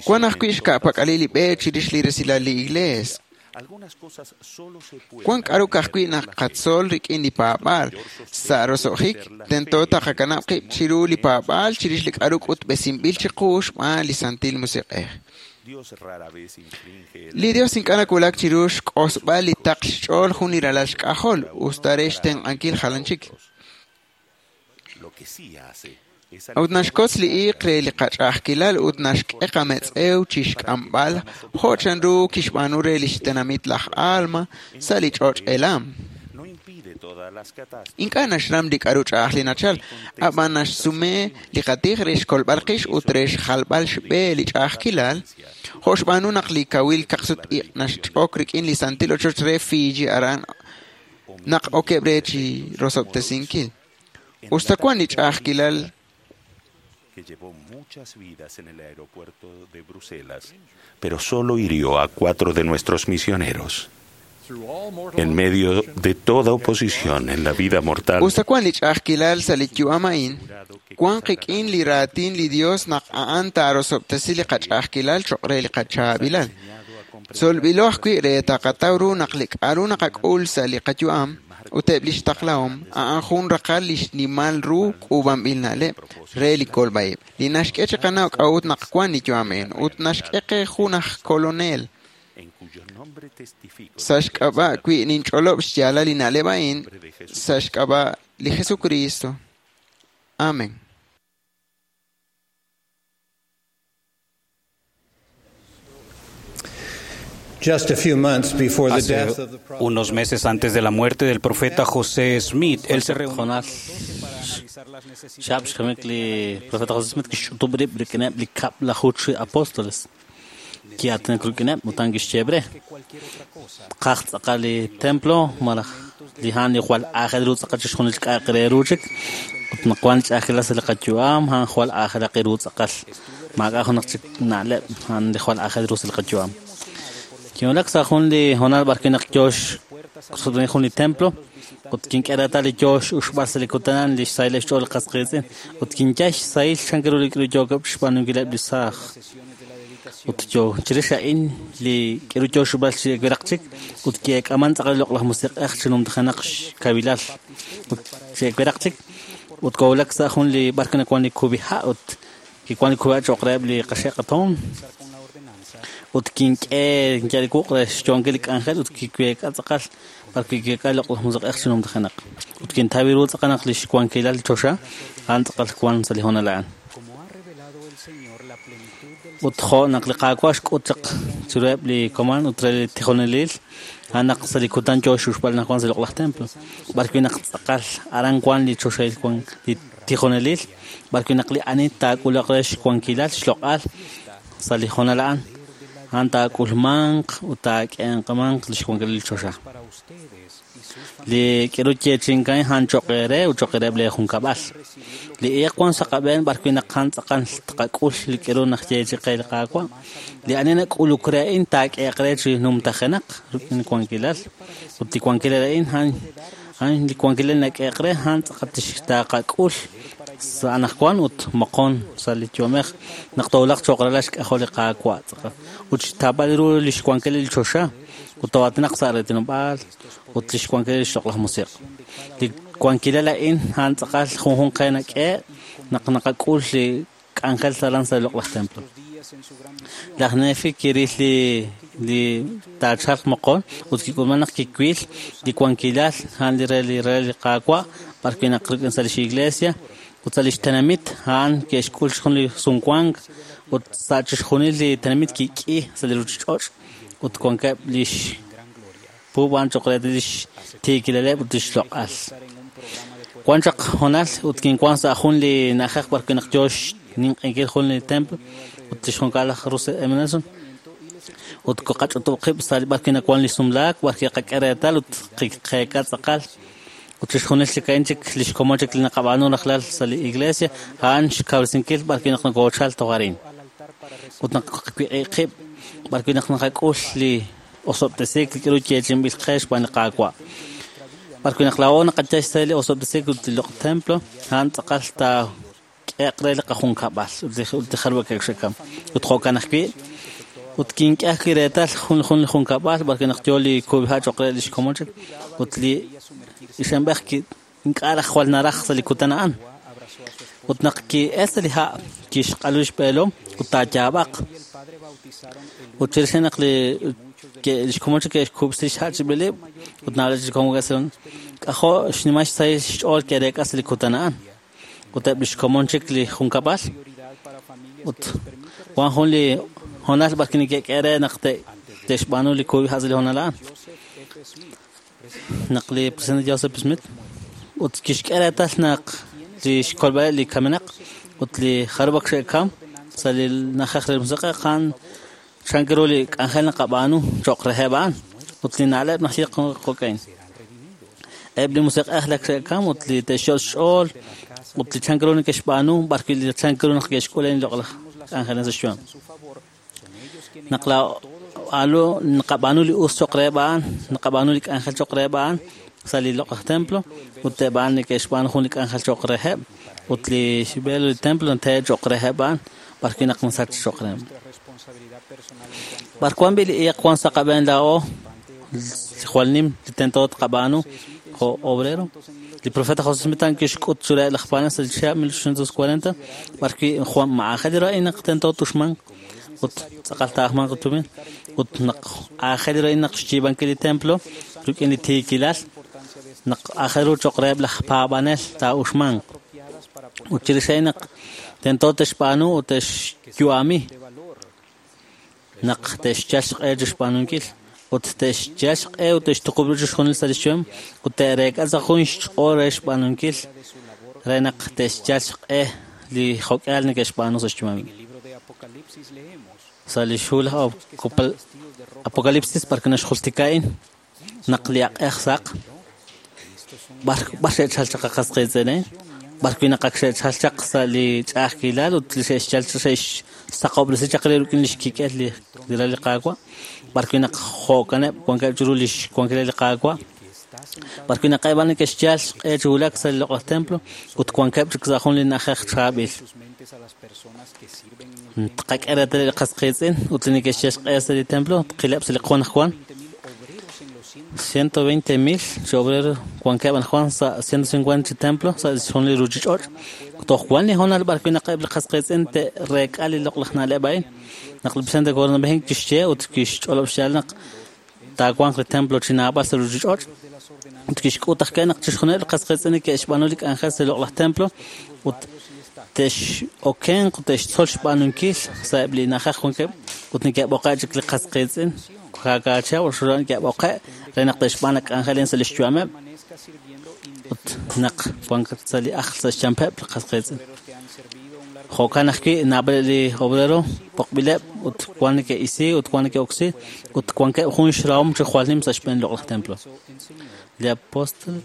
Wan ajwi' xka'pak'alil li b'e chirix li resilal li Iglees. Wan k'a'ru ka'ajwi' naqatzol rik'in li paab'aal. Sa' roso'jik, tento taqakanab' qib' chiru li paab'aal chirix li k'a'ru k'utb'esinb'il chiqu xb'aan li Santil Musiq'ej. Li Dios ink'a' nawulak chiru xk'osb'al li taql xch'ool jun li ralal xk'ajol, us ta re xtenq'ankil jalan chik. A'ut naxkotz li iiq re li qach'a'ajkilal ut naxk'e qametz'ew chixk'amb'al jo' chanru kixb'aanu re lix tenamit laj Alma sa' li ch'och' Elam. Ink'a' naxram li k'a'ru ch'a'aj li nachal, ab'an naxsume li qatij re xkolb'al qix ut re xjalb'al xb'e li ch'a'ajkilal, jo' xb'aanu naq li kawil kaqsut-iq' naxch'ok rik'in li santil ochoch re Fiji aran naq okeb' re chi rosob'tesinkil. Us ta wan li ch'a'ajkilal que llevó muchas vidas en el aeropuerto de Bruselas, pero solo hirió a 4 de nuestros misioneros. En medio de toda oposición en la vida mortal, Us ta wan li ch'a'ajkilal sa' li yu'am a'in, wan qik'in li raatin li Dios naq a'an taarosob'tesi li qach'a'ajkilal choq' re li qachaab'ilal. Tzolb'ilo ajwi' re taqataw ru naq li k'a'ru naqak'ul sa' li qayu'am ut eb' lix taqlahom a'an jun raqal li xnimal ru k'uub'anb'il na'leb' re li kolb'a'ib', li naxk'e chiqanaw k'a'ut naq wan li yu'am a'in ut naxk'e qe jun aj kolonel. Sa' xk'ab'a' wi' ninch'olob' xyaalal li na'leb' a'in, sa' xk'ab'a' li Jesucristo. Amén. Just a few months before the Hace death of the prophet, unos meses antes de la muerte del profeta José Smith, él se reunió Jonás xab' xkamik li profeta José Smith kixch'utub' rib' rik'ineb' li kab'laju chi apóstoles ki'aatinak rik'ineb' utan kixyeeb' re qaj tz'aqal li templo malaj li a'an li jwal aajel ru tz'aqal chixjunil k'a'aq re ru chik Ut naq wan ch'a'ajkilal sa' li qayu'am, a'an jwal aajelaq ru tz'aqal. Maak'a' junaq chik na'leb', a'an li jwal aajel ru sa' li qayu'am. Kinwulak sa' jun li hoonal b'ar wi' naq yoo xsutq'ini jun li templo, ut kink'e reetal li yoo x'uxb'al sa' li kutan a'an li xsahileb' xch'ool li qas qiitz'in, ut kinyal xsahil chan ru li k'aru yookeb' xb'aanunkileb' li saaj. Ut yoo chirix a'in li k'aru yoo x'uxb'al chi wiraq chik, ut ki'eek'aman tz'aqal li loq'laj musiq'ej chi numtajenaq xkawilal. Ut chi wiraq chik, ut kowulak sa' jun li b'ar wi' nawan li kub'iha' ut kiwan li kub'iha' cho'q reheb' li qaxe' qatoon. Ut kink'e kinyal li wuq' re xyoonkil li k'anjel ut kiweek'a tz'aqal b'ar wi' kiweek'a li loq'laj musiq'ej chi numtajenaq. Ut kintaw ru tz'aqal naq li xwankilal li choxa a'an tz'aqal wan sa' li hoonal a'an. Ut jo' naq li Qaawa' xk'ut chaq chiruheb' li komon ut re li tijonelil, a'an naq sa' li kutan yoo x'uxb'al naq wan sa' li loq'laj templo, b'ar wi' naq tz'aqal aran wan li choxahil wan li tijonelil, b'ar wi' naq li ani taak'ulaq re xwankilal xloq'al sa' li hoonal a'an, a'an taak'ulmanq ut taak'eemanq li xwankilal li choxa. Li k'aru yeechi'inkan a'an cho'q eere ut cho'q reheb' lee junkab'al. Li iiq wan sa' qab'een b'ar wi' naq a'an tz'aqal tqak'ul li k'aru naxyeechi'i qe li Qaawa'. Li ani nak'uluk re a'in taak'ehe'q re chi numtajenaq rik'in wankilal. Ut li wankilal a'in a'an li wankilal nak'ehe'q re a'an tz'aqal taqak'ul sa' anaqwan ut moqon sa' li yu'amej naq toowulaq cho'q ralal xk'ajol li Qaawa' tz'aqal. Ut xtaab'al ru li xwankilal li choxa ut too'aatinaq sa' reetinob'aal ut li xwankilal li xloq'laj musiq'. Li wankilal a'in a'an tz'aqal junjunq qe nak'e naq naqak'ul li k'anjel aran sa' li loq'laj templo. Laj Nefi kiril li taachalq moqon ut kik'ulman naq kiwil li wankilal a'an li re li Qaawa' b'ar wi' naq rik'in sa' lix iglesia ut sa' lix tenamit a'an ke'xk'ul jun li sumwank ut sa' chixjunil li tenamit kik'i sa' li ruchich'och' ut wankeb' lix puub' a'an cho'q re lix tiikilaleb' ut lix loq'al. Wan chaq hoonal ut kinwan sa' jun li na'ajej b'ar wi' naq yoo xninq'enkil jun li templo ut lix junkab'al laj Russell M. Nelson ut koqach'utub' qib' sa' li b'ar wi' nawan li sumlaak b'ar wi' qak'e reetal ut qeek'a tz'aqal ut chixjunil chik a'in chik lix komon chik li naqab'aanu rajlal sa' li iglesia a'an xkawresinkil b'ar wi' naq nokoochal toj arin. Ut naq qawiq'i qib' b'ar wi' naq naqak'ul li osob'tesiik li k'aru yeechi'inb'il qe xb'aan li Qaawa'. B'ar wi' naq laa'o naqayal xsahil li osob'tesiik ut li loq' templo, a'an tz'aqal taak'ehe'q re li qajunkab'al ut li jarub'ak xekam. Ut jo'kan ajwi', ut kink'e ajwi' reetal jun li junkab'al b'ar wi' naq yoo li kub'iha' cho'q re lix komon chik ut li ixanb'ej ink'a' raj jwal naraj sa' li kutan a'an. Ut naq ki'el sa' li ha' kixq'alu xb'eelom ut taayaab'aq. Ut chirix naq li xkomon chik ke'xkub'si xha' chib'ilib' ut naab'al chik komon k'ajo' xnimal xsahil xch'ool ke'reek'a sa' li kutan a'an. Ut eb' lix komon chik li junkab'al ut wan jun li hoonal b'ar wi' neke'k'e re naq te'xb'aanu li kub'iha' sa' li hoonal a'an. Naq li presidente Joseph Smith ut kixk'e reetal naq li xkolb'aleb' li kamenaq ut li jarub'ak xe'kam sa' li na'ajej re musiq'ej a'an chan ru li k'anjel naqab'aanu cho'q reheb' a'an ut li na'leb' naxye jo'kan. Eb' li musiq'ej lak xe'kam ut li te'xyot' xch'ool ut li chan ru neke'xb'aanu b'ar wi' li chan ru naq ke'xk'ul li loq'laj k'anjel sa' xyu'am. Naq laa'o naqab'aanu li us cho'q reheb' a'an, naqab'aanu li k'anjel cho'q reheb' a'an sa' li loq'laj templo ut eb' a'an neke'xb'aanu jun li k'anjel cho'q reheb' ut li xb'eel li templo te'el cho'q reheb' a'an b'ar wi' naq nasach cho'q reheb'. B'ar wan b'i' li iiq wan sa' qab'een laa'o li jwal nim li tento tqab'aanu jo' obrero. Li profeta José Smith kixk'ut chiruheb' laj paab'anel sa' li chihab' 1840 b'ar wi' jwal ma'aajel ru a'in naq tento tuxmanq ut tz'aqal taajmanq tumin ut naq aajel ru a'in naq xyiib'ankil li templo rik'in li tiikilal naq aajel ru cho'q reheb' laj paab'anel taa'uxmanq. Ut chirix a'in naq tento te'xb'aanu ut te'xyu'ami naq te'xyal xq'e chi xb'aanunkil ut te'xyal xq'e ut te'xtuqub' ru chixjunil sa' li xyu'am ut te'reek'a sa' jun xch'ool re xb'aanunkil re naq te'xyal xq'e li jo'k'ihal neke'xb'aanu sa' xyu'am. Sa' li xhu laj Apocalipsis b'ar wi' naxjultika a'in naq li aq'ej saq b'ar xe'chal chaq qas qiitz'in B'arwi' naq ak xe'chal chaq sa' li ch'a'ajkilal ut li xe'xchal xe'xsaqob'resi chaq re rik'in li xkik'el li ral li Qaawa'. B'arwi' naq jo'kaneb' wankeb' chiru li xwankilal li Qaawa'. B'arwi' naq eb' a'an neke'xyal xq'e chi wulak sa' li loq'laj templo ut wankeb' chik sa' jun li na'ajej chaab'il. Tqak'e reetal li qas qiitz'in ut li neke'xyal xq'e sa' li templo tqileb' sa' li qon ajwan. 120,000 chi obrero wankeb' anajwan sa' 150 chi templo sa' jun li ruuchich'och'. Toj wan li hoonal b'arwi' naq eb' li qas qiitz'in te'reek'a li loq'laj na'leb' a'in. Naq li presidente Gordon B. Hinckley kixye ut kixch'olob' xyaal naq taawanq li templo chi naab'al sa' ruuchich'och' ut kixk'ut ajwi' naq chixjunileb' li qas qiitz'in neke'xb'aanu li k'anjel sa' li loq'laj templo ut te'x'okenq ut te'xtzol xb'aanunkil sa'eb' li na'ajej wankeb' ut neke'b'oqe' chik li qas qiitz'in kaakachaw ut xulan neke'b'oqe' re naq te'xb'aan k'anjel sa' li xyu'ameb' ut naq wank sa' li ajl sa' xchampeb' li qas qiitz'in. Jo'kan ajwi' naab'al li obrero b'oqb'ileb' ut wan neke'isi ut wan neke'oksi ut wankeb' jun xrahom chi jwal nim sa' xb'een loq'laj templo. Li apóstol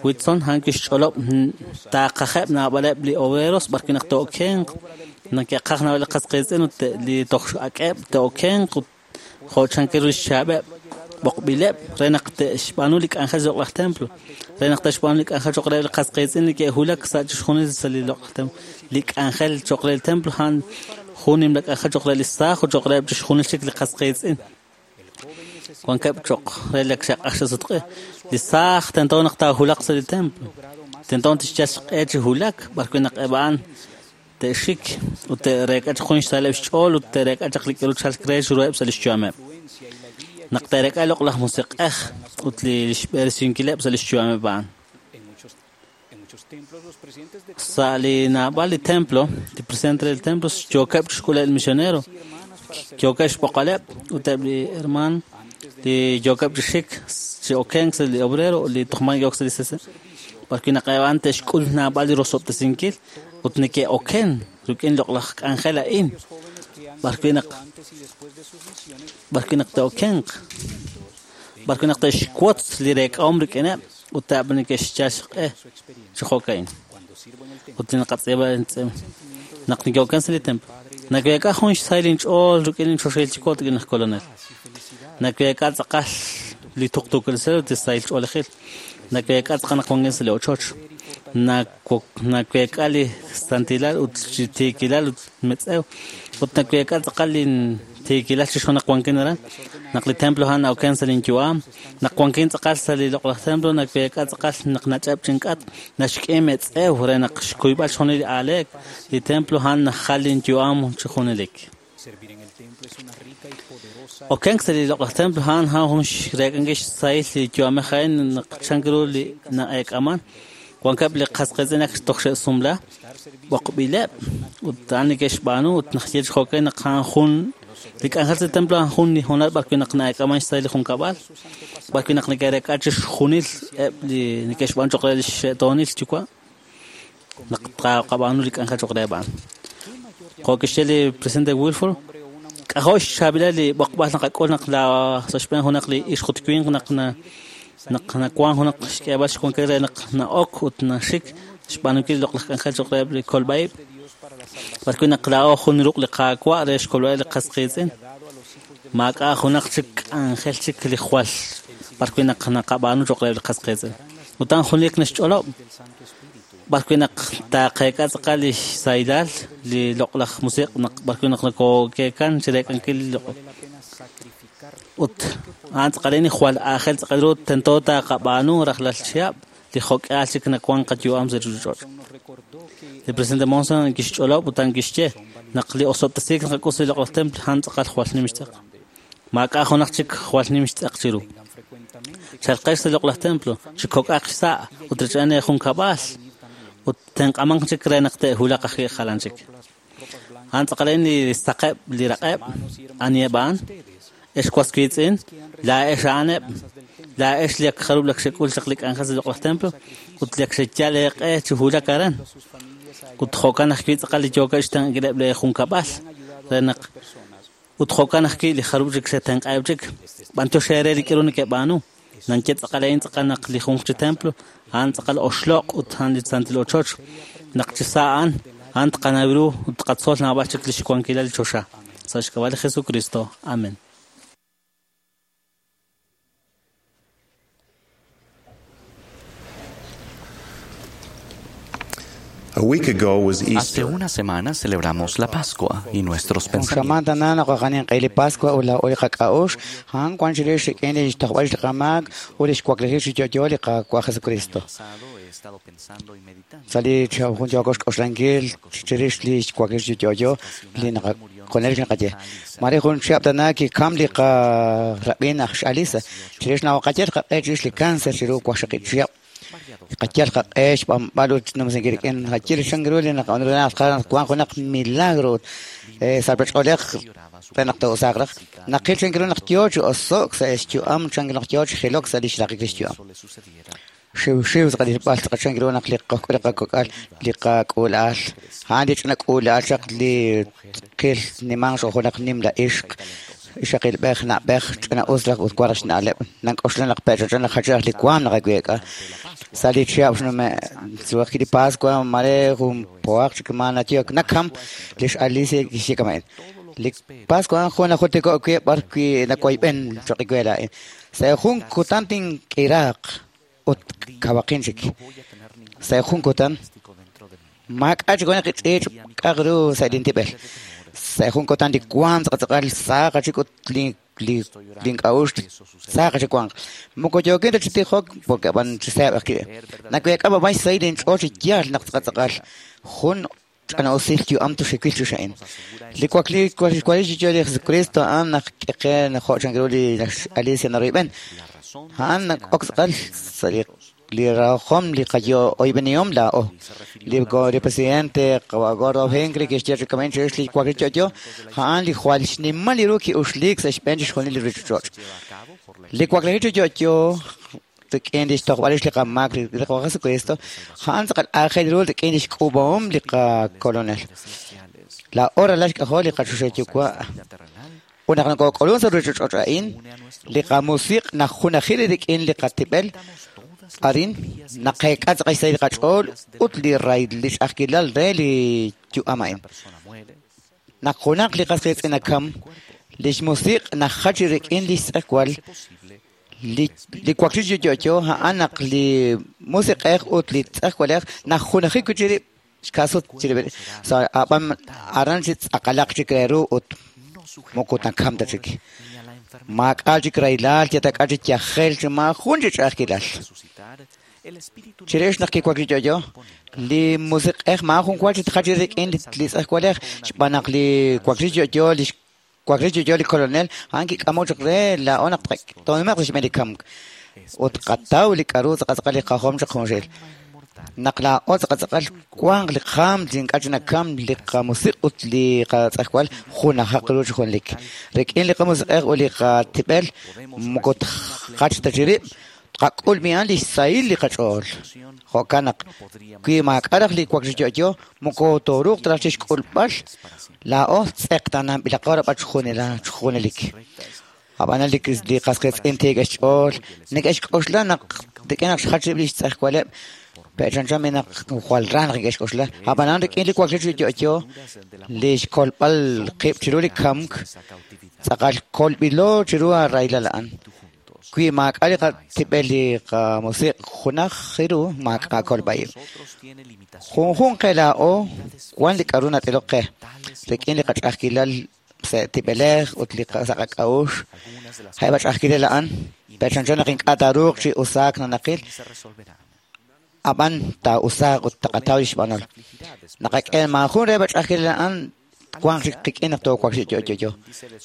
Whitson a'an kixch'olob' taaqajeb' naab'aleb' li obreros b'arwi' naq te'okenq neke'qaj naab'al li qas qiitz'in ut li toj ak'eb' te'okenq ut jo' chankil ru xchaab'eb' b'oqb'ileb' re naq te'xb'aanu li k'anjel sa' loq'laj templo re naq te'xb'aanu li k'anjel cho'q reheb' li qas qiitz'in neke'wulak sa' chixjunil sa' li loq'laj templo. Li k'anjel cho'q re li templo a'an jun nimla k'anjel cho'q re li saaj ut cho'q reheb' chixjunil chik li qas qiitz'in. Wankeb' cho'q re li xe'q'axasutq'i. Li saaj tento naq taahulaq sa' li templo. Tento tixyal xq'e chi wulak b'arwi' naq eb' a'an te'xik ut te'reek'a chaq jun xsaaleb' xch'ool ut te'reek'a chaq li k'aru chalk re chiruheb' sa' li xyu'ameb'. Naq te'reek'a loq'laj musiq'ej ut li xb'eresinkileb' sa' li xyu'ameb' a'an. Sa' li naab'al li templo, li presidente del templo yookeb' chixk'uleb' li misionero, yookeb' xb'oqaleb' ut eb' li herman li yookeb' chi xik chi okenk sa' li obrero li toj maji yook sa' li CC. B'arwi' naq eb' a'an te'xk'ul naab'al li rosob'tesinkil ut neke'oken rik'in loq'laj k'anjel a'in. B'arwi' naq te'okenq, b'arwi' naq te'xwotz li reek'ahom rik'ineb' ut eb' neke'xyal xq'e chi jo'ka'in. Ut li naqatz'iib'a naq neke'oken sa' li templo. Naweek'a jun xsahil inch'ool rik'in inchoxahil yuwa' ut rik'in laj Kolonel. Naweek'a tz'aqal li tuqtuukil ut li sahil ch'oolejil. Naweek'a tz'aqal naq wankin sa' li ochoch. Naweek'a li santilal ut li tiikilal ut metz'ew. Ut naweek'a tz'aqal li tiikilal chixjunil naq wankin aran. Naq li templo a'an na'oken sa' linyu'am. Naq wankin tz'aqal sa' li loq'laj templo naweek'a tz'aqal naq nach'eb' chink'at. Naxk'e metz'ew re naq xkuyb'al chixjunil li aaleek. Li templo a'an najal linyu'am chi junelik. Okenk sa' li loq'laj templo a'an jun xreek'ankil xsahil li yu'amej a'in naq chank ru li na'eek'aman. Wankeb' li qas qiitz'in ak toj xe'sumla b'oqb'ileb' ut a'an neke'xb'aanu ut naxye chi jo'kan naq a'an jun li k'anjel sa' templo a'an jun li hoonal b'arwi' naq na'eek'aman xsahil li junkab'al, b'arwi' naq neke'reek'a chixjunil eb' li neke'xb'aanu cho'q re li xe'toonil yuwa' naq tqab'aanu li k'anjel cho'q reheb' a'an. Jo' kixye li presidente Wilford, k'ajo' xchaab'ilal li b'oqb'al naqak'ul naq sa' xb'een junaq li ixq ut winq naq nawank junaq xk'eeb'al xwankil re naq na'ok ut naxik xb'aanunkil li loq'laj k'anjel cho'q reheb' li kolb'a'ib'. B'arwi' naq laa'o jun ruq' li Qaawa' re xkolb'aleb' li qas qiitz'in. Maak'a' junaq chik k'anjel chik li jwal b'arwi' naq naqab'aanu cho'q reheb' li qas qiitz'in. Ut a'an junelik naxch'olob' b'arwi' naq taaqeek'a tz'aqal li xsahilal li loq'laj musiq' naq b'arwi' naq nakookeekan chi reek'ankil li loq'. Ut a'an tz'aqal a'in jwal aajel tz'aqal ru tento taaqab'aanu rajlal chihab' li jo'k'ihal chik nawank qayu'am sa' ruuchich'och'. Li presidente Monson kixch'olob' ut a'an kixye naq li osob'tesiik naqak'ul sa' li loq'laj templo a'an tz'aqal jwal nim xtz'aq. Maak'a' junaq chik jwal nim xtz'aq chiru. Chalqex sa' li loq'laj templo chi kok'aq xsa' ut rech'an junkab'al ut tenq'amanq chik re naq te'wulaq ajwi' jalan chik. A'an tz'aqal a'in li saqeb' li raq'eb' aniheb' a'an ex was wiitz'in laa'ex a'aneb' laa'ex li ak jarub' lak xek'ul chaq li k'anjel sa' li loq'laj templo ut li ak xeyal eeq'e chi wulak aran. Ut jo'kan ajwi' tz'aqal li yookeb' xtenq'ankileb' li junkab'al re naq ut jo'kan ajwi' li jarub' chik xetenq'aheb' chik. B'antiox eere li k'aru neke'b'aanu. Nanye tz'aqal a'in tz'aqal naq li junq chi templo A'an tz'aqal oxloq' ut a'an li santil ochoch. Naq chi sa' a'an, a'an tqanaw ru ut tqatzol naab'al chik li xwankilal li choxa. Sa' xk'ab'a' li Jesucristo. Amén. A week ago was Hace Easter. una semana celebramos la Pascua y nuestros Jun pensamientos xamaan tana naqaqanin q'ili Pascua ula uli qak'a'ux han wan chirix rik'in li xtojb'al li qamaak ut li xwaklejil chi yo'yo li Qaawa' Jesucristo. Sa' li jun yooko xk'oxlankil chirix li xwaklejil chi yo'yo li naqakonel li naqaye. Mare jun chihab' tana kikam li qarab'in aj x'Alisa chirix nawaqayel qaq'e chirix li cáncer chiru waqxaqib' chihab'. Qayal qaq'e xb'anb'al ut numsinkil rik'in qayil xan ru li naqab'anu wan junaq milagro salpach'oolej re naq to'usaaq raj. Naqil chan ru naq yoo chi oso'k sa' xyu'am chan naq yoo chi jilok sa' li xraqik li xyu'am. Xiw xiw tz'aqal tz'aqal chan ru naq li qojk'ul li qakok'al li qak'uula'al. A'an li ch'ina k'uula'al chaq li qil nimanq xo junaq nimla ixq. Ixaqilb'ej na'b'ej ch'ina us raj ut wan raj xna'leb'. Nank'oxla naq pe'ch'och'an naq jach'aj li waam naqaweek'a. Sa' li chihab' xnume' suwaq li Pascua mare jun poaq chik ma natiyok nakam li x'Alicia kixye kama'in. Li Pascua jun najultiko' wi' b'ar wi' nawayb'en choq' iwe laa'in. Sa' jun kutan tink'iraaq ut kawaqin chik. Sa' jun kutan maak'a' chik junaq ch'iich' k'aq ru sa' lintib'el. Sa' jun kutan li waam tz'aqal saaqa chik ut link'a'ux saaqa chik wanq. Moko yookin ta chi tijok porque b'an chi seeb' ajwi'. Naweek'a b'ab'ay xsahil inch'ool chi yaal naq tz'aqal jun ch'ina usil yu'am tuxiwil chu xa'in. Li wakli xwalil chi yo'yo li Jesucristo a'an naq k'eqe jo' chan ru li Alicia naroyb'en. A'an nak ok tz'aqal sa' li rajom li qayo'oyb'enihom laa'o. Li presidente Gordon Hinckley kixye chi kama'in chirix li wakli yo'yo a'an li jwal xnimal li ru ki'uxliik sa' xb'een chixjunil li ruuchich'och'. Li waklejil chi yo'yo rik'in li xtojb'al li qamaak li Qaawa' Jesucristo a'an tz'aqal aajel ru rik'in li xk'uub'ahom li qakolonel. Laa'o ralal xk'ajol li qachoxahil yuwa'. Ut naq nokok'ulun sa' ruuchich'och' a'in, li qamusiq' najunajil rik'in li qatib'el arin naqeek'a tz'aqal xsahil li qach'ool ut li ray li ch'a'ajkilal re li yu'am a'in. Naq junaq li qas qiitz'in nakam, li xmusiq' najach rik'in li xtz'ejwal li wakli chi yo'yo a'an naq li musiq'ej ut li tz'ejwalej najunajil wi' chirib' xkasut chirib'. Sa' ab'an aran chi tz'aqalaq chik re ru ut moko nakam ta chik. Maak'a' chik rahilal, yatak'a chik yajel chi maajun chi ch'a'ajkilal. Chirix naq kiwakli yo'yo, li musiq'ej maajun wa chi tjach rik'in li tz'ejwalej xb'aan naq li wakli yo'yo li wakli yo'yo li kolonel a'an kik'amok chaq re laa'o naq to'nume'q sa' xb'een li kamk. Ut qataw li k'aru tz'aqal li qajom chaq junxil. Naq laa'o tz'aqal wanq li qaam li ink'a' chi nakam li qamusiq' ut li qatz'ejwal junajaq ru chi junlik. Rik'in li qamusiq'ej ut li qatib'el moko tjach ta chirib' tqak'ul mi'an li xsahil li qach'ool. Jo'kan naq wi maak'a' raj li wakli yo'yo moko tooruuq ta raj chi xk'ulb'al laa'o tz'eqtananb'ilaqo rab'al chjunelik. Ab'anan li qas qiitz'in tiik xch'ool neke'xk'oxla naq rik'in naq xjach rib' li xtz'ejwaleb' pe'chanchan naq jwal ra naq neke'xk'oxla. Ab'anan rik'in li wakli chi yo'yo li xkolb'al qib' chiru li kamk tz'aqal kolb'ilo chiru rahilal a'an. Wi maak'a' li qatib'el li qamusiq' junaj ru maak'a' kolb'a'ib'. Junjunq qe laa'o wan li k'aru nat'iloq qe rik'in li qach'a'ajkilal sa' tib'elej ut li sa' qak'a'ux. Ja'eb' ch'a'ajkilal a'an pe'chanchan naq ink'a' taaruuq chi usaak nanaqil ab'an taa'usaaq ut taqataw li xb'anol. Naqak'e maajun re ch'a'ajkilal a'an wanq chik qik'in naq toowakli yo'yo.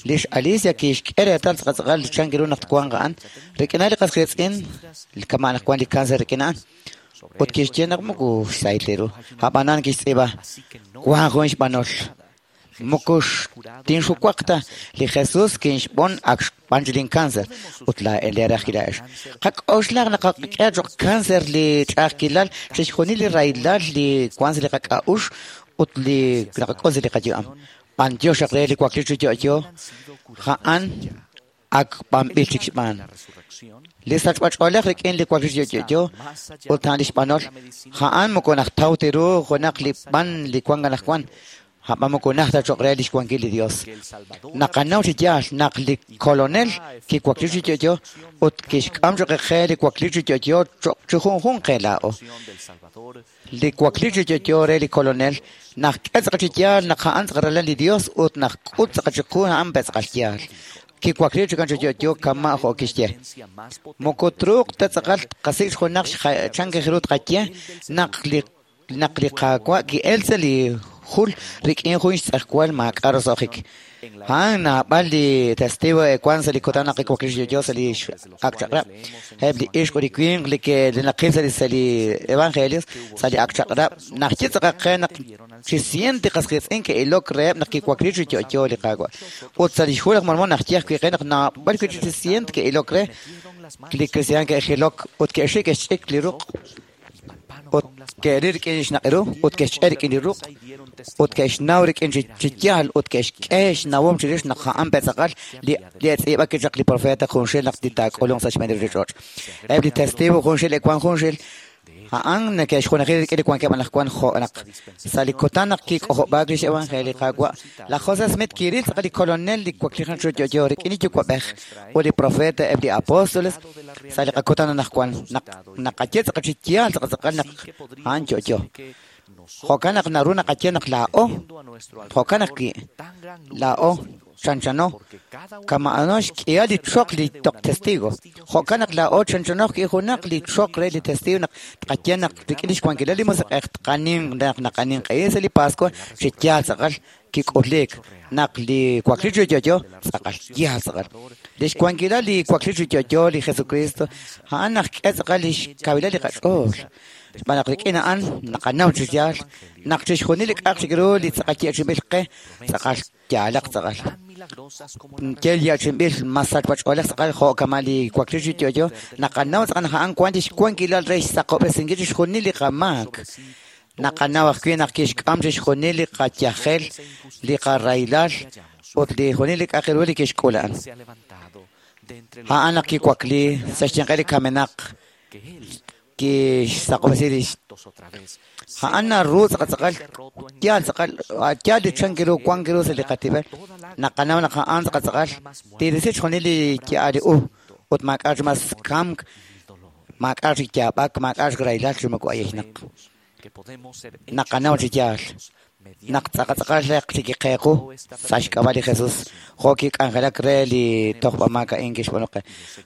Li x'Alicia kixk'e reetal tz'aqal chan ru naq twanq a'an rik'in li qas qiitz'in kama' naq wan li cáncer rik'in a'an. Ut kixye naq moko xsahil li ru. Ab'anan kixtz'iib'a wan jun xb'anol. Moko tinxuwaq ta li Jesús kinxb'on ak xb'an chi lin cáncer ut laa'in li raj kila'ex. Qak'oxlaq naq qak'e choq cáncer li ch'a'ajkilal chixjunil li rahilal li wan sa' li qak'a'ux ut li naqak'ul sa' li qayu'am. B'antiox re li wakli chi yo'yo a'an Ak b'anb'il chik xb'aan. Li sachb'ach'oolej rik'in li wakliik chi yo'yo ut a'an li xb'anol, a'an moko najtaw ta ru junaq li b'an li wank anaqwan, a'b'an moko najt ta choq' re lix wankil li Dios. Naqanaw chi yaal naq li Kolonel kiwakliik chi yo'yo ut kixk'am choq' qe li wakliik chi yo'yo choq' chi junjunq qe laa'o. Li wakliik chi yo'yo re li Kolonel naxk'e tz'aqal chi yaal naq a'an tz'aqal ralal li Dios ut naxk'ut tz'aqal chiqu a'an pe tz'aqal yaal. Kiwakliik chi kan chi yo'yo kama' jo' kixye. Moko truuq ta tz'aqal tqasik' junaq xchank ru tqaye naq li Qaawa' ki'el sa' li jul rik'in jun xtz'ejwal maak'a' roso'jik. A'an naab'al li testigo ewank sa' li kutan naq kiwakliik chi yo'yo sa' li Ak' Chaq'rab'. Eb' li ixq ut li winq li naqil sa' li Evangelios sa' li Ak' Chaq'rab' naxye tz'aqal qe naq chi sient li qas qiitz'in ke'ilok reheb' naq kiwakliik chi yo'yo li Qaawa'. Ut sa' li Xhu laj Mormon naxye ajwi' qe naq naab'al wi' chi sient ke'ilok re li kristiaan ke'jilok ut ke'xik ke'xch'ik li ruq' ut ke'ril rik'in xnaq' ru ut ke'xch'e rik'in li ruq' ut ke'xnaw rik'in chi yaal ut ke'xk'e xnawom chirix naq a'an pe tz'aqal li etz'iib'ak kichaq li profeta junxil naq taak'ulunq sa' xb'een li ruuchich'och'. Eb' li testigo junxil ewank junxil a'an neke'xjunaji rik'in li wankeb' anaqwan jo' naq sa' li kutan naq kik'ojob'aak lix evangelio li Qaawa', laj José Smith kiril tz'aqal li Kolonel li waklijenaq chi yo'yo rik'in li Yuwa'b'ej ut li profeta eb' li apóstoles sa' li qakutan anaqwan naq naqaye tz'aqal chi yaal tz'aqal tz'aqal naq a'an yo'yo. Jo'kan naq naru naqaye naq laa'o, jo'kan ajwi' laa'o chanchano kama'ano xk'ihal li choq li toq testigo. Jo'kan naq laa'o chanchano ajwi' junaq li choq re li testigo naq tqaye naq rik'in lix wankilal li Musiq'ej tqaninq naq naqaninq'ehi sa' li Pascua chi yaal tz'aqal kik'uliik naq li wakliik chi yo'yo tz'aqal yaal tz'aqal. Lix wankilal li wakliik chi yo'yo li Jesucristo a'an naxk'e tz'aqal lix kawilal li qach'ool. Xb'aan naq rik'in a'an naqanaw chi yaal naq chixjunil li k'a'aq chik ru li tz'aqal ye'chinb'il qe tz'aqal yaalaq tz'aqal. Yel ye'chinb'il mas sachb'ach'oolej tz'aqal jo' kama' li wakliik chi yo'yo naqanaw tz'aqal naq a'an wank lix wankilal re xsaqob'resinkil chixjunil li qamaak. Naqanaw ajwi' naq kixk'am chixjunil li qayajel, li qarahilal ut li junil li k'a'aq ru li kixk'ul a'an. A'an naq kiwakli sa' xyanqeb' li kamenaq kixsaqob'resi lix. A'an naru tz'aqal tz'aqal yaal tz'aqal yaal li chank ru wank ru sa' li qatib'el. Naqanaw naq a'an tz'aqal tz'aqal tirisi chixjunil li yaal li u ut maak'a' chi mas kamk, maak'a' chi yaab'ak, maak'a' chi rahilal chi moko ayejnaq. Naqanaw chi yaal naq tz'aqal tz'aqal chi kiqeequ sa' xk'ab'a' li Jesus jo' kik'anjelak re li tojb'amaak a'in kixb'aanu qe.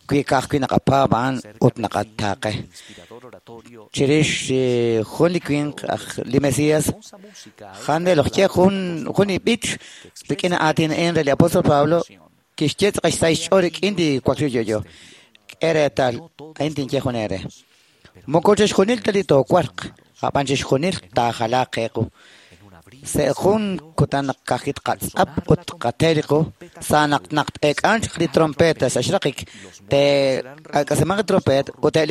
Wi ka'ajwi' naqapaab' a'an ut naqataaqe. Chirix jun li winq aj li Mesías, Handel ojye jun li b'ich rik'in aatin a'in re li apóstol Pablo kixye tz'aqal xsa' xch'ool rik'in li wakliik chi yo'yo. K'e reetal, a'in tinye jun eere. Moko chixjunil ta li toowarq, a'b'an chixjunil taajalaaq qeequ. Sa' jun kutan naq ka'ajwi' tqatz'ap ut tqate li qu, sa' naq naq t-eek'anq chaq li trompeta sa' xraqik, te'ak'asimanq li trompet ut eb'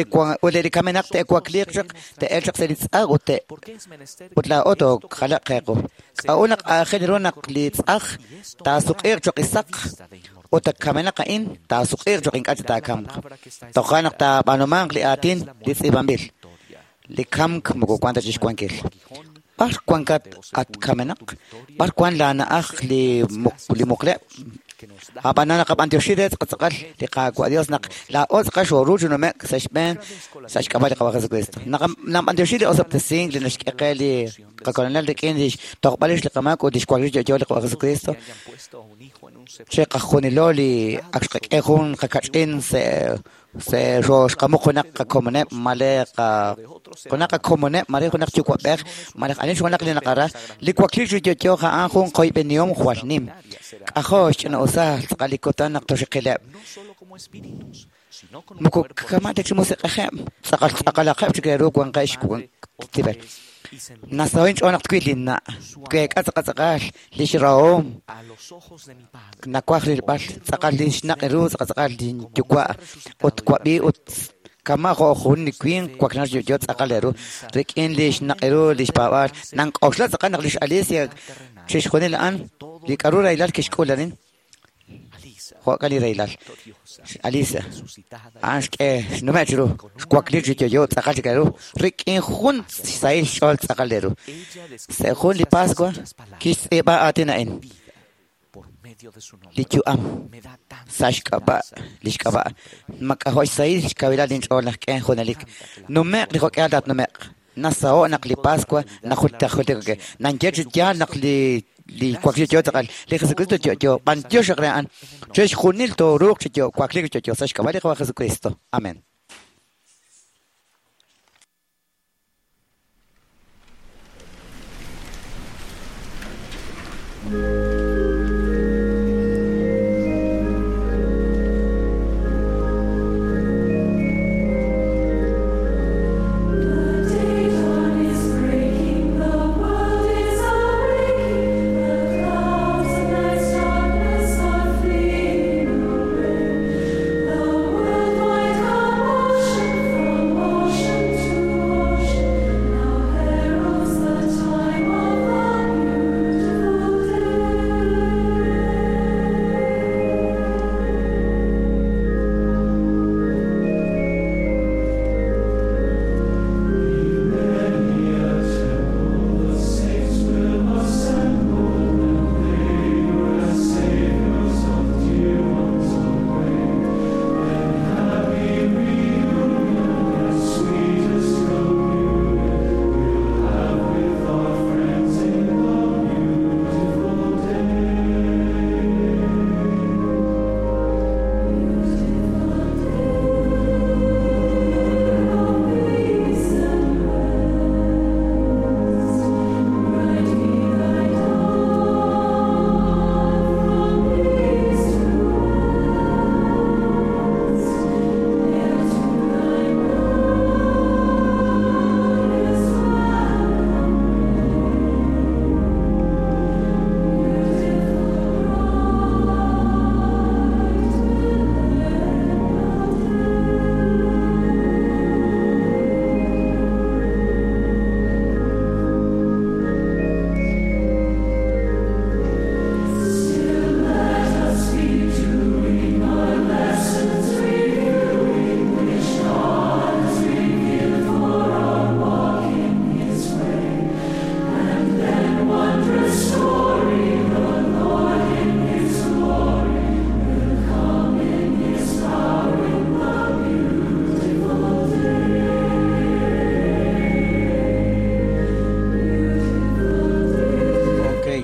li kamenaq te'wakliiq chaq, te'elq chaq sa' li tz'aj ut laa'o toojalaq qeequ. K'a'ut naq aajel ru naq li tz'aj taasuq'iiq choq' isaq ut kamenaq a'in taasuq'iiq choq' ink'a' chik taakamq. Toja' naq taab'aanumanq li aatin li tz'iib'anb'il. Li kamk moko wank ta chi xwankil. B'ar wankat at kamenaq? B'ar wank laana'aj li muqleb'? Ab'anan naqab'antioxi re tz'aqal li Qaawa' Dios naq laa'o tz'aqal xooru chi nume'k sa' xb'een sa' xk'ab'a' li Qaawa' Jesucristo. Naqab'antioxi li osob'tesink li naxk'e qe li qaKolonel rik'in lix tojb'al rix li qamaak ut lix wakliik chi yo'yo li Qaawa' Jesucristo. Chiqajunilo li ak xqak'e jun qakach'in se xqamuq junaq qakomoneb' mare junaq qakomoneb' mare junaq yuwa'b'ej mare ani junaq li naqara li wakliik chi yo'yo a'an jun qoyb'enihom jwal nim. K'ajo' xch'ina'usal tz'aqal li kutan naq toxiqileb'. Moko kama' ta chi musiq'ejeb' tz'aqal tz'aqalaqeb' chik re ru wanqeb' xtib'el. Nasaho' inch'ool naq twil linna', tweek'a tz'aqal tz'aqal lix rahom nawaj rilb'al tz'aqal li xnaq' ru tz'aqal tz'aqal linyuwa' ut wab'i ut kama' jo' jun li winq waklinaq chi yo'yo tz'aqal re ru rik'in li xnaq' ru lix paab'aal. Nank'oxla tz'aqal naq lix Alicia chixjunil a'an li k'a'ru rahilal kixk'ul arin. Jo'kan li rahilal. Alisa, a'an xk'e xnume' chiru, xwakli chi yo'yo tz'aqal chik ru, rik'in jun xsahil xch'ool tz'aqal ru. Sa' jun li Pascua kixtz'iib'a aatin a'in. Li yu'am sa' xk'ab'a' li xk'ab'a' mak'ajo' xsahil xkawilal inch'ool naq k'e junelik. Nume'q li jo'k'ihal tatnume'q. Nasaho' naq li Pascua najultik nanye chi yaal naq li wakli yo'yo tz'aqal li Jesucristo yo'yo b'antiox re a'an chixjunil tooruuq chi wakli yo'yo sa' xk'ab'a' li Qaawa' Jesucristo. Amén.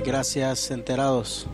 Gracias, enterados.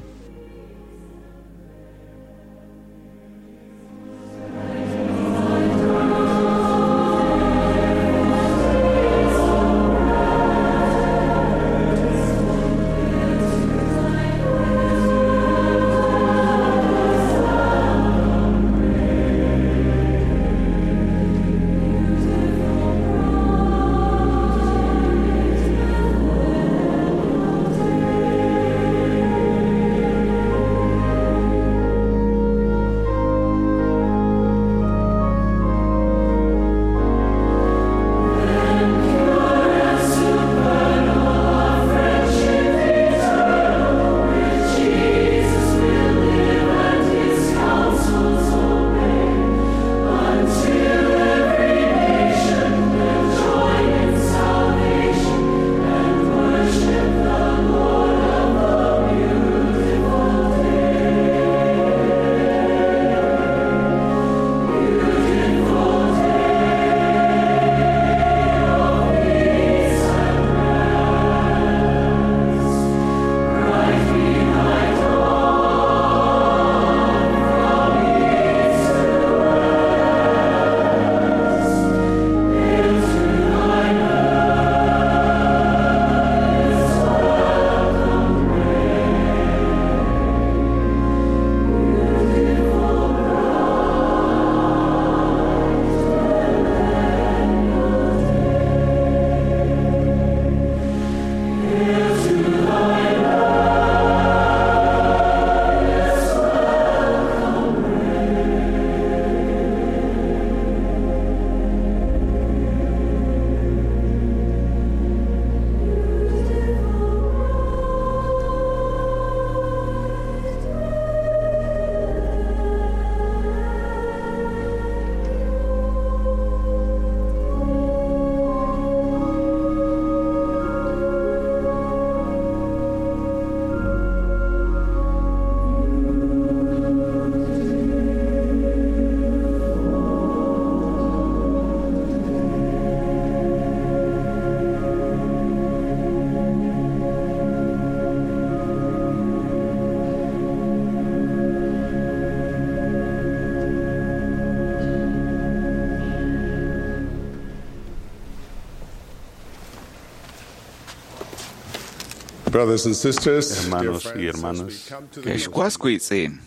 Brothers and sisters, Hermanos y hermanas, Ex waswitzin.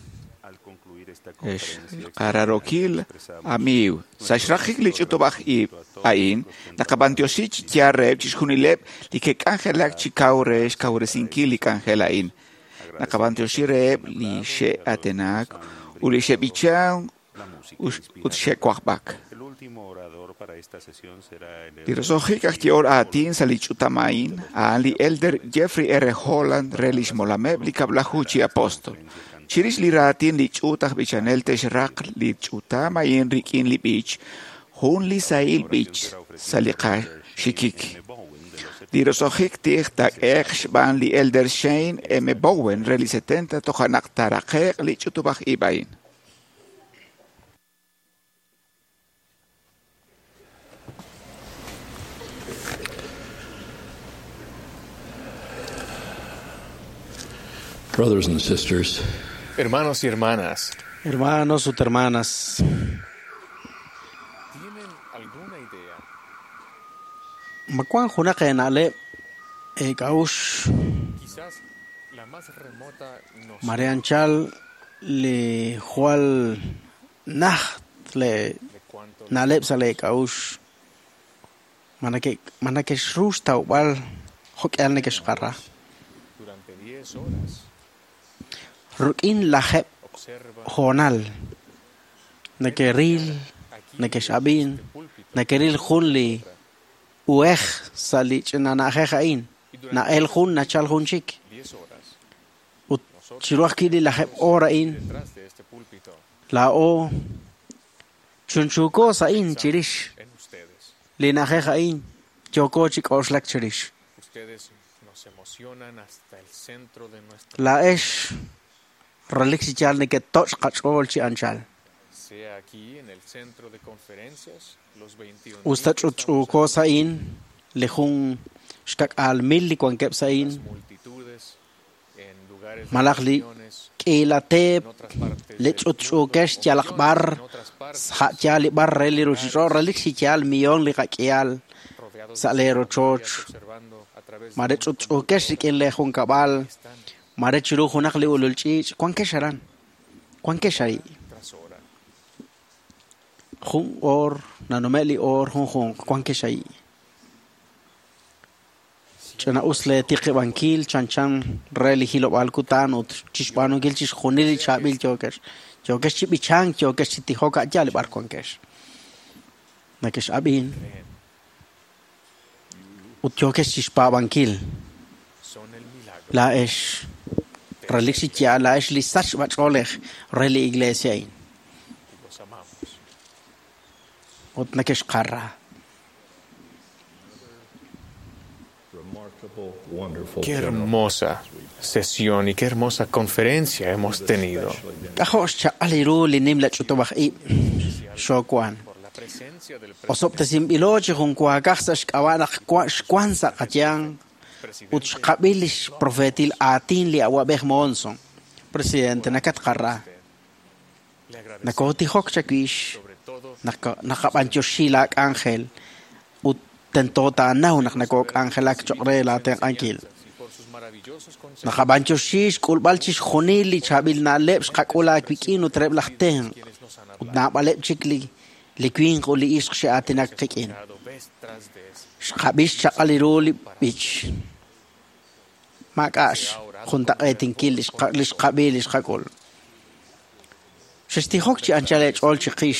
Ex qararokil amiw. Sa xraqik li ch'utub'aj ib' a'in, naqab'antioxi chi yaal reheb' chixjunileb' li ke'k'anjelak chi kaw re xkawresinkil li k'anjel a'in. Naqab'antioxi reheb' li xe'atenak ut li xe'b'ichan ut xe'wajb'ak. El último orador para esta sesión será el Li roso'jik aj yehol aatin sa' li ch'utam a'in, a'an li Elder Jeffrey R. Holland re lix molameb' li kab'laju chi apostol. Chirix li raatin li ch'uut aj b'ichanel te'xraq li ch'utam a'in rik'in li b'ich, jun li sahil b'ich sa' li qaxikik. Li roso'jik tij taak'ehe'q xb'aan li Elder Shane M. Bowen re li 70 toja' naq taaraqe'q li ch'utub'aj ib' a'in. Brothers and sisters, Hermanos y hermanas, Hermanos ut hermanas, ¿tienen alguna idea? ma wank junaq eena'leb' eek'a'uxl Quizás la más remota noción mare anchal li jwal najt le na'leb' sa' leek'a'uxl ma nakexru xtawb'al jo'k'ihal nekexqara durante 10 horas rik'in lajeb' hoonal neke'ril nekex'ab'in neke'ril jun li uhej sa' li ch'ina na'ajej a'in na'el jun nachal jun chik 10 horas ut chiru ajwi' li lajeb' oor a'in detrás de este púlpito laa'o chunchuuko sa' a'in chirix en ustedes. li na'ajej a'in yooko chi k'oxlak chirix Ustedes nos emocionan hasta el centro de nuestra laa'ex relik chi yaal neketoch' qach'ool chi anchal sea aquí en el centro de conferencias los 21 usta ch'utch'uuko sa' a'in li jun xkak'aal mil li wankeb' sa' a'in multitudes en lugares de malaj li reuniones k'iila teep en otras partes li del ch'utch'uukex yalaq b'ar sa' yaal li b'ar re li ruchich'och' relik chi yaal millón li qak'ihal rodeados sa' lee rochoch observando a través de mare ch'utch'uukex rik'in lee junkab'al mare chiru junaq li ulul ch'iich' wankex aran wankex ahi' tras hora. jun oor nanume' li oor junjunq wankex ahi' ch'ina'us lee tiqib'ankil chanchan re li hilob'aal kutan ut chixb'aanunkil chixjunil li chaab'il yookex yookex chi b'ichank yookex chi tijok a' yaal li b'ar wankex nakex'ab'in ut yookex chixpaab'ankil Son el milagro. laa'ex relik chi yaal laa'ex li sachb'ach'oolej re li iglesia a'in Los amamos. ut nakexqara remarkable, wonderful Qué general. hermosa sesión y qué hermosa conferencia hemos tenido. K'ajo' xchaq'al ru li nimla ch'utub'aj ib' xoowan La presencia del osob'tesinb'ilo chi junwaakaj sa' xk'ab'a' naq xwan sa' qayang ut xqab'il li xprofetil aatin li awab'ej Monson presidente nakatqara Le agradecemos nakootijok chawix sobre todo naqab'antioxi laak'anjel ut tento taanaw naq nakook'anjelak choq' re laatenq'ankil y por sus maravillosos consejos naqab'antioxi xk'ulb'al chixjunil li chaab'il na'leb' xqak'ul aawik'in ut reheb' laj tenq' ut naab'aleb' chik li winq ut li ixq xe'aatinak qik'in dado vez tras vez. xqab'ix xchaq'al ru li b'ich maak'a'x juntaq'eetinkil li xqab'i li xqak'ul xextijok chi anchal eech'ool chiqix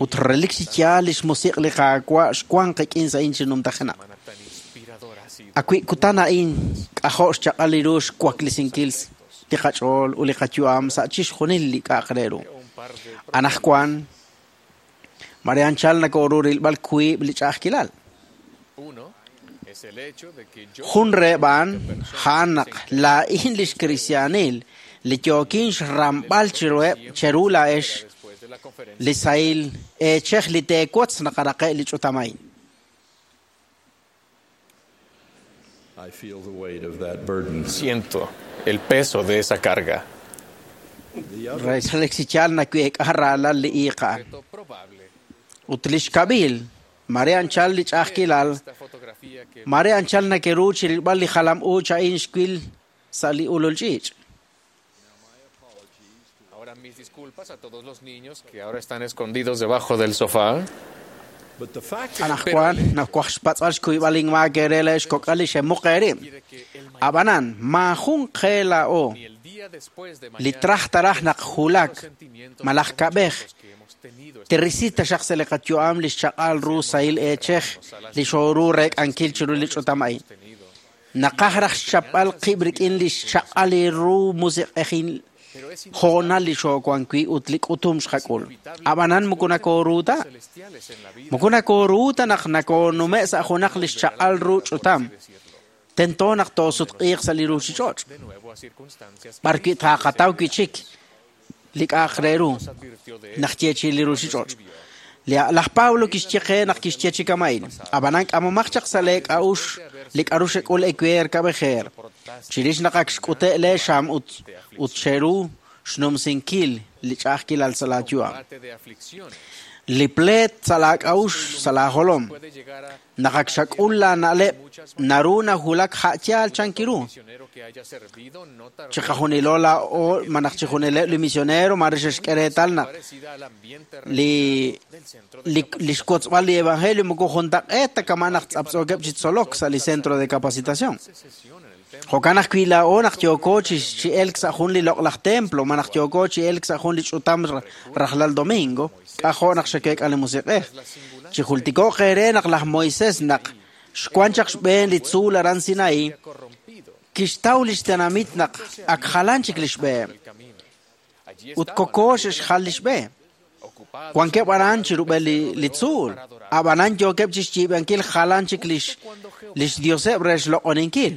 ut relik chi yaal li xmusiq' li Qaawa' xwan qik'in sa' a'in chi numtajenaq Tan inspiradora ha sido. awi' kutan a'in k'ajo' xchaq'al ru xwaklisinkil li qach'ool ut li qayu'am sa' chixjunil li k'a'aq re ru anajwan mare anchal nakooru rilb'al wiib' li ch'a'ajkilal Uno es el hecho de que yo jun reheb' a'an a'an naq laa'in lix kristiaanil li yookin xramb'al chiruheb' cheru laa'ex después de la conferencia li sahil eechej li teewotz naqaraqe' li ch'utam a'in I feel the weight of that burden. siento el peso de esa carga. Re relik chi yaal naweek'a raalal li iiq a'an Probable ut li xkab'il Mare anchal li ch'a'ajkilal, mare anchal nakeru chi rilb'al li jalam uuch a'in xwil sa' li ulul ch'iich'. Ahora mis disculpas a todos los niños que ahora están escondidos debajo del sofá. Anaqwan nakwaj xpatz'al xkuyb'al inmaak ere le xkok'al li xemuq eerib'. Ab'anan, maajun qe laa'o li traj taraj naq julak malaj kab'ej tirisi taxaq sa' li qayu'am li xchaq'al ru sahil eechej li xooru reek'ankil chiru li ch'utam a'in. Naqaj raj xchapb'al qib' rik'in li xchaq'al li ru musiq'ejil hoonal li xoowan wi' ut li k'utum xqak'ul. Ab'anan moko nakooru ta. Moko nakooru ta naq nakoonume' sa' junaq li xchaq'al ru ch'utam. Tento naq toosutq'iiq sa' li ruuchich'och'. B'ar wi' taaqataw wi' chik li k'a'aq re ru naq yeechi'i li ruuchich'och'. Laj Pablo kixye qe naq kixye chi kama'in. Ab'anan k'amomaq chaq sa' lee k'a'uxl li k'aru xek'ul ewer kab'ejer. Chirix naq ak xk'ute' lee xam ut ut xeru xnumsinkil li ch'a'ajkilal sa' laayu'am. Li pleet sa' laak'a'uxl sa' laajolom. Naq ak xak'ul laana'leb' naru nawulak ja'yaal chankiru. Chiqajunilo laa'o malaj chijunileb' li misionero mare xe'xk'e reetal naq li li li xkotzb'al li evangelio moko juntaq'eet ta kama' naq tz'aptz'ookeb' chi tzolok sa' li centro de capacitación. Jo'kan ajwi' laa'o naq yooko chi chi elk sa' jun li loq'laj templo malaj yooko chi elk sa' jun li ch'utam rajlal domingo, k'ajo' naq xekeek'a li musiq'ej. Chijultiko'q eere naq laj Moisés naq xwan chaq xb'een li tzuul aran Sinaí, kixtaw li xtenamit naq ak jalan chik li xb'eheb'. Ut koko xe'xjal li xb'e. Wankeb' aran chirub'el li, li tzuul. Ab'anan yookeb' chi xyiib'ankil jalan chik lix, lix dioseb' re xloq'oninkil.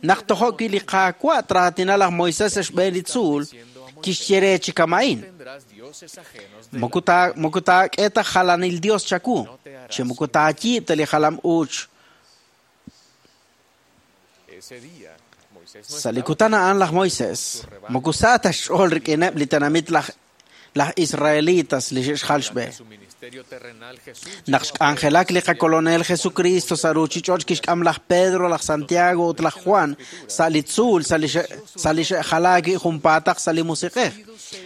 Naq tojo' wi' li Qaawa' traatina laj Moisés sa' xb'een li tzuul, kixye re chi kama'in. Moko taa moko taak'e ta jalanil dios chawu, chi moko taayiib' ta li jalam uuch. Sa' li kutan a'an laj Moisés, moko sa ta xch'ool rik'ineb' li tenamit laj laj Israelitas li xe'xjal xb'e. Naq xk'anjelak li qakolonel Jesucristo sa' ruuchich'och' kixk'am laj Pedro, laj Santiago ut laj Juan sa' li tzuul sa' li sa' li xe'jalaak wi' junpaataq sa' li musiq'ej.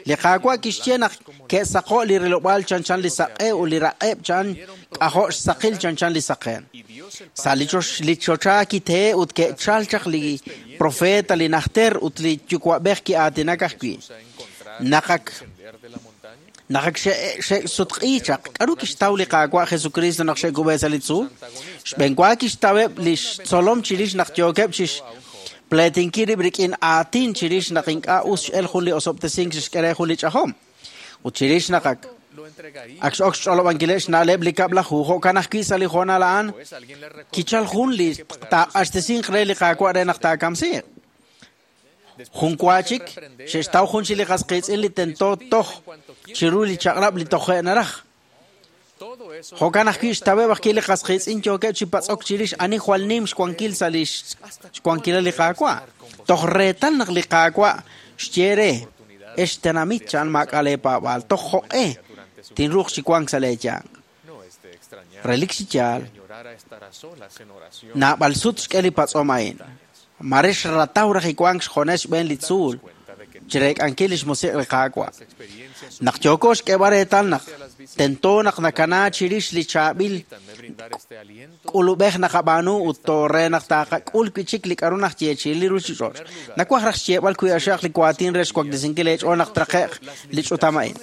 Li Qaawa' kixye naq ke'saqo' li rilob'aal chanchan li saq'e ut li raq'eb' chan k'ajo' xsaqil chanchan li saqen. Sa' li chox li choxa kitee ut ke'chal chaq li profeta li najter ut li yuwa'b'ej ki'aatinak ajwi'. Naq ak naq ak xe'sutq'i chaq, k'aru kixtaw li Qaawa' Jesucristo naq xe'kub'e sa' li tzuul? Xb'enwa kixtaweb' li xtzolom chirix naq yookeb' chi xpleetinkil rib' rik'in aatin chirix naq ink'a' us x'el jun li osob'tesink xe'xk'e re jun li ch'ajom. Ut chirix naq ak ak x'ok xch'olob'ankileb' xna'leb' li kab'laju, jo'kan ajwi' sa' li hoonal a'an kichal jun li taaq'axtesinq re li Qaawa' re naq taakamsiiq. Jun wa chik, xe'xtaw jun chi li qas qiitz'in li tento toj chiru li chaq'rab' li toje' naraj. Jo'kan ajwi' xtaweb' ajwi' li qas qiitz'in yookeb' chi patz'ok chirix ani jwal nim xwankil sa' li xwankilal li Qaawa'. Toj reetal naq li Qaawa' xye re, ex tenamit chan maak'a' leepaab'aal, toj jo'q'e tinruuq chi wank sa' leeyanq. Relik chi yaal, naab'al sut xk'e li patz'om a'in. Mare xrataw raj iwank xjones xb'een li tzuul chireek'ankil li xmusiq' li Qaawa'. Naq yooko xk'eeb'al reetal naq tento naq nakana chirix li chaab'il k'ulub'ej naqab'aanu ut toore naq taaqak'ul wi' chik li k'aru najyeechi'i li ruuchich'och'. Nawaj raj xyeeb'al wi' axaq li waatin re xwaklesinkil eech'ool naq traqe'q li ch'utam a'in.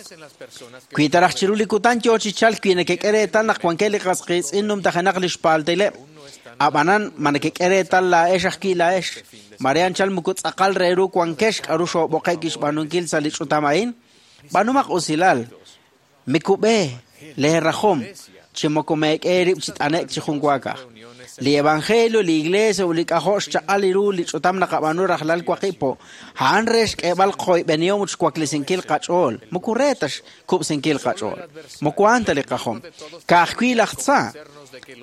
Wi ta raj chiru li kutan yoo chi chalk wi nekek'e reetal naq wankeb' li qas qiitz'in numtajenaq li xpaaltileb', ab'anan ma nekek'e reetal laa'ex ajwi' laa'ex, mare anchal moko tz'aqal re ru wankex k'aru xoob'oqe'k xb'aanunkil sa' li ch'utam a'in, b'aanumaq usilal, mikub'e leerajom chi moko meek'e eerib' chi t'ane'k chi jun waakaj. Li evangelio, li iglesia ut li k'ajo' xchaq'al ru li ch'utam naqab'aanu rajlal waqib' po, a'an re xk'eeb'al qoyb'enihom ut xwaklesinkil qach'ool, moko re ta xkub'sinkil qach'ool. Moko a'an ta li qajom. Ka'ajwi' laj tza,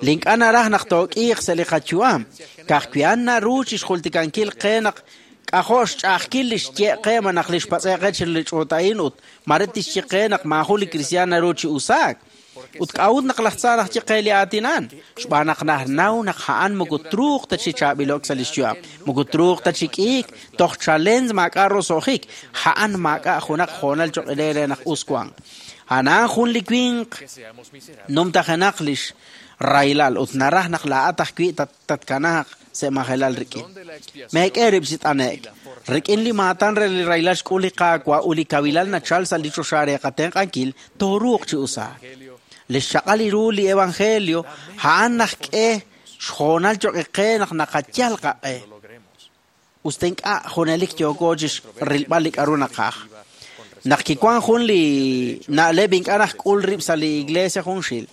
li ink'a' naraj naq took'iiq sa' li qayu'am, ka'ajwi' a'an naru chi xjultikankil qe naq k'ajo' xch'a'ajkil li xye' qe malaj li xpatz'e qe chiru li ch'uut a'in ut mare tixye qe naq maajun li kristiaan naru chi usaak. Ut k'a'ut naq laj tza najye qe li aatin a'an? Xb'aan naq naxnaw naq a'an moko truuq ta chi chaab'ilo'k sa' lix yu'am, moko truuq ta chi k'iik, toj chalen maak'a' roso'jik, a'an maak'a' junaq hoonal choq' re naq us wanq. A'an jun li winq numtajenaq lix rahilal ut naraj naq laa'at ajwi' tatkanaaq sa' majelal rik'in. Meek'e rib' chi t'ane'k. Rik'in li maatan re li rahilal xk'ul li Qaawa' ut li kawilal nachal sa' li choxa re qatenq'ankil, tooruuq chi usaak. Li xchaq'al ru li evangelio a'an najk'e xhoonal choq' qe naq naqayal qaq'e. Us ta ink'a' junelik yooko chi rilb'al li k'a'ru naqaj. Naq kiwan jun li na'leb' ink'a' najk'ul rib' sa' li iglesia junxil.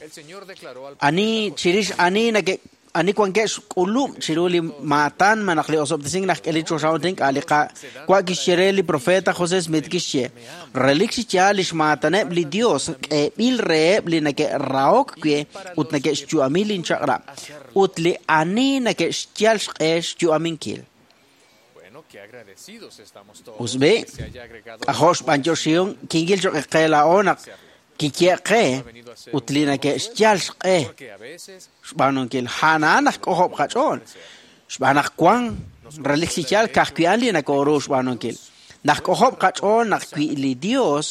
Ani chirix ani nake ani wankeb' xk'ulub' chiru li maatan malaj li osob'tesink najk'e li choxa ut ink'a' li Qaawa' kixye re li profeta José Smith kixye relik chi yaal lix maataneb' li Dios k'eeb'il reheb' li neke'rahok we ut neke'xyu'ami linchaq'rab' ut li ani neke'xyal xq'e xyu'aminkil. Us b'i, k'ajo' xb'anyoxihom kinkil choq' qe laa'o naq kiye qe ut li neke'xyal xq'e xb'aanunkil a'an naq k'ojob' qach'ool xb'aan naq wan relik chi yaal ka'ajwi' a'an li nakooru xb'aanunkil. Naq k'ojob' qach'ool naq wi' li Dios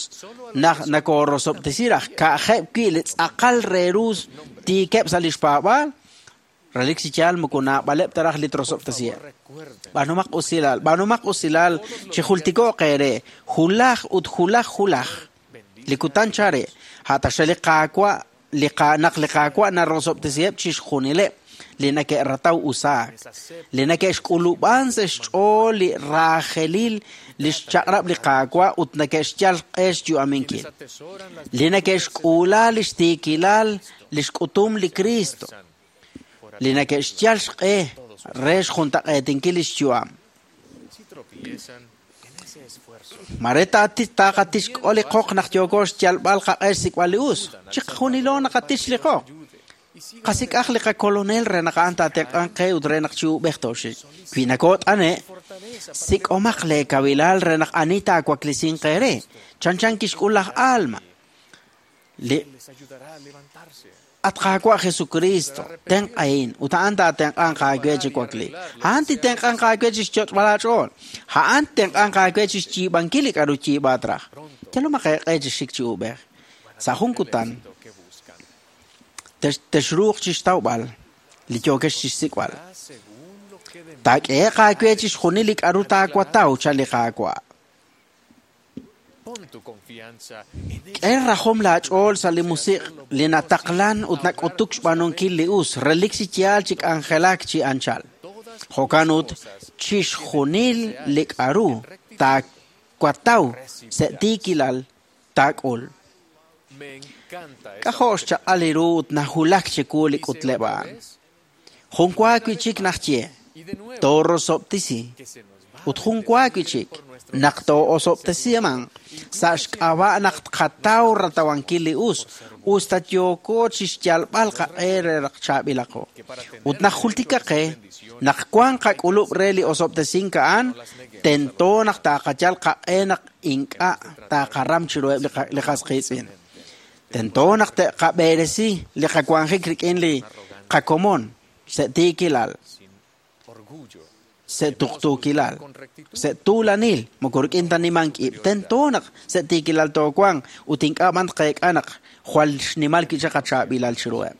naq nakoorosob'tesi raj ka'ajeb' wi' li tz'aqal re ru tiikeb' sa' lix paab'aal relik chi yaal moko naab'aleb' ta raj li trosob'tesiheb'. B'aanumaq usilal, b'aanumaq usilal chi jultiko'q eere julaj ut julaj julaj li kutan chare a'taxa li Qaawa' li naq li Qaawa' narosob'tesiheb' chixjunileb' li neke'rataw usaak, li neke'xk'ulub'an sa' xch'ool li raajelil li xchaq'rab' li Qaawa' ut neke'xyal q'e xyu'aminkil, li neke'xk'uula lix tiikilal li xk'utum li Cristo, li neke'xyal xq'e re xjuntaq'eetinkil lix yu'am. Mare taqatixk'ol li qoq naq yooko xyalb'al qaq'e xsik'b'al li us. Chiqajunilo naqatix li qoq. Qasik'aj li qakolonel re naq a'an taatenq'anq qe ut re naq chi ub'ej tooxik. Wi nakoot'ane', sik'omaq lee kawilal re naq ani taawaklisinq eere. Chanchan kixk'ul laj Alma. Li At Qaawa' Jesucristo, tenq'ahin ut a'an taatenq'anq aawe chi wakliik. A'an titenq'anq aawe chi xyoch'b'al aach'ool. A'an titenq'anq aawe chi xyiib'ankil li k'a'ru yiib'aat raj. Yalomaq eeq'e chi xik chi ub'ej. Sa' jun kutan, texruuq chi xtawb'al li yookex chi xsik'b'al. Taak'ehe'q aawe chi xjunil li k'a'ru taawataw chan li Qaawa'. K'e rajom laach'ool sa' li musiq' li nataqlan ut nak'utuk xb'aanunkil li us, relik chi yaal chi k'anjelak chi anchal. Jo'kan ut chixjunil li k'a'ru taawataw sa' tiikilal taak'ul. K'ajo' xchaq'al li ru ut najulak chiwu li k'utleb' a'an. Jun wa wi' chik najye, toorosob'tesi ut jun wa wi' chik naq too'osob'tesiman sa' xk'ab'a' naq tqataw ratawankil li us, us ta yooko chi xyalb'al qaq'e re naq chaab'ilaqo. Ut naq jultika qe naq wan qak'ulub' re li osob'tesink a'an, tento naq taaqayal qaq'e naq ink'a' taaqaram chiruheb' li qas qiitz'in. Tento naq te'qab'eresi li qawanjik rik'in li qakomon sa' tiikilal, sa' tuqtuukilal, sa' tuulanil, moko rik'in ta nimank ib'. Tento naq sa' tiikilal toowanq ut ink'a' b'an tqeek'a naq jwal xnimal wi' chaq qachaab'ilal chiruheb'.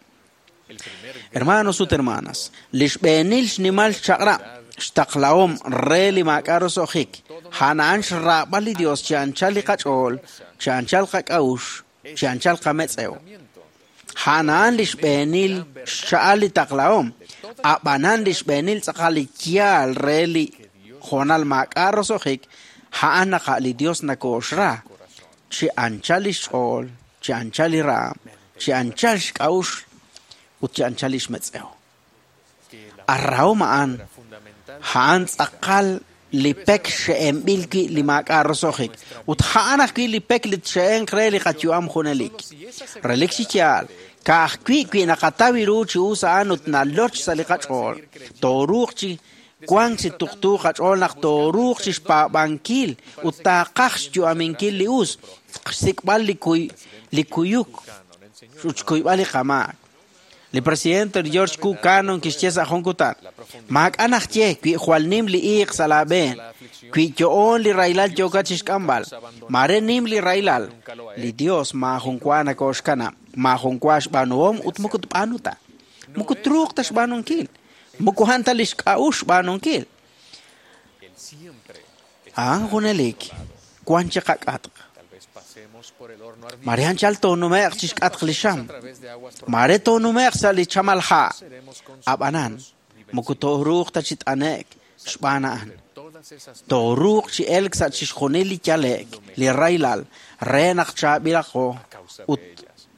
Hermanos ut hermanas, li xb'eenil xnimal xchaq'rab' xtaqlahom re li maak'a' roso'jik, a'an a'an xraab'al li Dios chi anchal li qach'ool, chi anchal qak'a'uxl, chi anchal qametz'ew. A'an a'an li xb'eenil xcha'al li taqlahom, ab'anan li xb'eenil tz'aqal li yaal re li hoonal maak'a' roso'jik, a'an naq li Dios nakooxra chi anchal li xch'ool, chi anchal li raam, chi anchal xk'a'uxl ut chi anchal li xmetz'ew. Arrahom a'an, a'an tz'aqal li pek xe'enb'il wi' li maak'a' roso'jik ut a'an ajwi' li pek li txe'enq re li qayu'am junelik. Relik chi yaal, ka'ajwi' wi' naqataw ru chi us a'an ut naloch sa' li qach'ool, tooruuq chi wank chi tuqtu qach'ool naq tooruuq chi xpaab'ankil ut taaqaj xyu'aminkil li us, xsik'b'al li kuyuk Ut xkuyb'al li qamaak. Li presidente George Q. Cannon kixye sa' jun kutan, maak'a' naxye wi jwal nim li iiq sa' laab'een, wi yo'on li rahilal yookat chixk'amb'al, mare nim li rahilal, li Dios maajun wa nakooxkanab', maajun wa xb'aanuhom ut moko tb'aanu ta. Moko truuq ta xb'aanunkil, moko a'an ta li xk'a'uxl xb'aanunkil. A'an junelik wan chi qak'atq. Mare anchal toonume'q chixk'atq li xam. Mare toonume'q sa' li chamal ha'. Ab'anan, moko tooruuq ta chi t'ane'k xb'aan a'an. Tooruuq chi elk sa' chixjunil li yale'k, li rahilal, re naq chaab'ilaqo ut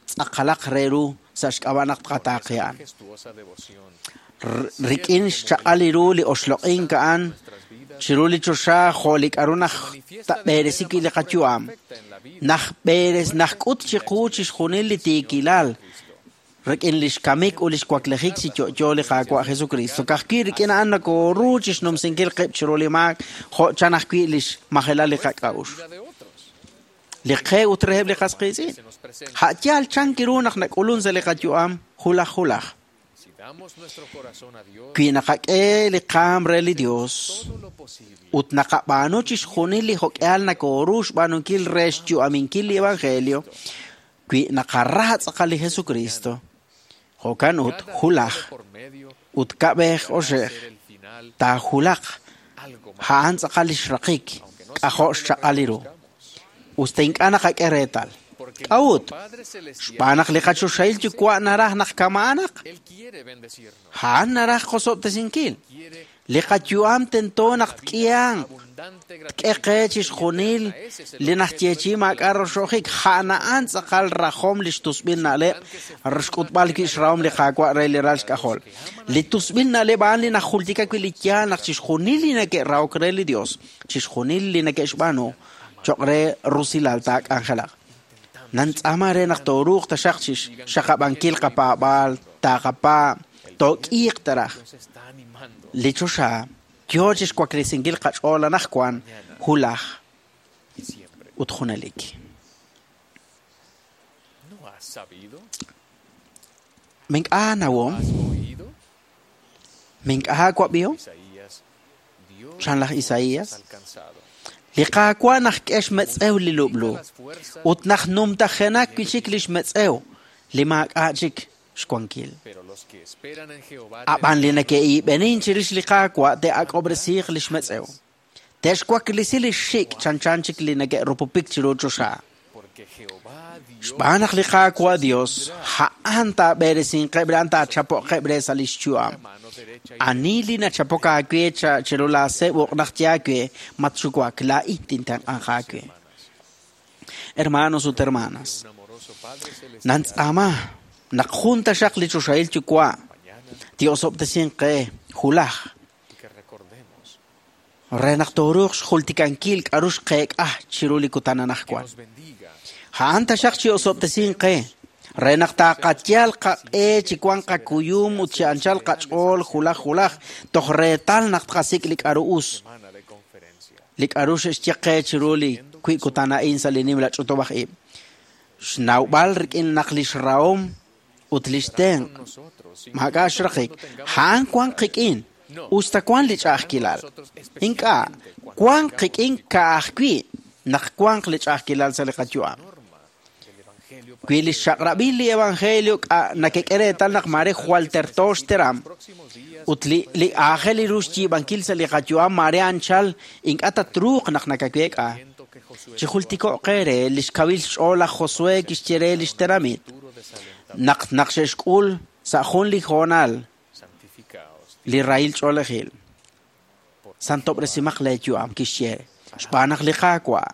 tz'aqalaq re ru sa' xk'ab'a' naq tqataaqe a'an. Rik'in xchaq'al ru li oxloq'ink a'an chiru li choxa jo' li k'a'ru naj tab'eresi wi' li qayu'am, najk'ut chiqu chixjunil li tiikilal rik'in li xkamik ut li xwaklejik chi yo'yo li Qaawa' Jesucristo. Ka'ajwi' rik'in a'an nakooru chixnumsinkil qib' chiru li maak jo' chan ajwi' li xmajelal li qak'a'uxl. Li qe ut reheb' li qas qiitz'in. A' yaal chan kiru naq nak'ulun sa' li qayu'am julaj julaj. Wi naqak'e li qaam re li Dios ut naqab'aanu chixjunil li jok'ehal nakooru xb'aanunkil re xyu'aminkil li Evangelio, wi naqara tz'aqal li Jesucristo, jo'kan ut julaj ut kab'ej oxej taajulaq a'an tz'aqal li xraqik k'ajo' xchaq'al li ru. Usta ink'a' naqak'e reetal. K'a'ut? Xb'aan naq li qachoxahil yuwa' naraj naq kama'anaq. A'an naraj qosob'tesinkil. Li qayu'am tento naq tk'ihanq, tk'e qe chixjunil li najyeechi'i maak'a' roxo'jik. A'an a'an tz'aqal rajom li xtusb'il na'leb' xk'utb'al wi' xrahom li Qaawa' re li ral xk'ajol. Li tusb'il na'leb' a'an li najultika wi' li yaal naq chixjunil li neke'rahok re li Dios, chixjunil li neke'xb'aanu, cho'q re rusilal taak'anjelaq. Nantz'aama re naq tooruuq taxaq chixxaqab'ankil qapaab'aal, taaqapaab', took'iiq taraj. Li choxa yo chixwaklesinkil qach'ool anaqwan julaj ut junelik. Mink'a' nawom, mink'a' wab'ihom, chan laj Isaías. Li Qaawa' najk'e xmetz'ew li lub'lu ut naj numtajenak wi' chik li xmetz'ew li maak'a' chik xwankil. Ab'an li neke'iib'enin chirix li Qaawa' te'ak'ob'resiiq li xmetz'ew. Te'xwaklesi li xxik' chanchan chik li neke'rupupik chiru choxa. Xb'aan naq li Qaawa' Dios a'an taab'eresinqeb' re a'an taachapo'qeb' re sa' li xyu'am. Ani li nachapok aawe chiru laaseb' uq' naq yaawe matxuwak laa'in tintenq'anq aawe. Hermanos ut hermanas, nantz'aama naq jun taxaq li choxahil yuwa' tiosob'tesinq qe julaj re naq tooruuq xjultikankil k'a'ru xqeek'a chiru li kutan anaqwan. A'an taxaq chi osob'tesinq qe re naq taaqatyal qaq'e chi wan qakuyum ut chi anchal qach'ool julaj julaj toj reetal naq tqasik' li k'a'ru us, li k'a'ru xe'xye qe chiru li wi' kutan a'in sa' li nimla ch'utub'aj ib'. Xnawb'al rik'in naq li xrahom ut li xtenq' maak'a' xraqik, a'an wan qik'in usta wan li ch'a'ajkilal. Ink'a' wan qik'in ka'ajwi' naq wanq li ch'a'ajkilal sa' li qayu'am. Wi li xchaq'rab'il li Evangelio nakek'e reetal naq mare jwal terto xteram ut li aajel ru xyiib'ankil sa' li qayu'am mare anchal ink'a' tatruuq naq nakaweek'a. Chijultiko'q qe re li xkawil xch'ool laj Josué kixye re li xtenamit naq xe'xk'ul sa' jun li hoonal li rahil ch'oolejil. Santob'resimaq leeyu'am kixye xb'aan naq li Qaawa'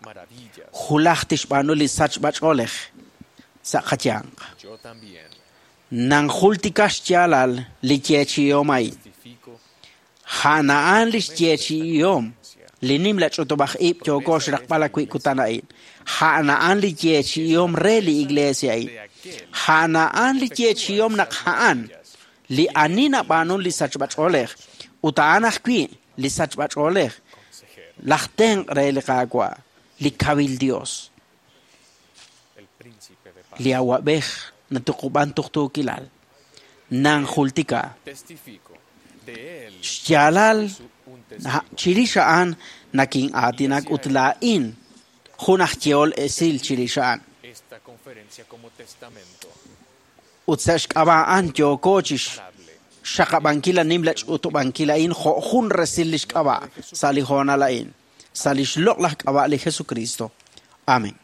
julaj tixb'aanu li sachb'ach'oolej sa' qayanq. Nanjultika xyaalal li yeechi'ihom a'in. A'an a'an li xyeechi'ihom li nimla ch'utub'aj ib' yooko xraqb'al wi' kutan a'in. A'an a'an li yeechi'ihom re li iglesia a'in. A'an a'an li yeechi'ihom naq a'an li ani nab'aanun li sachb'ach'oolej ut a'an ajwi' li sachb'ach'oolej laj tenq' re li Qaawa', li kawil Dios, li awab'ej natuqub'an tuqtuukilal. Nanjultika. Xyaalal chirix a'an nakin'aatinak ut laa'in jun aj yehol esil chirix a'an. Ut sa' xk'ab'a' a'an yooko chi xxaqab'ankil nimla ch'utub'ankil a'in jo' jun resil lix k'ab'a' sa' li hoonal a'in, sa' lix loq'laj k'ab'a' li Jesucristo. Amén.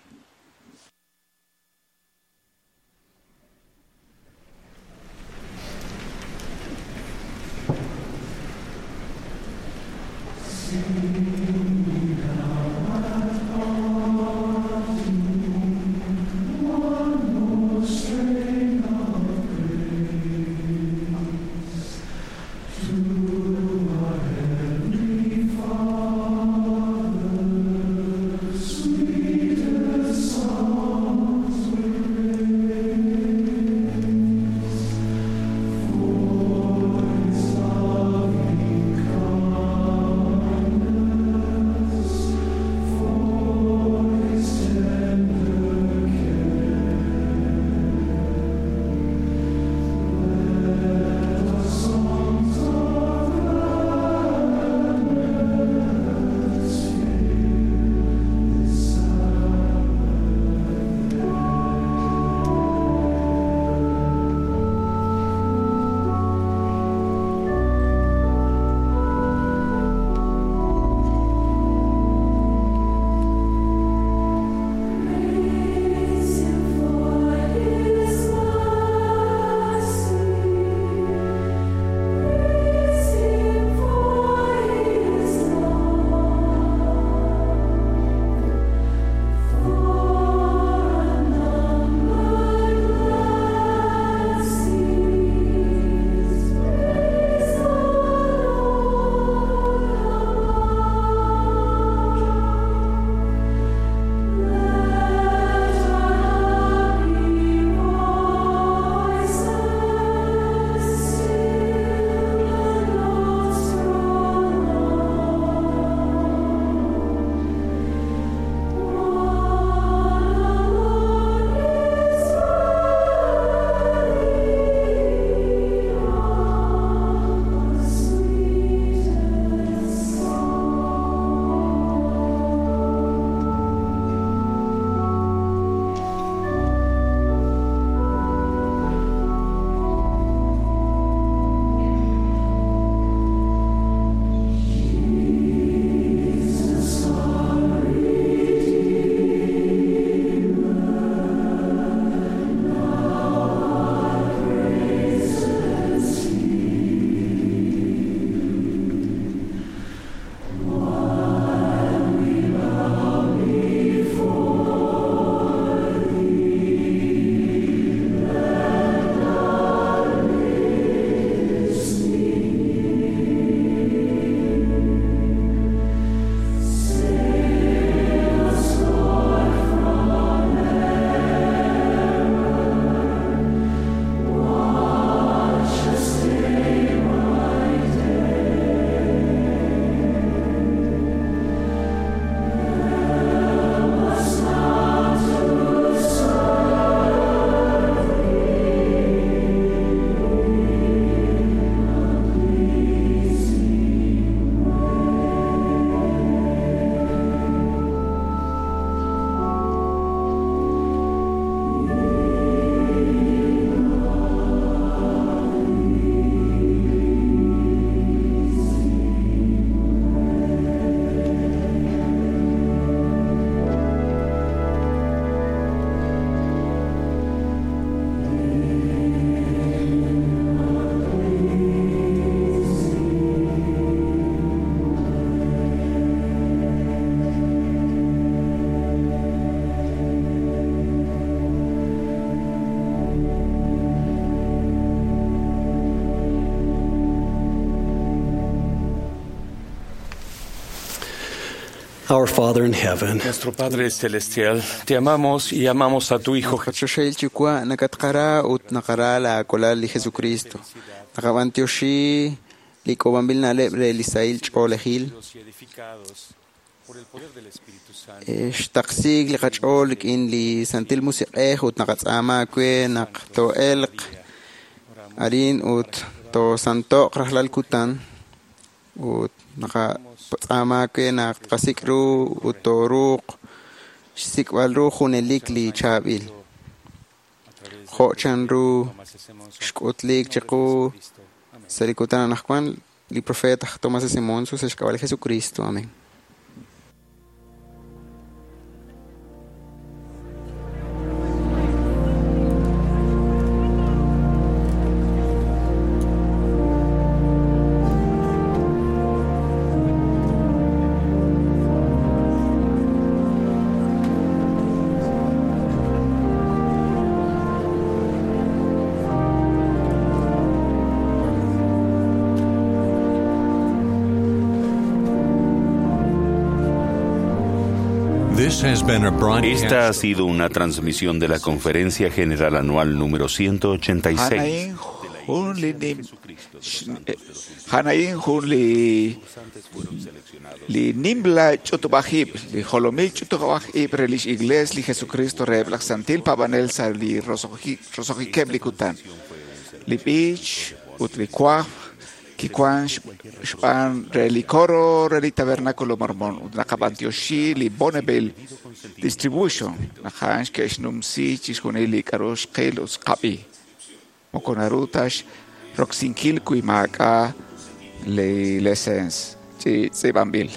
Our Father in heaven. Nuestro Padre Celestial, te amamos y amamos a tu Hijo. Qachoxel Yuwa' nakatqara ut naqara laakolal li Jesucristo. Naqab'antioxi li k'ob'anb'il na'leb' re li sahil ch'oolejil. Xtaqsiik li qach'ool rik'in li Santil Musiq'ej ut naqatz'aama aawe naq too'elq arin ut toosanto'q rajlal kutan ut naqatz'aama aawe naq tqasik' ru ut tooruuq xsik'b'al ru junelik li chaab'il. Jo' chanru xk'utliik chiqu sa' li kutan anaqwan li profeet aj Tomás S. Monson sa' xk'ab'a' li Jesucristo. Amén. Esta ha sido una transmisión de la Conferencia General Anual número 186. Hanain jun li nimla ch'utub'ajib', li jolomil ch'utub'ajib' re lix Iglees li Jesucristo reheb' laj Santil Paab'anel sa' li roso'jikeb' li kutan. Li b'ich ut li wajb' kiwan xb'aan re li coro re li Tabernáculo Mormón ut naqab'antioxi li Bonneville Distribution naq a'an xke'xnumsi chixjunil li k'a'ru xqil ut xqab'i. Moko naru ta xroksinkil wi maak'a' li lesens chi tz'iib'anb'il.